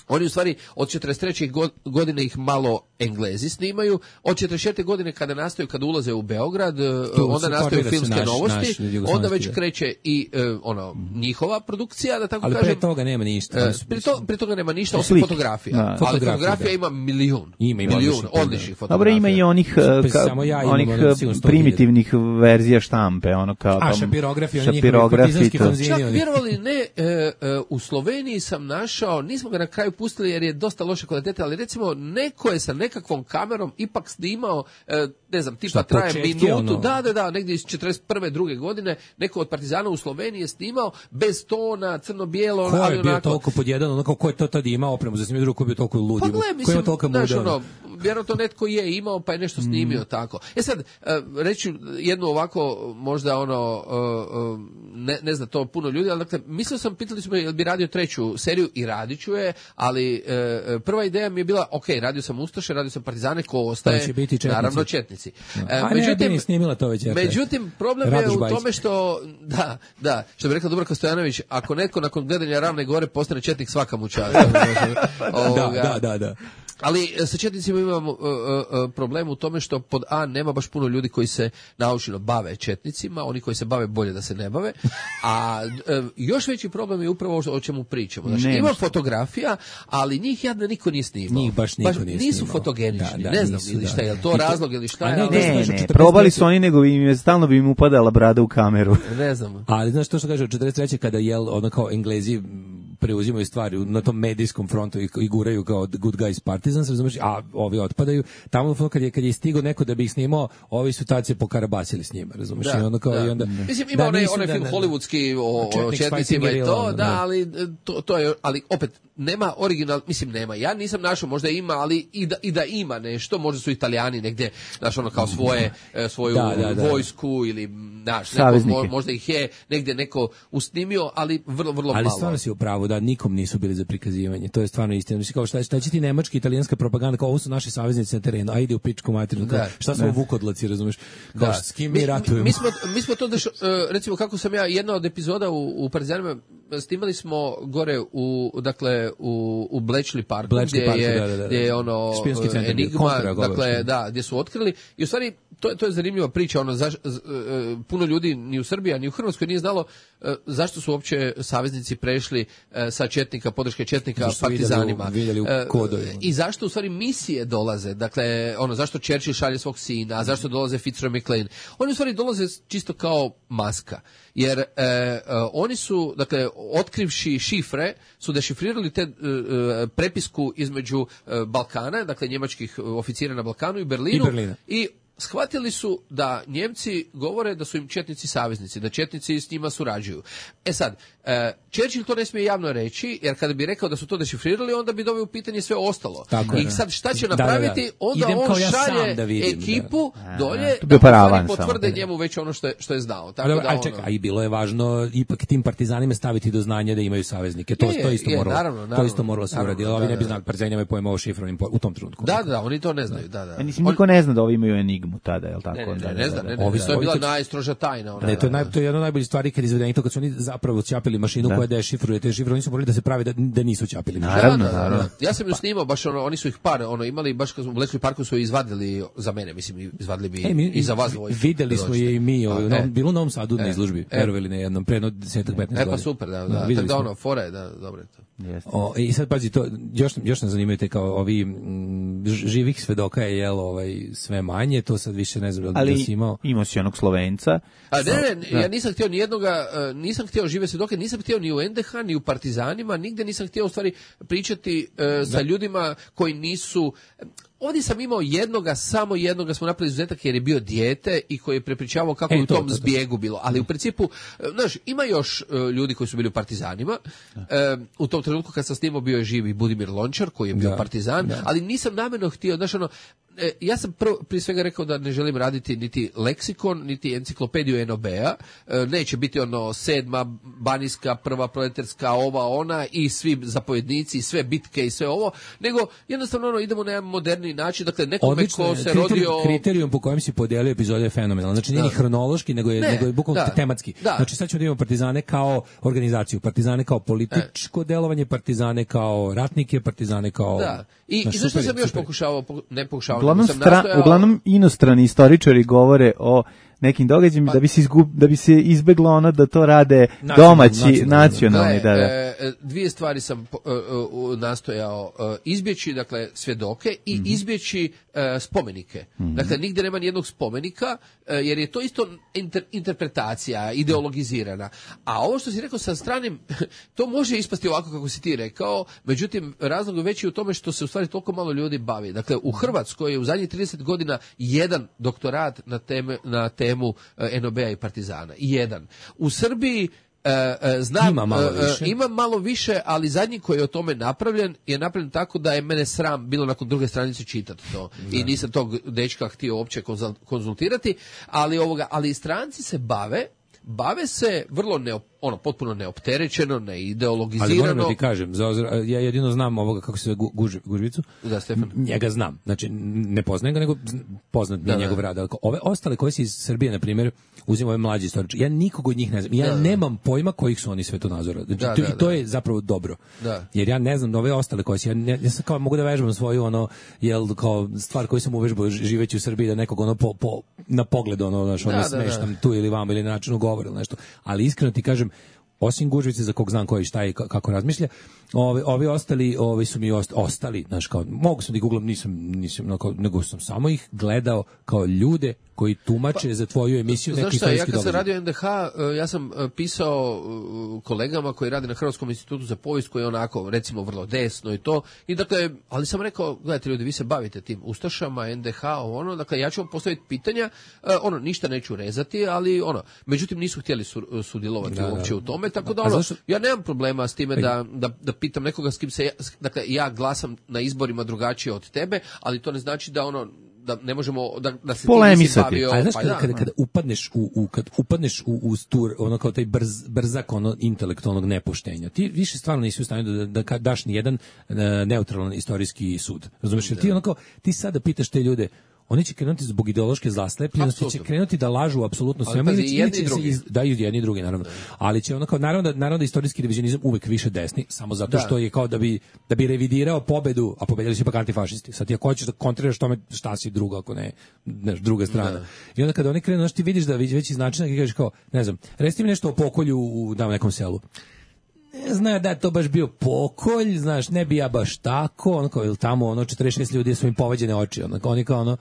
oni u stvari od četrdeset treće godine ih malo Englezi snimaju, od četrdeset četvrte godine kada nastaju, kada ulaze u Beograd, tu, onda nastaju filmske naš, novosti, naš, onda već kreće i uh, ono, njihova produkcija, da tako ali kažem. Ali pre toga nema ništa. Uh, pre, to, pre toga nema ništa, osim fotografija. Da. Ali fotografija, fotografija da. Ima milijun. Ima, ima milijun odličnih fotografija. Dobro, ima i onih, ka, ja onih primitivnih verzija štampe, ono kao A, šapirografija, šapirografija. Čak vjerovali ne, uh, uh, u Sloveniji sam našao, nismo ga na kraju pustili jer je dosta loše kvalitete, ali recimo neko je sa nekakvom kamerom ipak snimao, ne znam, tipa traje minutu, ono... da, da, da, negdje iz četrdeset prve druge godine, neko od Partizana u Sloveniji je snimao bez tona, crno-bijelo, ko ali je bio onako... toliko pod jedan, onako, ko je to tada imao opremu za snimanje, drugo ko je bio toliko ludi, pa gle, mislim, ko je toliko muda? Ono, vjerojatno netko je imao, pa je nešto snimio mm. tako. E sad, reći jednu ovako, možda ono, ne, ne zna to puno ljudi, ali dakle, mislio sam, pitali smo jel bi radio treću seriju i radit ću je, ali prva ideja mi je bila, ok, radio sam Ustaše, radio sam Partizane, ko ostaje, naravno Četnici. No. E, A međutim, ne, snimila to već. Međutim, problem Radoš je u Bajić. Tome što, da, da, što bi rekla Dubravka Stojanović, ako netko nakon gledanja Ravne gore postane Četnik, svaka mu čast. Da, da, da, da. Ali sa Četnicima imamo uh, uh, problem u tome što pod A nema baš puno ljudi koji se naučilo bave Četnicima, oni koji se bave bolje da se ne bave, a uh, još veći problem je upravo o čemu pričamo. Znači, ne, ima fotografija, ali njih jadno niko nije snimao. Njih baš niko baš nije nisu snimao. fotogenični, Da, da, ne znam, nisu, ili šta da. je, je to razlog ili šta je. Ne, ali... ne, ne, probali su oni, nego im je stalno bi im upadala brada u kameru. Ne znam. Ali znaš to što kaže, od četrdeset treće kada jel, ono kao Englezi preuzimaju stvari na tom medijskom frontu i, i guraju kao good guys Partizans, razumiješ, a ovi otpadaju. Tamo kad je, kad je stigao neko da bi ih snimao, ovi su tad se pokarabasili s njima, razumiješ? Da, I onda kao, da. i onda, mislim, ima da, onaj, nisu, onaj da, film da, hollywoodski o, o Četnik Četnicima i to, da, da, ali to, to je, ali opet, nema original, mislim nema, ja nisam našao, možda ima, ali i da, i da ima nešto, možda su Italijani negdje, znaš, ono kao svoje, svoju da, da, da. vojsku ili, znaš, neko, možda ih je negdje neko usnimio, ali vrlo, vrlo ali malo. Ali stvarno si u pravu, da nikom nisu bili za prikazivanje, to je stvarno istina. Mislim, kao šta, šta će ti nemačka, italijanska propaganda, kao ovo su naši saveznici na terenu, a ide u pičku materinu, kao, šta su ovo vukodlaci, razumeš, kao, da. S kim mi, mi ratujemo? Mi smo, mi smo to, deš, recimo, kako sam ja, jedna od epizoda u, u Partizanima, snimali smo gore u, dakle, u, u Bletchley Parku, Bletchley gdje, Parku, je, da, da, da. gdje je ono centar, Enigma, kontra, dakle, da, gdje su otkrili, i u stvari, to, to je zanimljiva priča, ono, zaš, z, puno ljudi ni u Srbiji, ni u Hrvatskoj nije znalo zašto su uopće saveznici prešli sa četnika, podrške četnika partizanima. Vidjeli u, vidjeli u kodovima. I zašto u stvari misije dolaze, dakle, ono, zašto Churchill šalje svog sina, a zašto dolaze Fitzroy McLean. Oni u stvari dolaze čisto kao maska. Jer e, e, oni su, dakle, otkrivši šifre, su dešifrirali te e, prepisku između e, Balkana, dakle, njemačkih oficira na Balkanu i Berlinu. I Berlina. I shvatili su da Njemci govore da su im četnici saveznici, da četnici s njima surađuju. E sad, e, Churchill to ne smije javno reći, jer kada bi rekao da su to dešifrirali, onda bi doveo u pitanje sve ostalo. Tako I je, sad šta će da, da, napraviti? da, da. Onda Idem on ja šalje da vidim, ekipu da. dolje, A, da paravan potvrde samo. njemu već ono što je, što je znao. Tako ali, da, ali ono... čekaj, a i bilo je važno ipak tim partizanima staviti do znanja da imaju saveznike. To, je, to isto je, moralo, naravno, naravno, to isto moralo se uraditi. Ovi ne bi znali, partizani nemaju pojma o šifrovnim u tom trenutku. Da, da, oni to ne znaju. Da, da. A mislim, niko ne zna da ovi imaju enigmu tada, je li tako? Ne, ne, da, ne, ne, da, ne, da, ne, da. ne, Ovi ne, su- to je bila ovi to- najstroža tajna. Ona, Ne, to je, da, naj, da. to je jedna od najboljih stvari kad izvedeni to kad su oni zapravo ćapili mašinu Da. koja dešifruje te šifre, oni su morali da se pravi da, da nisu ćapili. Naravno, Da, da, da, naravno. da. Ja sam ju snimao, baš ono, oni su ih par, ono, imali, baš kad smo u Bletchley Parku su je izvadili za mene, mislim, izvadili bi E, mi, i za vas dvojicu. videli da smo dođete. je i mi, ovaj, A, u Novom- e. bilo u Novom Sadu na E, izložbi, e. verovali na jednom, pre jedno deset do petnaest E, godina. pa super, da, Da, da. videli Tako da smo. ono, fora je, da, dobro je to. Jeste. O, i sad pazi to, još, još nas zanimaju te kao ovi mm, ž- živih svedoka je jel ovaj sve manje, to sad više ne znam da li Ali da si imao. imao si onog Slovenca. A ne, ne, Da. ja nisam htio ni jednoga, e, nisam htio žive svjedoke, nisam htio ni u en de ha, ni u Partizanima, nigde nisam htio u stvari pričati e, sa ljudima koji nisu... Ovdje sam imao jednoga, samo jednoga smo napravili izuzetak jer je bio dijete i koji je prepričavao kako E, je u to, tom to, to. zbjegu bilo. Ali u principu, e, znaš, ima još e, ljudi koji su bili u Partizanima. E, u tom trenutku kad sam snimao bio je živi Budimir Lončar koji je bio Da, Partizan, da. ali nisam namjerno htio, znaš ono, e, ja sam prvo, prije svega rekao da ne želim raditi niti leksikon, niti enciklopediju en o be-a, e, neće biti ono sedma, banijska, prva proletarska, ova, ona i svi zapovjednici, i sve bitke i sve ovo, nego jednostavno ono, idemo na jedan moderni način, dakle nekome Odlično, ko je. se Kriterijum- rodio... kriterijum po kojem si podelio epizode je fenomenalan. Znači nije Da. ni hronološki, nego je, Ne, nego je bukvalno da. tematski. Da. Znači sad ćemo da imamo partizane kao organizaciju, partizane kao političko delovanje, partizane kao ratnike, partizane kao... Da. I, Znaš, i zašto super, sam još super. pokušavao, poku- ne pokušavao, Uglavnom, nego sam stra, nastojao... uglavnom inostrani istoričari govore o nekim događajima Pa- da bi se izgub, da bi se izbeglo ono da to rade Nacionalno, domaći nacionalno. nacionalni, da, da. E, e, dvije stvari sam po- e, e, nastojao e, izbjeći, dakle, svjedoke i Mhm. izbjeći e, spomenike. Dakle, nigdje nema nijednog spomenika, e, jer je to isto inter- interpretacija, ideologizirana. A ovo što si rekao sa stranim, to može ispasti ovako kako si ti rekao, međutim, razlog je veći u tome što se u stvari toliko malo ljudi bavi. Dakle, u Hrvatskoj je u zadnjih trideset godina jedan doktorat na, teme, na temu e, en o be-a i Partizana. Jedan. U Srbiji E, e, znam, Ima malo e, e, više. ima malo više, ali zadnji koji je o tome napravljen je napravljen tako da je mene sram bilo nakon druge stranice čitati to. I nisam tog dečka htio uopće konzul- konzultirati, ali ovoga, ali stranci se bave bave se vrlo neop, ono potpuno neopterećeno, Ali moram da neideologizirano. ti kažem, za, ozra- ja jedino znam ovoga kako se zove Gu- Guž, Gužvicu. Da, Stefan. Njega znam. Znači, ne poznajem ga, nego zn- poznat mi Da, je da. njegov rad. Ali ove ostale koje se iz Srbije, na primjer, uzimaju ove mlađi istoričari. Ja nikog od njih ne znam. Ja Da, da. nemam pojma kojih su oni svetonazora. Znači, Da, to, da, i to da. je zapravo dobro. Da. Jer ja ne znam da ove ostale koje se, ja, ne- ja sam kao mogu da vežbam svoju ono, jel, kao stvar koju sam uvežbao ži- živeći u Srbiji, da nekog ono po, po, na pogled ono, znaš, ono Da, da, smeštam da. tu ili vamo ili na načinu govora ili nešto. Ali iskreno ti kažem, osim Gužvice za kog znam koji šta i ka- kako razmišlja, ovi, ovi ostali, ovi su mi ost, ostali, znaš, kao, mogu sam da ih googlam, nisam, nisam, no, kao, nego sam samo ih gledao kao ljude koji tumače za tvoju emisiju neki Znaš šta, ja istorijski kad sam događaj. radio en de ha, e, ja sam e, pisao e, kolegama koji rade na Hrvatskom institutu za povijest, koji je onako, recimo, vrlo desno i to, i dakle, ali sam rekao, gledajte ljudi, vi se bavite tim ustašama, en de ha, ono, dakle, ja ću vam postaviti pitanja, e, ono, ništa neću rezati, ali ono, međutim, nisu htjeli su, sudjelovati Da, da. uopće u tome, tako da A ono, zašto- ja nemam problema s time da, da, da pitam nekoga s kim se, ja, s- dakle, ja glasam na izborima drugačije od tebe, ali to ne znači da ono, da ne možemo, da, da se ti nisi Polemisati. bavio, A znaš pa kada, da, kada, kada upadneš u, u kad upadneš u, u stur, ono kao taj brz, brzak ono intelektualnog nepoštenja, ti više stvarno nisi u stanju da, da, da daš ni jedan uh, neutralan istorijski sud. Razumeš? Jer ti ono kao, ti sada pitaš te ljude, oni će krenuti zbog ideološke zaslepljenosti, će Apsolutno. krenuti da lažu apsolutno Ali svemu. pazi, ili će- i jedni ili će i se drugi. iz- Da, i jedni i drugi, naravno. Ali će ono kao, naravno da, naravno da istorijski revizionizam uvek više desni, samo zato Da. što je kao da bi, da bi revidirao pobedu, a pobedili su ipak antifašisti. Sad ti ako hoćeš da kontriraš tome šta si drugo, ako ne, znaš, druga strana. I onda kada oni krenu, znaš, ti vidiš da već iz načina i kažeš kao, ne znam, reci mi nešto o pokolju u da, nekom selu. Ne zna da je to baš bio pokolj, znaš, ne bi ja baš tako, ono kao, ili tamo, ono, četrdeset šest ljudi su im povađene oči, ono, oni kao, ono,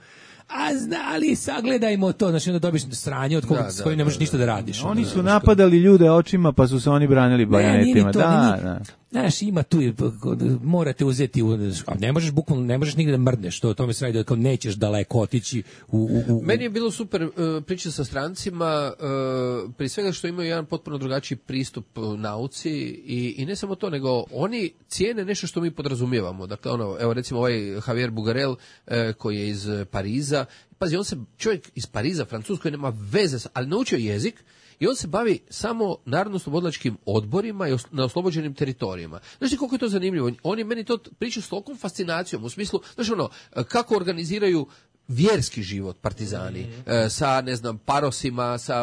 a znali, sagledajmo to, znači, onda dobiš sranje od koga, Da, s da, kojim ne možeš da, ništa da radiš. Oni ono, su znaš, napadali ljude očima, pa su se oni branili Ne, nije bajonetima. ni to, Da, nije- da. Znaš, ima tu, i- morate uzeti, u- a ne možeš bukvalno, ne možeš nigde da mrdneš, to, to mi se radi da kao nećeš daleko otići u... u, u Meni je bilo super uh, priča sa strancima, uh, prije svega što imaju jedan potpuno drugačiji pristup uh, nauci i, i ne samo to, nego oni cijene nešto što mi podrazumijevamo. Dakle, ono, evo recimo ovaj Javier Bugarel uh, koji je iz uh, Pariza, pazi, on se, čovjek iz Pariza, Francuz koji nema veze, sa- ali naučio jezik, i on se bavi samo narodno-slobodilačkim odborima i os- na oslobođenim teritorijima. Znaš ti koliko je to zanimljivo? On je meni to pričao s tolikom fascinacijom, u smislu, znaš ono, kako organiziraju vjerski život partizani, e, sa, ne znam, parosima, sa,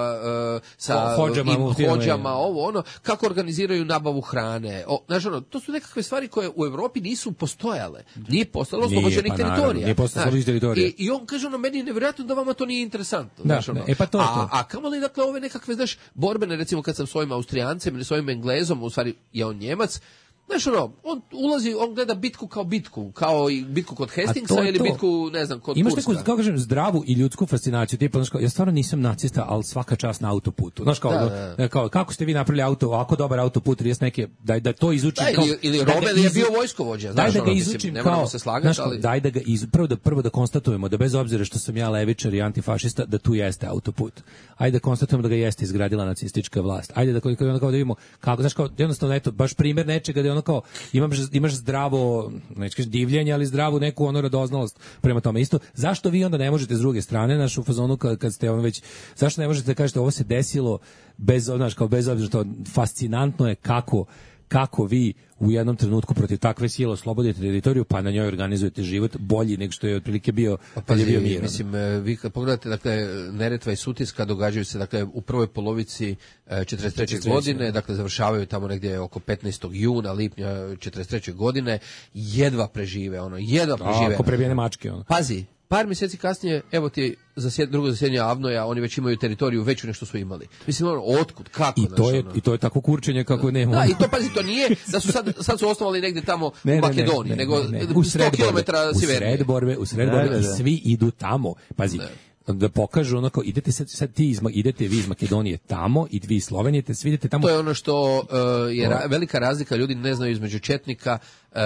e, sa Ho- hodžama, im muftijama, hodžama, je. ovo, ono, kako organiziraju nabavu hrane. O, znaš ono, to su nekakve stvari koje u Evropi nisu postojale. Nije postojalo Nije, oslobođenih pa naravno, teritorija. nije postojalo Znaš, oslobođenih teritorija. I, I on kaže, ono, meni je nevjerojatno da vama to nije interesantno. Da, znaš, ono. e, pa to je a, to. a kamoli, dakle, ove nekakve, znaš, borbene, recimo kad sam s ovim Austrijancem ili s ovim Englezom, u stvari je on Njemac, znaš ono, on ulazi, on gleda bitku kao bitku, kao i bitku kod Hastingsa to je ili to. bitku, ne znam, kod Imaš Kurska. neku, kako kažem, zdravu i ljudsku fascinaciju, tipa, znaš, kao, ja stvarno nisam nacista, ali svaka čast na autoputu. Znaš, kao, Da, ono, da, da. kao, kako ste vi napravili auto, ovako dobar autoput, trideset neke, daj da to izučim. Da, kao, ili, ili da ga Rommel je izu- bio vojskovođa, Daj znaš, da ono, ga mislim, izučim ne kao, moramo se slagati, znaš, kao, ali... daj da ga iz, prvo da prvo da konstatujemo da bez obzira što sam ja levičar i antifašista, da tu jeste autoput. Ajde da konstatujemo da ga jeste izgradila nacistička vlast. Ajde da kao, kao, kao da vidimo kako, znaš, kao, jednostavno, eto, baš primjer nečega da je ono kao, imaš, imaš zdravo, neću kažem divljenje, ali zdravu neku ono radoznalost prema tome isto. Zašto vi onda ne možete s druge strane, naš u fazonu kad, kad ste ono već, zašto ne možete da kažete ovo se desilo bez, znaš, kao bez obzira što fascinantno je kako kako vi u jednom trenutku protiv takve sile oslobodite teritoriju, pa na njoj organizujete život bolji nego što je otprilike bio Pa kad je pazi, bio mir. mislim, e, vi kad pogledate, dakle, Neretva i Sutiska događaju se, dakle, u prvoj polovici e, četrdeset treće godine, dakle, završavaju tamo negdje oko petnaestog juna, lipnja četrdeset treće godine, jedva prežive, ono, jedva prežive. Ako prebijene mačke, ono. Pazi, par mjeseci kasnije, evo ti zasjed, drugo zasjedanje Avnoja, oni već imaju teritoriju veću nego što su imali. Mislim, ono, otkud, kako? I znaš, to je ono? i to je tako kurčenje kako nema. Da, i to, pazi, to nije da su sad, sad su osnovali negdje tamo Ne, u ne, ne, Makedoniji, ne, nego ne, ne. U sto sred borbe, kilometara u sjevernije. sred borbe, u sred Da, borbe da, i da. svi idu tamo. Pazi, da pokažu onako, idete sad, sad ti iz, Ma- idete vi iz Makedonije tamo i vi iz Slovenije, te svi idete tamo. To je ono što uh, je ra- velika razlika, ljudi ne znaju između četnika, uh,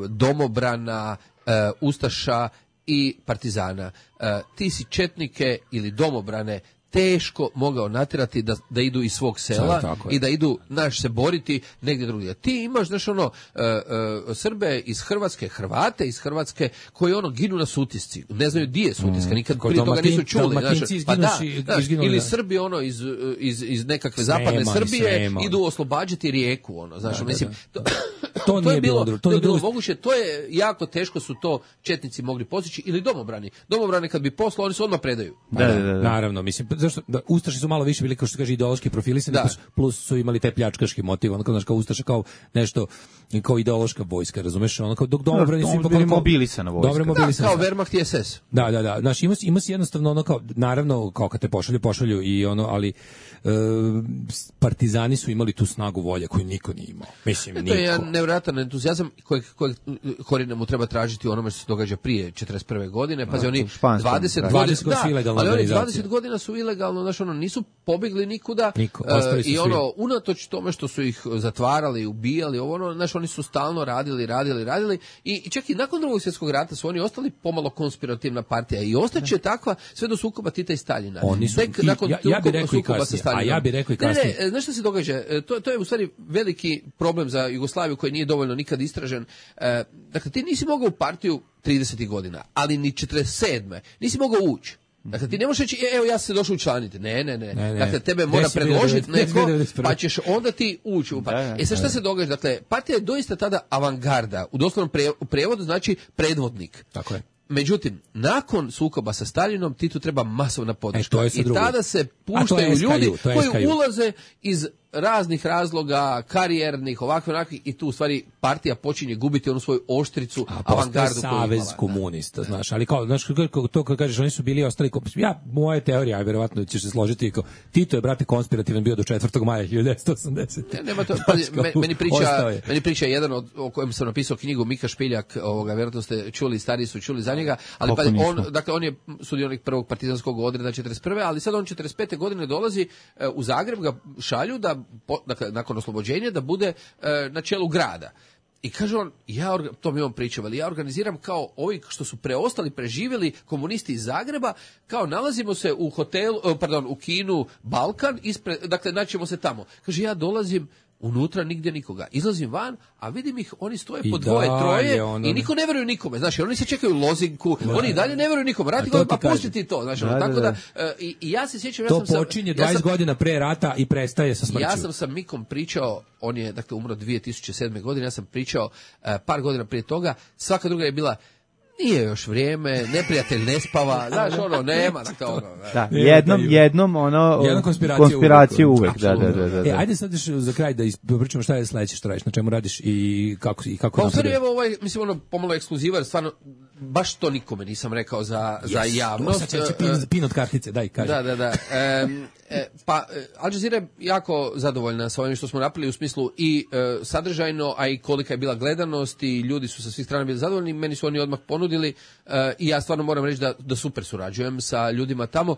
domobrana, uh, ustaša i partizana. Uh, ti si četnike ili domobrane teško mogao natjerati da, da idu iz svog sela Tako je. i da idu, naš, se boriti negdje drugdje. Ti imaš, znaš, ono, uh, uh, Srbe iz Hrvatske, Hrvate iz Hrvatske, koji ono ginu na Sutisci. Ne znaju di je Sutiska, nikad Kod prije toga nisu Dalmatin- čuli. znaš. Dalmatinci Pa da, izginuši- znaš, izginuli, ili da. Srbi ono iz, iz, iz nekakve Srema zapadne i Srbije Srema. idu oslobađati Rijeku, ono, znaš, Da, da, mislim, da. to, To nije je bilo bilo, drugo, to to je nije bilo drugo. moguće, to je jako teško su to četnici mogli postići, ili domobrani. Domobrani kad bi poslao, oni se odmah predaju. Da, da, da, da. Naravno, mislim, zašto, da, Ustaši su malo više bili, kao što se kaže, ideološki profilisani, Da. plus, plus su imali taj pljačkaški motiv, ono kao, znaš, kao Ustaša, kao nešto, kao ideološka vojska, razumeš, ono kao, dok domobrani su Oni ipak bili ono kao- mobilisana vojska. Dobro Da, mobilisana. kao Wehrmacht i S S. Da, da, da. Znaš, ima, si- ima si jednostavno ono kao, naravno, kao kad te pošalju, pošalju i ono, ali e, partizani su imali tu snagu volje koju niko nije imao. Mislim, To niko. je jedan nevjerojatan entuzijazam kojeg, kojeg korijena mu treba tražiti u onome što se događa prije četrdeset prve godine. Pazi, oni u španskom, dvadeset da. godina, dvadeset godina su ilegalna ali oni organizacija. dvadeset godina su ilegalno, znaš, ono, nisu pobjegli nikuda. Niko, e, ostali su i svi. ono, unatoč tome što su ih zatvarali, ubijali, ovo ono, znaš, oni su stalno radili, radili, radili i, i čak i nakon drugog svjetskog rata su oni ostali pomalo konspirativna partija i ostaće takva sve do sukoba Tita i Staljina. Oni su, Tek i, nakon ja, ja bih rekao i sukoba sa kasnije, a Staljinom. ja bih rekao i Ne, kasnije. ne, znaš što se događa? E, To, to je u stvari veliki problem za Jugoslaviju koji nije dovoljno nikad istražen. E, dakle, ti nisi mogao u partiju tridesetih godina, ali ni četrdeset sedme nisi mogao ući. Dakle, ti ne možeš reći, e, evo ja sam se došao učlaniti. Ne, ne, ne. Ne, ne. Dakle, tebe mora Gde si bio predložiti devedeset neko, devedeset prve? pa ćeš onda ti ući u partiju. Da, da, E sad šta se događa? Dakle, partija je doista tada avangarda. U doslovnom pre- u prevodu znači predvodnik. Tako je. Međutim, nakon sukoba sa Staljinom, Titu treba masovna podrška. E, to je sad I drugo. tada se A to puštaju je S K U, ljudi to je koji S K U. ulaze iz raznih razloga, karijernih, ovakve, onakvih, i tu u stvari partija počinje gubiti onu svoju oštricu, A postoje avangardu koju je savez imala. komunista, znaš, ali kao, znaš, kako- to kad kažeš, oni su bili ostali, ko- ja, moja teorija, a verovatno ćeš se složiti, kao, Tito je, brate, konspirativan bio do četvrtog maja hiljadu devetsto osamdesete. Ne, nema to, pazi, Znaš, kao, me- meni priča, ostao je. meni priča jedan od, o kojem sam napisao knjigu, Mika Špiljak, ovoga, vjerojatno ste čuli, stariji su čuli za njega, ali Kako pazi, nismo? on, dakle, on je sudionik prvog partizanskog odreda četrdeset prve, ali sad on četrdeset pete godine dolazi e, u Zagreb, ga šalju da, po- dakle, nakon oslobođenja, da bude e, na čelu grada. I kaže on, ja, orga- to mi on pričao, ali ja organiziram kao ovi što su preostali, preživjeli komunisti iz Zagreba, kao nalazimo se u hotelu, e, pardon, u kinu Balkan, ispred, dakle, naćemo se tamo. Kaže, ja dolazim, unutra nigdje nikoga. Izlazim van, a vidim ih, oni stoje I po dvoje, dalje, troje ono- i niko ne vjeruje nikome. Znači, oni se čekaju lozinku, oni i dalje ne vjeruju nikome. Radi A to god, ti pa kažem. pusti ti to. Znači, Da, ono, da, tako da. da, e, i, i ja se sjećam, ja To sam sa- počinje ja dvadeset sam- godina pre rata i prestaje sa smrću. ja sam sa Mikom pričao, on je dakle umro dvije tisuće sedme godine, ja sam pričao e, par godina prije toga, svaka druga je bila, nije još vrijeme, neprijatelj ne spava, znaš, ono, nema, dakle, ono, Da, Ne, jednom, da, jednom ono Jednom konspiracija konspiraciju uvek. uvek, da, da, da, da. E, ajde sad još za kraj da ispričamo šta je sledeće što radiš, na čemu radiš i kako, i kako Pa u stvari, napreduješ. evo ovaj, mislim, ono, pomalo ekskluziva, jer stvarno, baš to nikome nisam rekao za, za Yes, javnost. Sad će, će E, pin, pin od kartice, daj, kaži. Da, da, da. E, e, pa, e, Al Jazeera je jako zadovoljna sa ovim što smo napravili u smislu i e, sadržajno, a i kolika je bila gledanost i ljudi su sa svih strana bili zadovoljni. Meni su oni odmah ponudili e, i ja stvarno moram reći da, da super surađujem sa ljudima tamo.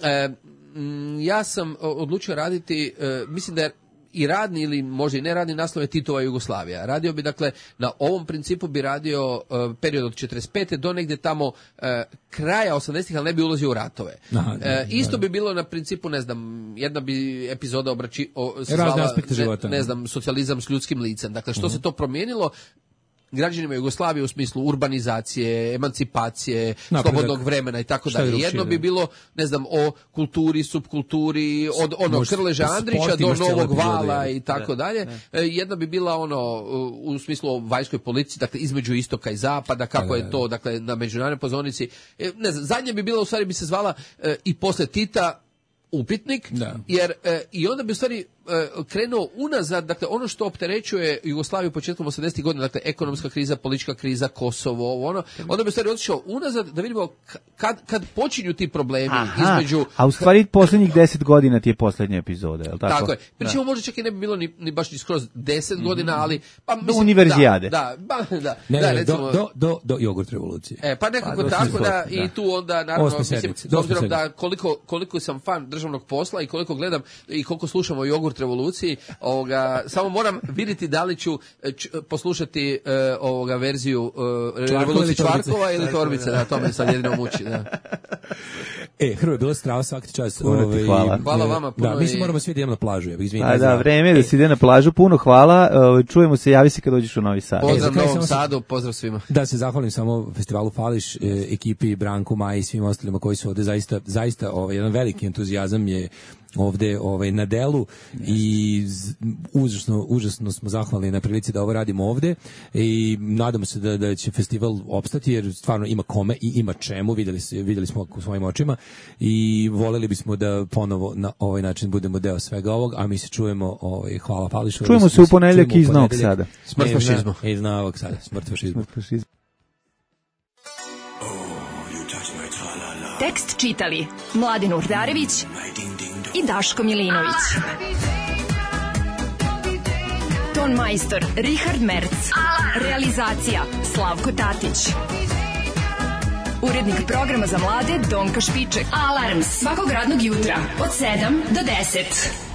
E, m, ja sam odlučio raditi, e, mislim da je i radni ili možda i neradni naslov je Titova Jugoslavija. Radio bi, dakle, na ovom principu bi radio uh, period od četrdeset pete do negdje tamo uh, kraja osamdesetih, ali ne bi ulazio u ratove. Aha, da, E, isto da. bi bilo na principu, ne znam, jedna bi epizoda obrači, o, se Razne zvala, aspekte ne, života. ne znam, socijalizam s ljudskim licem. Dakle, što Mhm. se to promijenilo građanima Jugoslavije u smislu urbanizacije, emancipacije, Napredak. slobodnog vremena i tako Šta je dalje. drugčije, Jedno da. bi bilo, ne znam, o kulturi, subkulturi, od onog Može- Krleža po Andrića sportu do imaš cijelu Novog epizodu, vala je. i tako dalje. E, Jedna bi bila ono u smislu o vanjskoj politici, dakle između istoka i zapada, kako Da, da, je to, dakle na međunarodnoj pozornici. E, Ne znam, zadnje bi bila, u stvari bi se zvala e, i posle Tita upitnik, Da. jer e, i onda bi u stvari e, krenuo unazad, dakle ono što opterećuje Jugoslaviju početkom osamdesetih godina, dakle ekonomska kriza, politička kriza, Kosovo, ovo ono, onda bi u stvari otišao unazad da vidimo k- kad, kad počinju ti problemi Aha, između... a u stvari posljednjih deset godina ti je posljednja epizoda, je li tako? Tako je. Pričemu možda čak i ne bi bilo ni, ni baš ni skroz deset godina, ali... Pa, Do univerzijade. Da, da, ba, da. Ne, da, ne, recimo, do, do, do, do jogurt revolucije. E, pa nekako Pa, do tako osme da, sedmice, i da. tu onda naravno, Osme mislim, sedmice, s do obzirom osme da koliko, koliko sam fan državnog posla i koliko gledam i koliko slušam o jogurt revoluciji, ovoga, samo moram vidjeti da li ću e, č, poslušati e, ovoga verziju e, revolucije ili torbice? Čvarkova ili Torbice, da, to me sad jedino muči, da. E, Hrvo, je bilo strava svaki čas. Puno ti hvala. Hvala vama puno Da, mi se i- moramo svi da idemo na plažu. Ja bih izvinite. A da, vreme je da se ide na plažu, puno hvala, e, čujemo se, javi se kad dođeš u Novi Sad. za Pozdrav kraj Novom samo se- Sadu, pozdrav svima. Da se zahvalim samo festivalu Fališ, e, ekipi Branku, Maji i svim ostalima koji su ovde zaista, zaista ovaj, jedan veliki entuzijazam je ovde ovaj, na delu i z- užasno, užasno smo zahvalni na prilici da ovo radimo ovde i nadamo se da, da će festival opstati jer stvarno ima kome i ima čemu, videli, se, videli smo u svojim očima i voleli bismo da ponovo na ovaj način budemo deo svega ovog, a mi se čujemo, ovaj, hvala Fališu. Čujemo se u ponedeljak iz Novog Sada. Smrt Ne, fašizmu. ne, Iz Novog Sada, smrt fašizmu. Tekst čitali Mladin Urdarević i Daško Milinović. Ton majstor Richard Merc. Realizacija Slavko Tatić. Urednik programa za mlade Donka Špiček. Alarms svakog radnog jutra od sedam do deset.